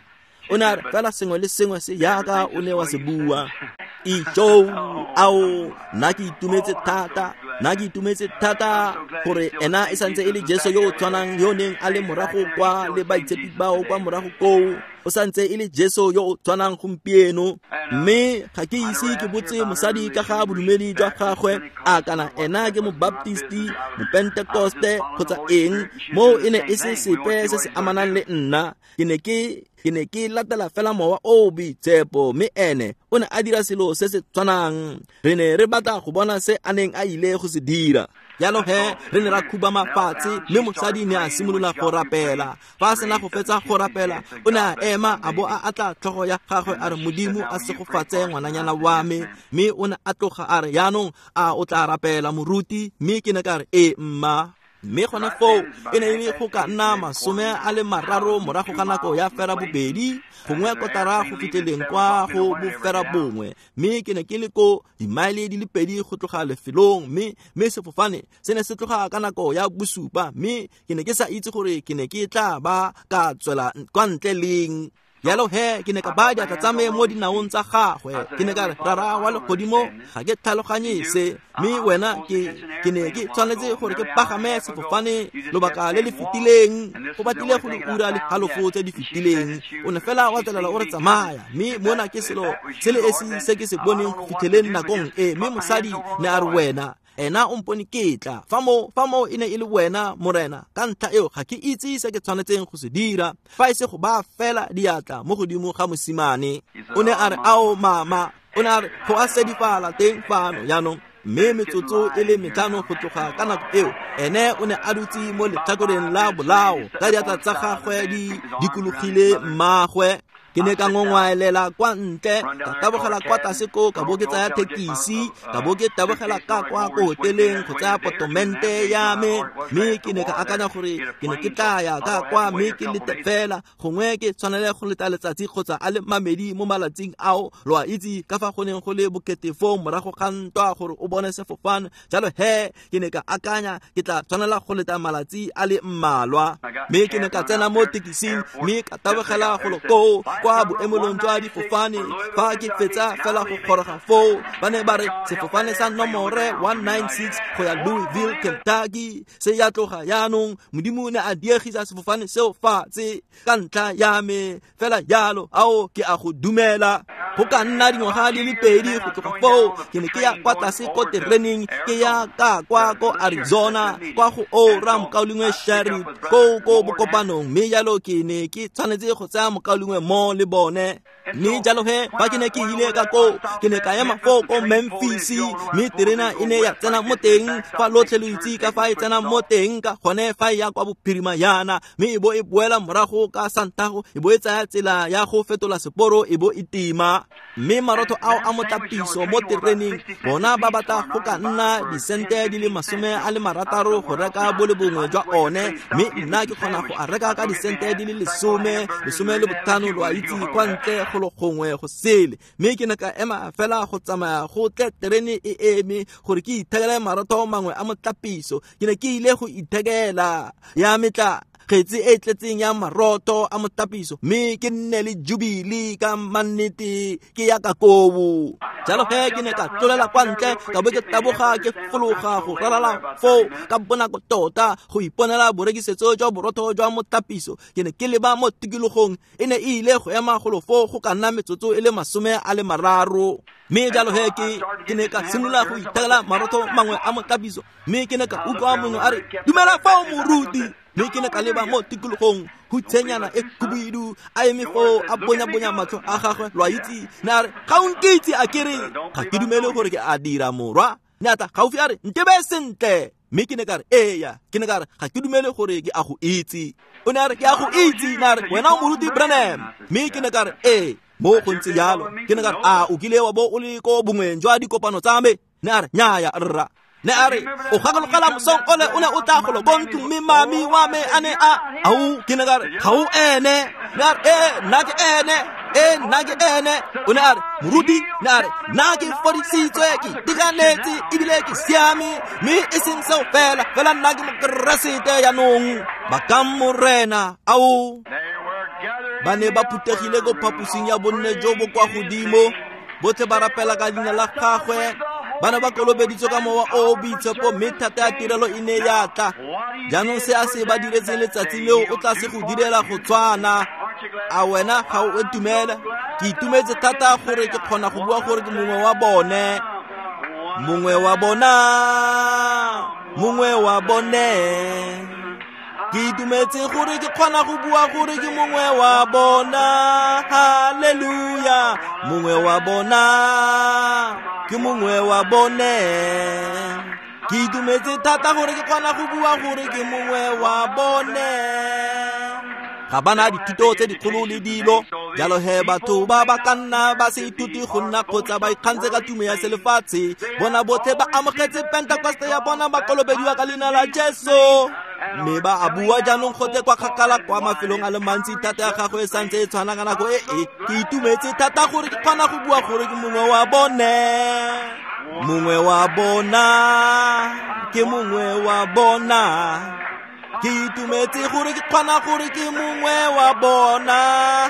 O ne a re, fela sengwe le sengwe se yaka o ne wa se bua. Ijo, ao, nna ke itumetse thata, nna ke itumetse thata gore ena e santse e le Jesu yo o tshwanang yo neng a le morago kwa le baitshepi bao kwa morago koo. O santse e le Jesu yo o tshwanang gompieno. Mme ga ke ise ke botse mosadi ka ga bodumedi jwa gagwe, a kana ena ke mobaptisti, mopentekoste kgotsa eng, moo e ne e se sepe se se amanang le nna. Ke ne ke ke ne ke latela fela mowa o boitshepo, mme ene o ne a dira selo se se tshwanang. Re ne re batla go bona se a neng a ile go se dira. Jalo he re ne ra khubama fatshe, mme mosadi ne a simolola go rapela. Fa a sena go fetsa go rapela, o ne a ema a bo a atla tlhogo ya gagwe a re, Modimo a segofatse ngwananyana wa me. Mme o ne a tloga a re, yaanong a o tla rapela moruti? Mme ke ne ka re, ee mma. Mme gone foo e ne e le go ka nna masome a le mararo morago ga nako ya fera bobedi, gongwe kotara go fitlheleng kwa go bofera bongwe. Mme ke ne ke le ko dimaele di le pedi go tloga lefelong, mme mme sefofane se ne se tloga ka nako ya bosupa, mme ke ne ke sa itse gore ke ne ke tla ba ka tswela kwa ntle leng. Jalo he ke ne ka baya diatla tsa me mo dinaong tsa gagwe. Ke ne ka re, Rara wa legodimo, ga ke tlhaloganye se, mme wena ke ke ne ke tshwanetse gore ke pagame sefofane lobaka le le fetileng, go batlile go le ura le halofo tse di fetileng. O ne fela wa tswelela o re tsamaya, mme mona ke selo se le esi se ke se boneng go fitlheleng nakong e. Mme mosadi ne a re, wena ena o mpone ke tla fa mo fa mo e ne e le wena Morena, ka ntlha eo ga ke itse se ke tshwanetseng go se dira fa e se go ba fela diatla mo godimo ga mosimane. O ne a re, ao mama, o ne a re go a sedifala teng fano jaanong. Mme metsotso e le metlhano go tloga ka nako eo, ene o ne a dutse mo letlhakoreng la bolao ka diatla tsa gagwe di dikologile mmagwe. Ke ne ka ngongwaelela kwa ntle, ka tabogela kwa tlase ko, ka bo ke tsaya thekisi, ka bo ke tabogela ka kwa ko hoteleng go tsaya potomente ya me. Mme ke ne ka akanya gore ke ne ke tla ya ka kwa mme ke lete fela, gongwe ke tshwanele go leta letsatsi kgotsa a le mamedi mo malatsing ao. Lo a itse ka fa go neng go le bokete foo morago ga ntwa gore o bone sefofane. Jalo he ke ne ka akanya ke tla tshwanela go leta malatsi a le mmalwa. Mme ke ne ka tsena mo tekising mme ka tabogela golo koo kwa boemelong jwa difofane. Fa ke fetsa fela go goroga foo, ba ne ba re sefofane sa nomore one nine six go ya Louisville, Kentucky se ya tloga jaanong. Modimo ne a diegisa sefofane seo fatshe ka ntlha ya me fela jalo. Ao ke a go dumela. Go ka nna dingwaga di le pedi go tloga foo, ke ne ke ya kwa tlase ko tereneng, ke ya ka kwa ko Arizona kwa go ora mokaulengwe Sherry ko ko bokopanong. Mme jalo ke ne ke tshwanetse go tsaya mokaulengwe mo le bone. Mme jalo he fa ke ne ke ile ka koo, ke ne ka ema foo ko Memphis, mme terena e ne ya tsena mo teng. Fa lotlhe lo itse ka fa e tsena mo teng ka gone fa e ya kwa bophirima yana, mme e bo e boela morago ka santago, e bo e tsaya tsela ya go fetola seporo, e bo e tima. Mme marotho ao a motlapiso mo tereneng, bona ba batla go ka nna disente di le masome a le marataro go reka bo le bongwe jwa one, mme nna ke kgona go a reka ka disente di le lesome, lesome le botlhano, lo a itse, kwa ntle go le gongwe go sele. Mme ke ne ka ema fela go tsamaya go tle terene e eme gore ke ithekele marotho mangwe a motlapiso. Ke ne ke ile go ithekela ya metla Kgetse e tletseng ya maroto a motapiso mme ke nne le jubile ka mannete ke ya ka kobo. Jalo he ke ne ka tlolela kwa ntle ka bo ke taboga ke fologa go ralala foo ka bonako tota go iponela borekisetso jwa borotho jwa motapiso. Ke ne ke leba mo tikologong e ne e ile go ema golo foo go ka nna metsotso e le masome a le mararo. Mme jalo he ke ke ne ka simolola go ithekela marotho mangwe a motapiso mme ke ne ka utlwa mongwe a re dumela fao moruti. Mme ke ne ka leba mo tikologong hutshenyana e khubidu a eme foo a bonya-bonya matlho a gagwe lo a itse. Ne a re ga o nkitse a kere ga ke dumele gore ke a dira morwa. Ne a tla gaufi a re ntebe sentle. Mme ke ne ka re eya. Ke ne ka re ga ke dumele gore ke a go itse. O ne a re ke a go itse. Ne a re wena o moruti Branham. Mme ke ne ka re ee mo go ntse jalo. Ke ne ka re a o kile wa bo o le ko bongweng jwa dikopano tsa me. Ne a re nnyaya rra. Ne a re o gakologela mosong ole o ne o tla golo ko ntlong mme mami wa me a ne a ao. Ke ne ka re ga o ene. Ne a re ee nna ke ene, ee nna ke ene. O ne a re moruti. Ne a re nna ke fodisitswe ke itekanetse ebile ke siame mme e seng seo fela fela nna ke mokeresete jaanong. Ba morena ao. Ba ne ba phuthegile ko phaposing ya bonne jo bo kwa godimo botlhe ba rapela ka leina la gagwe. Ba ne ba kolobeditswe ka mowa o o boitshepo mme thata ya tirelo e ne ya tla. Jaanong se a se ba diretseng letsatsi leo o tla se go direla go tshwana. A wena ga o itumela? Ke itumetse thata gore ke kgona go bua gore ke mongwe wa bone. Mongwe wa bona, mongwe wa bone. Ke itumetse gore ke kgona go bua gore ke mongwe wa bona. Haleluya. Mongwe wa bona, ke mongwe wa bone. Ke itumetse thata gore ke kgona go bua gore ke mongwe wa bone. Ga bana dithuto tse dikgolo le dilo. Jalo he batho ba ba ka nna ba se ithute go nna kgotsa ba ikgantshe ka tumo ya selefatshe. Bona botlhe ba amogetse Pentekoste ya bona ba kolobediwa ka leina la Jesu. Mme ba a bua jaanong gotlhe kwa kgakala kwa mafelong a le mantsi thata ya gagwe e santse e tshwana ka nako e e. Ke itumetse thata gore ke kgona go bua gore ke mongwe wa bone. Mongwe wa bona, ke mongwe wa bona. Ke itumetse gore ke kgona gore ke mongwe wa bona.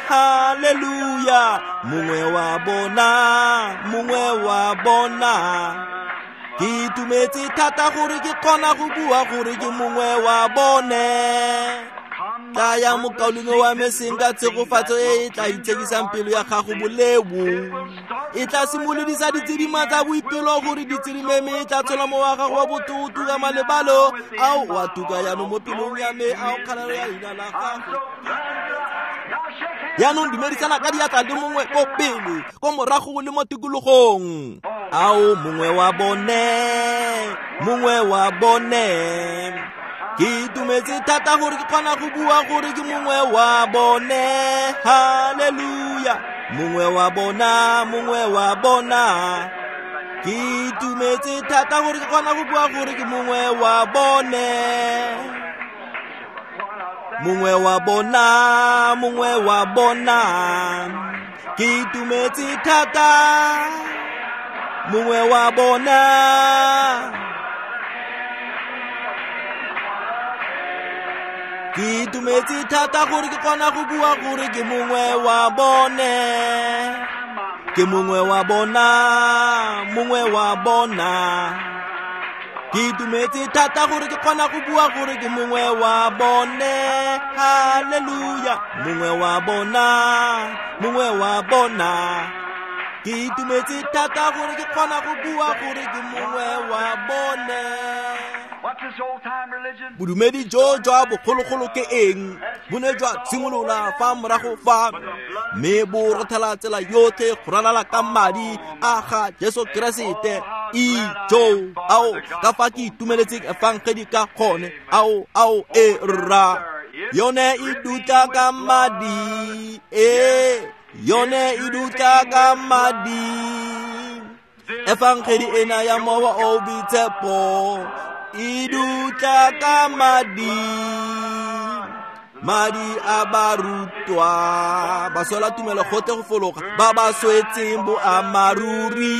Haleluya. Mongwe wa bona, mongwe wa bona. Ke itumetse thata gore ke kgona go bua gore ke mongwe wa bone. Tlaya mokaulengwe wa me seng ka tshegofatso e e tla itshekisang pelo ya gago boleo. E tla simolodisa ditshedima tsa boipelo gore di tshirime mme e tla tshola mowa wa gago wa botho o tuka malebalo ao wa tuka jaanong mo pelong ya me ao kgalalo ya leina la gago. Jaanong dumedisana ka diatla le mongwe ko pele ko morago le mo tikologong. Ao mongwe wa bone, mongwe wa bone. Ke itumetse thata gore ke kgona go bua gore ke mongwe wa bone. Haleluya. Mongwe wa bona, mongwe wa bona. Ke itumetse thata gore ke kgona go bua gore ke mongwe wa bone. Mongwe wa bona, mongwe wa bona. Ke itumetse thata. Mongwe wa bona. Ke itumetse thata gore ke kgona go bua gore ke mongwe wa bone. Ke mongwe wa bona, mongwe wa bona. Ke itumetse thata gore ke kgona go bua gore ke mongwe wa bone. Haleluya. Mongwe wa bona, mongwe wa bona. Ke itumetse thata gore ke kgona go bua gore ke mongwe wa bone. Bodumedi jo jwa bogologolo ke eng? Bo ne jwa tshimolola fa morago fa mme bo rothela tsela yotlhe go ralala ka madi a ga Jesu Keresete. Ijo ao ka fa ke itumeletseng efangedi ka gone. Ao ao e rra yone e dutla ka madi, e yone e dutla ka madi. Efangedi ena ya mowa o boitshepo e dutla ka madi. Madi a barutwa ba sola tumelo gotlhe go fologa ba ba swetseng boammaaruri.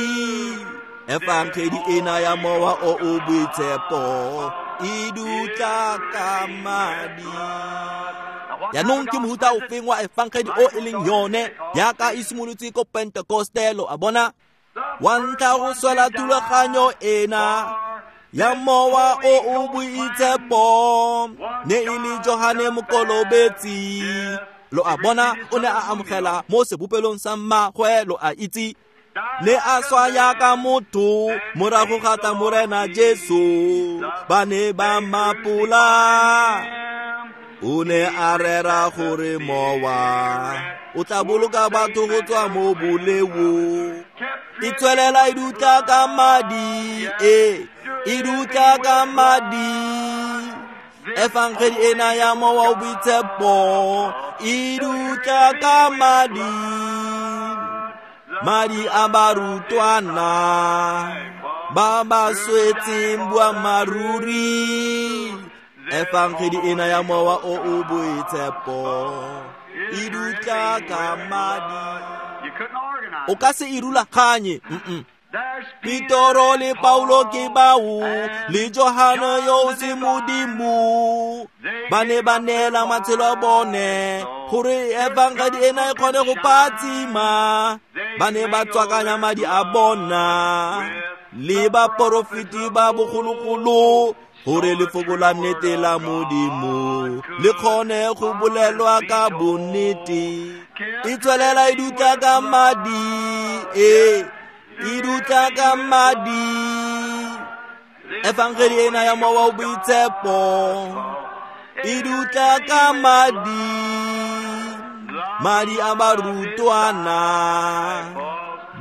Efangedi ena ya mowa o o boitshepo E dutla ka madi. Jaanong ke mohuta ofeng wa efangedi o e leng yone jaaka e simolotse ko Pentekoste, lo a bona? Wa ntlha go swela thulaganyo ena ya mowa o o boitshepo ne e le Johane Mokolobetsi. Lo a bona, o ne a amogela mo sebopelong sa mmagwe, lo a itse. Ne a swa yaka motho morago ga tla Morena Jesu, ba ne ba mmapola. O ne a rera gore mowa o tla boloka batho go tswa mo boleong. E tswelela e dutla ka madi, e e dutla ka madi. Efangedi ena ya mowa o boitshepo e dutla ka madi. Madi a barutwana ba ba swetseng boammaaruri. Efangedi ena ya mowa o o boitshepo e dutla ka madi. O ka se e rulaganye. Mm-mm. Petoro le Paulo ke bao le Johane yo o se modimo, ba ne ba neela matshelo a bone gore efangedi ena e kgone go phatsima. Ba ne ba tswakanya madi a bona le baporofeti ba bogologolo gore lefoko la nnete la Modimo le kgone go bolelwa ka bonnete. E tswelela e dutla ka madi, e e dutla ka madi. Efangedi ena ya mowa o boitshepo e dutla ka madi. Madi a barutwana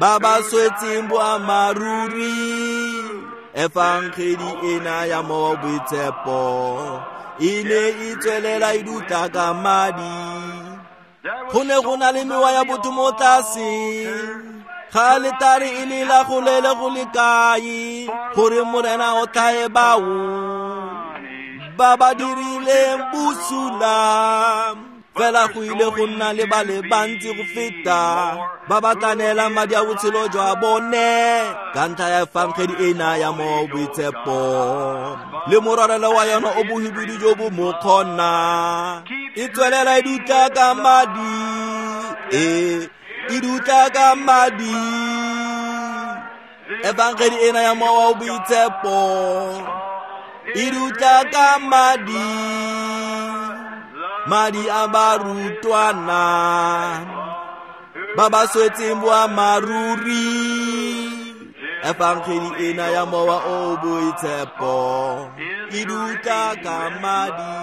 ba ba swetseng boammaaruri. Efangedi ena ya mowa o boitshepo e ne e tswelela e dutla ka madi. Go ne go na le mewa ya botho mo tlase ga letare e le la go lele go le kae gore Morena o tlae bao ba ba dirileng bosula. Fela go ile go nna le ba le bantsi go feta ba ba tla neelang madi a botshelo jwa bone ka ntlha ya efangedi ena ya mowa o boitshepo le morwarelo wa yona o bohibidu jo bo mo kgona. E tswelela e dutla ka madi, e e dutla ka madi. Efangedi ena ya mowa o boitshepo e dutla ka madi. Madi a barutwana ba ba swetseng boammaaruri. Efangedi ena ya mowa o boitshepo e dutla ka madi.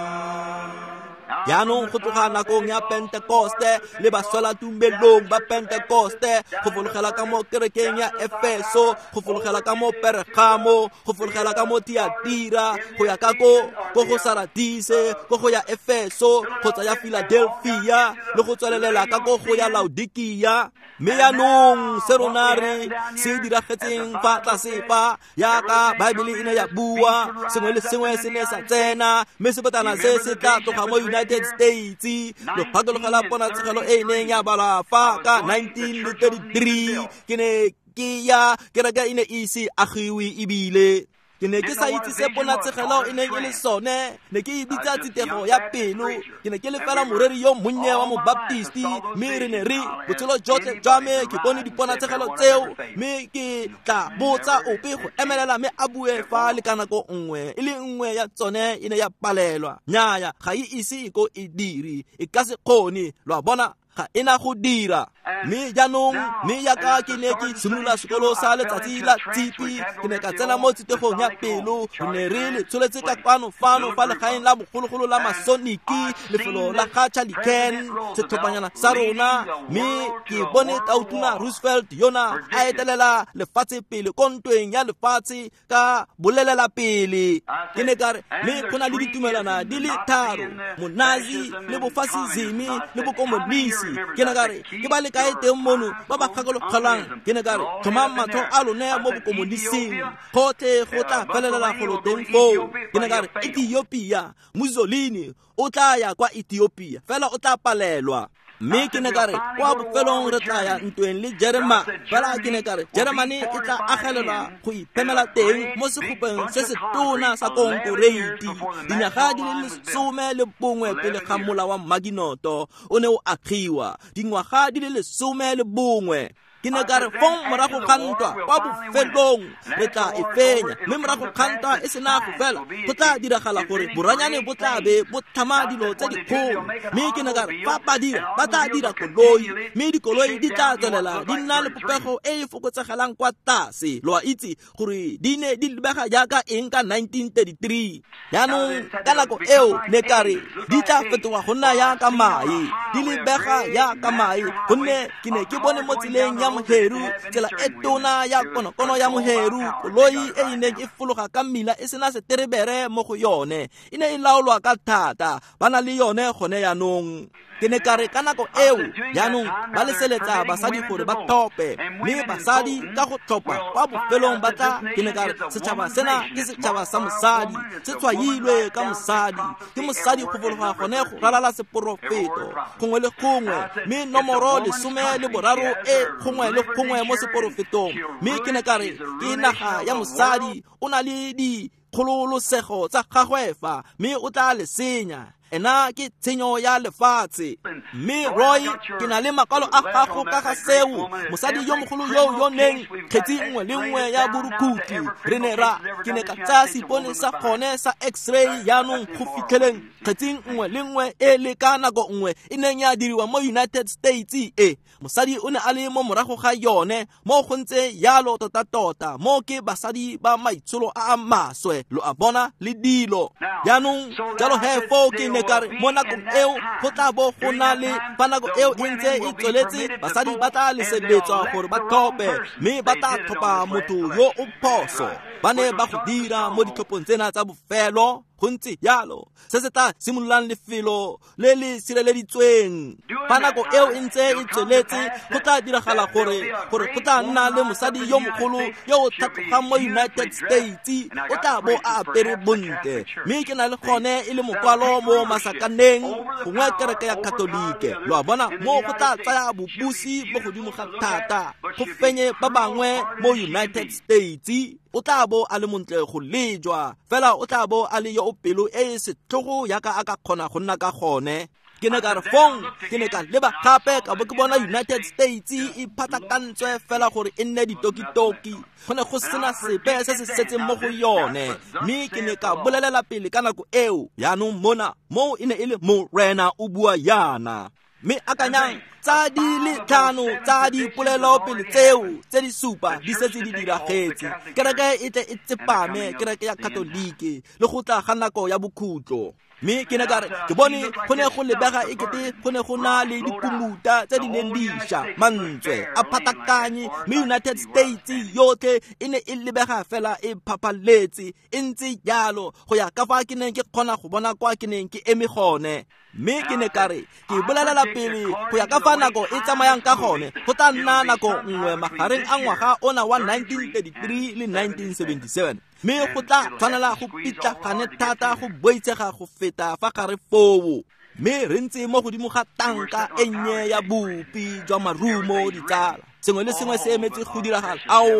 Jaanong go tloga nakong ya Pentekoste le baswelatumelong ba Pentekoste go fologela ka mo kerekeng ya Efeso, go fologela ka mo Pergamo, go fologela ka mo Thiatira, go ya ka ko ko go Saradise, ko go ya Efeso, kgotsa ya Philadelphia, le go tswelelela ka ko go ya Laodikia. Mme jaanong se rona re se diragetseng fa tlase fa yaka Baebele e ne ya bua, sengwe le sengwe se ne sa tsena, mme sebatana se se tla tloga mo United States. Lo phatologela ponatshegelo e e neng ya balwa fa ka nineteen thirty-three. Ke ne ke ya kereke e ne e ise agiwe ebile ke ne ke sa itse se ponatshegelo e neng e le sone. Ne ke e bitsa tsitego ya pelo. Ke ne ke le fela moreri yo monnye wa mobaptisti, mme re ne re botshelo jotlhe jwa me ke bone diponatshegelo tseo, mme ke tla botsa ope go emelela mme a bue fa le ka nako nngwe e le nngwe ya tsone e ne ya palelwa. Nnyaya, ga e ise e ko e dire, e ka se kgone, lo a bona, ga e na go dira. Mme jaanong, mme yaka ke ne ke simolola sekolo sa letsatsi la Tshipi, ke ne ka tsena mo tsitegong ya pelo. Re ne re le tsholetse ka kwano fano fa legaeng la bogologolo la Masoniki, lefelo la ga Charlie Ken, setlhophanyana sa rona. Mme ke bone Tautona Roosevelt yona a etelela lefatshe pele ko ntweng ya lefatshe ka bolelela pele. Ke ne ka re, mme go na le ditumelwana di le tharo, Monazi le bofasizimi le bokomonisi. Ke ne ka re, ke ba le kae teng mono ba ba gakologelang? Ke ne ka re, tlhomang matlho a lone mo bokomonising, gotlhe go tla felelela golo teng foo. Ke ne ka re, Ethiopia, Mussolini o tla ya kwa Ethiopia, fela o tla palelwa. Mme ke ne ka re kwa bofelong re tla ya ntweng le Jerema, fela ke ne ka re Jeremane e tla agelelwa go iphemela teng mo segopeng se se tona sa konkoreiti dinyaga di le lesome le bongwe pele ga mola wa Maginoto o ne o agiwa, dingwaga di le lesome le bongwe. Ke ne ka re fong morago ga ntwa kwa bofelong re tla e fenya, mme morago ga ntwa e sena go fela go tla diragala gore boranyane bo tla be bo tlhama dilo tse dikgolo. Mme ke ne ka re fa ba dira ba tla dira koloi, mme dikoloi di tla tswelela di nna le popego e e fokotsegelang kwa tlase. Lo a itse gore di ne di lebega jaaka eng ka nineteen thirty-three. Jaanong ka nako eo ne ka re di tla fetoga go nna jaaka mae, di lebega jaaka mae, gonne ke ne ke bone mo tseleng ya Moheru, tsela e tona ya konokono ya Moheru, koloi e e neng e fologa ka mmila e sena seterebere mo go yone, e ne e laolwa ka thata, ba na le yone gone jaanong. Ke ne ka re ka nako eo jaanong ba leseletsa basadi gore ba tlhophe, mme basadi ka go tlhopha kwa bofelong ba tla. Ke ne ka re setšhaba sena ke setšhaba sa mosadi, se tshwailwe ka mosadi, ke mosadi go fologa gone go ralala seporofeto gongwe le gongwe, mme nomoro lesome le boraro e gongwe le gongwe mo seporofetong. Mme ke ne ka re ke naga ya mosadi, o na le dikgololosego tsa gagwe fa, mme o tla le senya. Ena ke tshenyo ya lefatshe. Mme Roy, ke na le makwalo a gago ka ga seo, mosadi yo mogolo yo yo neng kgetsi nngwe le nngwe ya borukhutlhi. Re ne ra ke ne ka tsaya seipone sa gone sa x-ray jaanong go fitlheleng kgetsing nngwe le nngwe e le ka nako nngwe e neng ya diriwa mo United States e mosadi o ne a le mo morago ga yone, mo go ntse yalo tota-tota, mo ke basadi ba maitsholo a a maswe, lo a bona le dilo. Jaanong jalo he foo ke ne ka re mo nakong eo go tla bo go na le fa nako eo e ntse e tsweletse, basadi ba tla leseletswa gore ba tlhophe, mme ba tla tlhopha motho yo o phoso. Ba ne ba go dira mo ditlhophong tsena tsa bofelo. Go ntse jalo se se tla simololang lefelo le le sireleditsweng. Fa nako eo e ntse e tsweletse, go tla diragala gore gore go tla nna le mosadi yo mogolo yo o tlhatlogang mo United States, o tla bo a apere bontle, mme ke na le gone e le mokwalo mo masakaneng gongwe kereke ya Katolike. Lo a bona, mo go tla tsaya bobusi mo godimo ga thata go fenye ba bangwe mo United States. O tla bo a le montle go lejwa, fela o tla bo a le yo o pelo e e setlhogo jaaka a ka kgona go nna ka gone. Ke ne ka re fong ke ne ka leba gape ka bo ke bona United States e phatlakantswe fela gore e nne ditokitoki, go ne go sena sepe se se setseng mo go yone. Mme ke ne ka bolelela pele ka nako eo, jaanong mona moo e ne e le Morena o bua yana. Mme akanyang tsa di le tlhano tsa dipolelo pele tseo tse di supa di setse di diragetse. Kereke e tle e tsepame, kereke ya Katolike, le go tla ga nako ya bokhutlo. Mme ke ne ka re ke bone go ne go lebega ekete go ne go na le dipumuta tse di neng di ša, mantswe a phatakanye, mme United States yotlhe e ne e lebega fela e phaphaletse e ntse jalo go ya ka fa ke neng ke kgona go bona kwa ke neng ke eme gone. Mme ke ne ka re ke bolelela pele go ya ka fa nako e tsamayang ka gone, go tla nna nako nngwe magareng a ngwaga ona wa nineteen thirty-three le nineteen seventy-seven, mme go tla tshwanela go pitlagane thata go boitshega go feta fa gare foo. Mme re ntse mo godimo ga tanka e nnye ya bopi jwa marumo, ditsala. Sengwe le sengwe se emetse go diragala. Ao,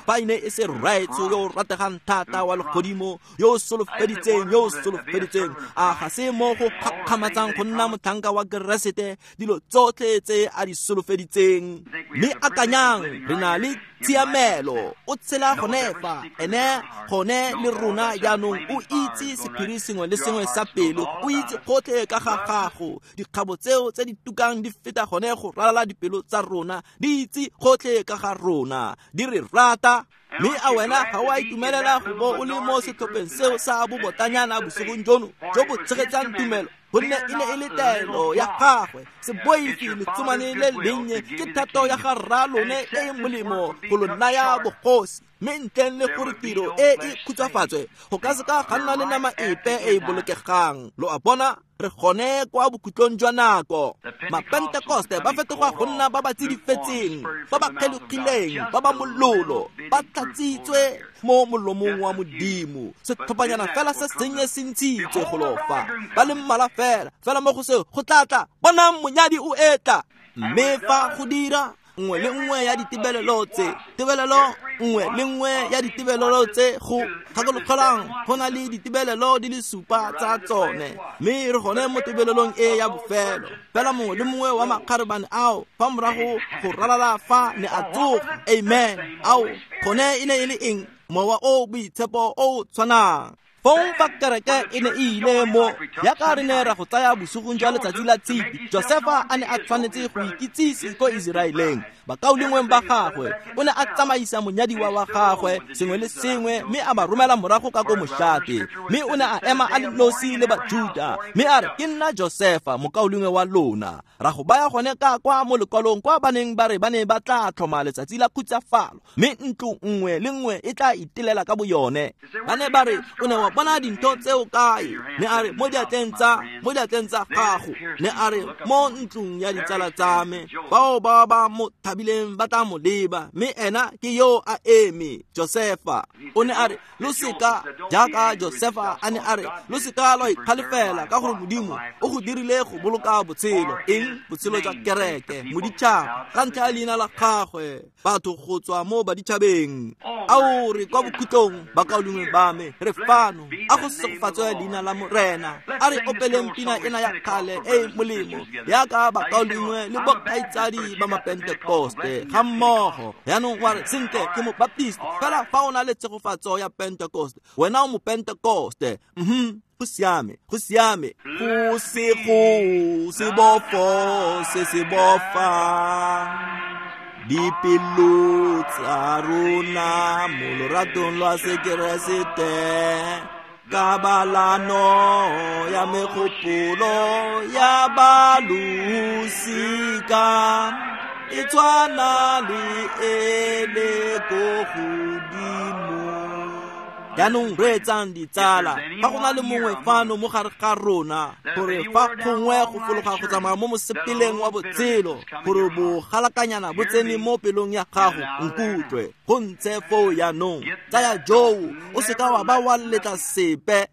fa e ne e se Rraetsho yo o rategang thata wa legodimo, yo o solofeditseng, yo o solofeditseng, a ga se mo go gakgamatsang go nna motlhanka wa Keresete, dilo tsotlhe tse a di solofeditseng. Mme akanyang, re na le tshiamelo, o tshela gone fa, ene gone le rona jaanong, o itse sephiri sengwe le sengwe sa pelo, o itse gotlhe ka ga gago. Dikgabo tseo tse di tukang di feta gone go ralala dipelo tsa rona, di itse gotlhe ka ga rona, di re rata. Mme a wena ga o a itumelela go bo o le mo setlhopheng seo sa bobotanyana bosigong jono jo bo tshegetsang tumelo, gonne e ne e le taelo ya gagwe. Se boife letsomane le lennye, ke thato ya ga rraalone e e molemo go lo naya bogosi. Mme ntleng le gore tiro e e khutshwafatswe go ka seka ga nna le nama epe e e bolokegang. Lo a bona, re gone kwa bokhutlong jwa nako. Mapentekoste ba fetoga go nna ba ba tsidifetseng, ba ba kgelogileng, ba ba mololo, ba tlatsitswe mo molomong wa Modimo. Setlhophanyana fela se sennye se ntshitswe go lofa, ba le mmalwa fela, fela mo go seo go tla tla, bonang monyadi o etla. Mme fa go dira nngwe le nngwe ya ditebelelo tse, tebelelo nngwe le nngwe ya ditebelelo tse go gakologelang go na le ditebelelo di le supa tsa tsone, mme re gone mo tebelelong e ya bofelo. Fela mongwe le mongwe wa makgarebane ao fa morago go ralala fa ne a tsoga. Amen. Ao gone e ne e le eng? Mowa o boitshepo o tshwanang. Fong fa kereke e ne e ile mo yaka re ne ra go tsaya bosigong jwa letsatsi la Tshipi, Josefa a ne a tshwanetse go ikitsise ko Iseraeleng. Bakaulengweng ba gagwe o ne a tsamaisa monyadiwa wa gagwe sengwe le sengwe, mme a ba romela morago ka ko moshate. Mme o ne a ema a le nosi le Bajuda, mme a re, ke nna Josefa mokaulengwe wa lona. Ra go baya gone ka kwa mo lekwalong kwa ba neng ba re ba ne ba tla tlhoma letsatsi la khutsafalo, mme ntlo nngwe le nngwe e tla itelela ka boyone. Ba ne ba re, o ne wa bona dintho tseo kae? Ne a re, mo diatleng tsa mo diatleng tsa gago. Ne a re, mo ntlong ya ditsala tsa me, bao ba ba mo thabileng ba tla mo leba, mme ena ke yo a eme. Josefa o ne a re, lo seka jaaka Josefa a ne a re, lo seka lwa ikgalefela ka gore Modimo o go dirile go boloka botshelo. Eng? Botshelo jwa kereke, moditšhaba, ka ntlha ya leina la gagwe, batho go tswa mo baditšhabeng. Ao re kwa bokhutlong, bakaulengwe ba me, re fano. A go segofatswe leina la Morena. A re opeleng pina ena ya kgale e e molemo yaka bakaulengwe le bokgaitsadi ba Mapentekoste ga mmogo. Yaanong wa re, sentle ke Mobaptist, fela fa o na le tshegofatso ya Pentekoste, wena o Mopentekoste. Mhm, go siame, go siame. Go se go se bofo se se bofa dipelo tsa rona mo loratong lwa Sekeresete, kabalano ya megopolo ya balosika e tshwana le e le ko godimo. Jaanong reetsang ditsala, fa go na le mongwe fano mo gare ga rona, gore fa gongwe go fologa go tsamaya mo mosepeleng wa botshelo, gore bogalakanyana bo tsene mo pelong ya gago, nkutlwe go ntse foo jaanong. Tsaya joo, o seka wa ba wa letla sepe.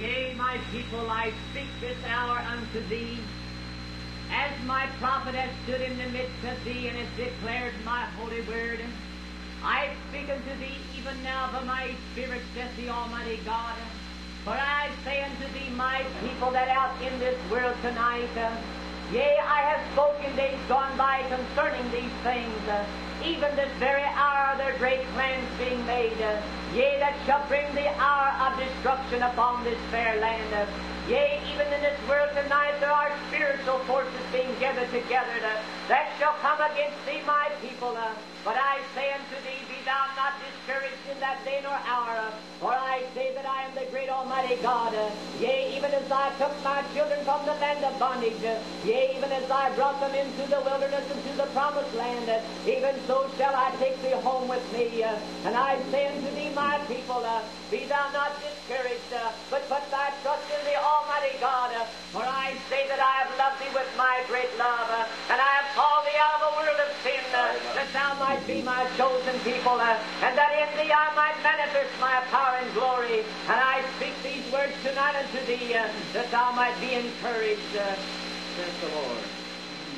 Yea, my people, I speak this hour unto thee, as my prophet hath stood in the midst of thee and hath declared my holy word. I speak unto thee even now by my Spirit, saith the Almighty God. For I say unto thee, my people, that out in this world tonight, uh, yea, I have spoken days gone by concerning these things, uh, even this very hour there are great plans being made, uh, yea, that shall bring the hour of destruction upon this fair land. Uh, yea, even in this world tonight there are spiritual forces being gathered together uh, that shall come against thee, my people. Uh, but I say unto thee, be thou not discouraged in that day nor hour, uh, for I say that I am the great Almighty God. Uh, yea, even as I took my children from the land of bondage, uh, yea, even as I brought them into the wilderness and to the promised land, uh, even so shall I take thee home with me. Uh, and I say unto thee, my people, uh, be thou not discouraged, uh, but put thy trust in the Almighty God. Uh, for I say that I have loved thee with my great love, uh, and I have called thee out of a world of sin, uh, that thou might be my chosen people, uh, and that in thee I might manifest my power and glory. And I speak these words tonight unto thee, uh, that thou might be encouraged, uh, saith the Lord.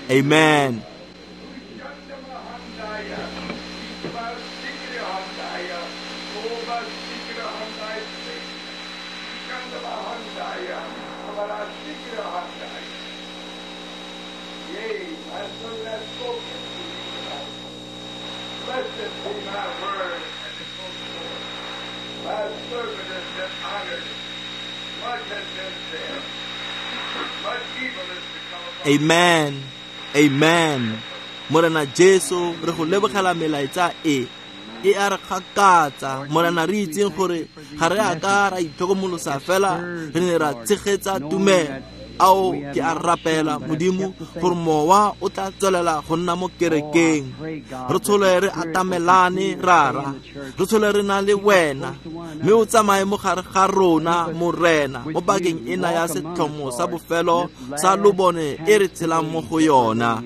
Amen. Yea, my son hath spoken to thee tonight. Blessed be my word and it goes forth. My servant has been honored. Much has been said. Much evil has become upon Amen. Amen. Morena Jesu, re go lebogela melaetsa e. E a re gakatsa Morena, re itseng gore ga re a ka ra itlhokomolosa fela re ne ra tshegetsa tumelo. Ao ke a rapela Modimo gore mowa o tla tswelela go nna mo kerekeng. Re tshole re atamelane Rara, re tshole re na le wena, mme o tsamaye mo gare ga rona Morena mo pakeng ena ya setlhomo sa bofelo sa lobone e re tshelang mo go yona.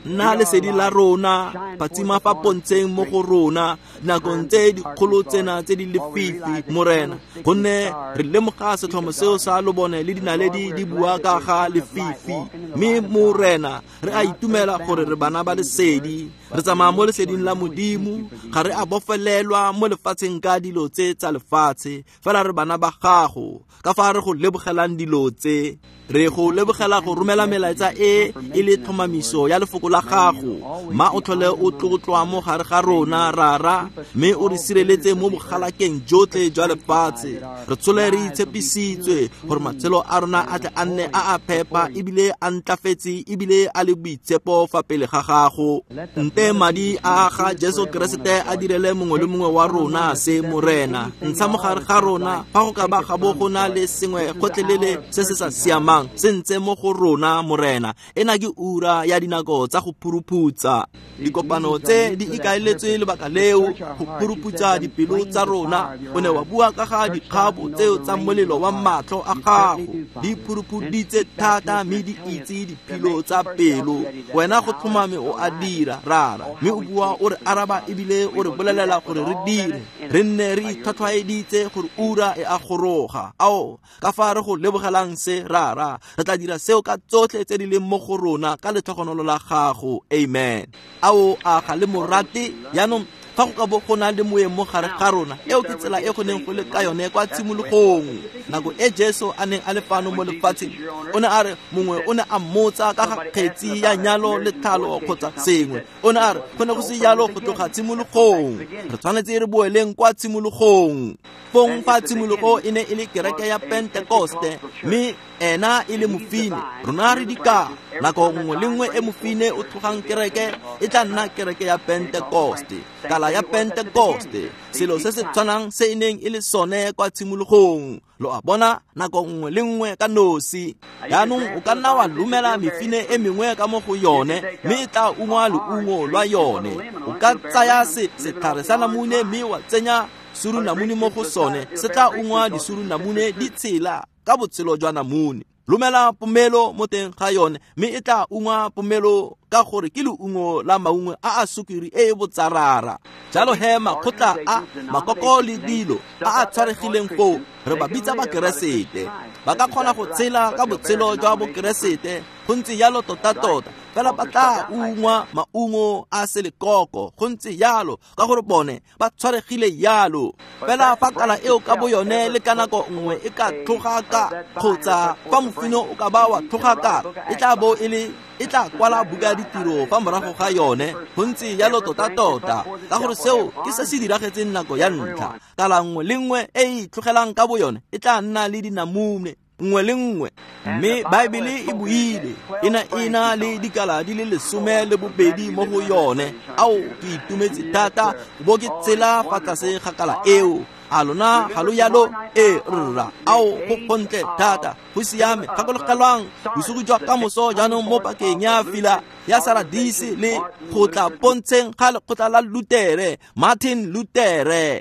Nna lesedi la rona, phatsima fa pontsheng mo go rona nakong tse dikgolo tsena tse di lefifi Morena, gonne re lemoga setlhomo seo sa lobone le dinaledi di bua ka ga lefifi. Mme Morena re a itumela gore re bana ba lesedi, re tsamaya mo leseding la Modimo, ga re a bofelelwa mo lefatsheng ka dilo tse tsa lefatshe, fela re bana ba gago. Ka fa re go lebogelang dilo tse, re go lebogela go romela melaetsa e e le tlhomamiso ya lefoko la gago. Ma o tlhole o tlotlwa mo gare ga rona Rara, mme o re sireletse mo bogalakeng jotlhe jwa lefatshe. Re tshole re itshepisitswe gore matshelo a rona a tle a nne a a phepa ebile a ntlafetse ebile a le boitshepo fa pele ga gago. Nte madi a ga Jesu Keresete a direle mongwe le mongwe wa rona se Morena. Ntsha mo gare ga rona fa go ka ba ga bo go na le sengwe gotlhelele se se sa siamang se ntse mo go rona Morena. Ena ke ura ya dinako tsa go phuruphutsa. Dikopano tse di ikaeletswe lebaka leo, go phuruphutsa dipelo tsa rona. O ne wa bua ka ga dikgabo tseo tsa molelo wa matlho a gago, di phuruphuditse thata mme di itse diphilo tsa pelo. Wena go tlhomame o a dira Rara, mme o bua o re araba ebile o re bolelela gore re dire, re nne re itlhwatlhwaeditse gore ura e a goroga. Ao ka fa re go lebogelang se Rara, re tla dira seo ka tsotlhe tse di leng mo go rona ka letlhogonolo la gago. Amen. Ao a ga le morate jaanong fa go ka bo go na le moeng mo gare ga rona, eo ke tsela e go neng go le ka yone kwa tshimologong. Nako e Jesu a neng a le fano mo lefatsheng, o ne a re mongwe o ne a mmotsa ka ga kgetsi ya nyalo le tlhalo kgotsa sengwe. O ne a re go ne go se jalo go tloga tshimologong, re tshwanetse re boeleng kwa tshimologong. Fong fa tshimologo e ne e le kereke ya Pentekoste, mme ena e le mofine, rona re dikala. Nako nngwe le nngwe e mofine o tlogang kereke e tla nna kereke ya Pentekoste, kala ya Pentekoste, selo se se tshwanang se e neng e le sone kwa tshimologong. Lo a bona, nako nngwe le nngwe ka nosi. Jaanong o ka nna wa lumela mefine e mengwe ka mo go yone, mme e tla ungwa leungo lwa yone. O ka tsaya se setlhare sa namune mme wa tsenya surunamune mo go sone, se tla ungwa disurunamune di tshela ka botshelo jwa namune. Lumela pomelo mo teng ga yone, mme e tla ungwa pomelo ka gore ke leungo la maungo a a sukiri e e botsarara. Jalo he makgotla a makoko le dilo a a tshwaregileng foo, re ba bitsa bakeresete. Ba ka kgona go tshela ka botshelo jwa bokeresete, go ntse jalo tota-tota, fela ba tla ungwa maungo a selekoko, go ntse jalo ka gore bone ba tshwaregile jalo. Fela fa kala eo ka bo yone le ka nako nngwe e ka tlhoga ka, kgotsa fa mofino o ka ba wa tlhoga ka, e tla bo e le e tla kwala buka ditiro fa morago ga yone, go ntse jalo tota-tota, ka gore seo ke se se diragetseng nako ya ntlha. Kala nngwe le nngwe e e itlhogelang ka bo yone e tla nna le dinamune nngwe le nngwe. Mme Baebele e buile e na e na le dikala di le lesome le bobedi mo go yone. Ao ke itumetse thata bo ke tsela fa tlase ga kala eo. A lona ga lo jalo? E rra, ao go gontle thata, go siame. Gakologelwang bosigo jwa kamoso jaanong mo pakeng ya fila ya Saradise le go tla pontsheng ga lekgotla la Lutere, Martin Lutere.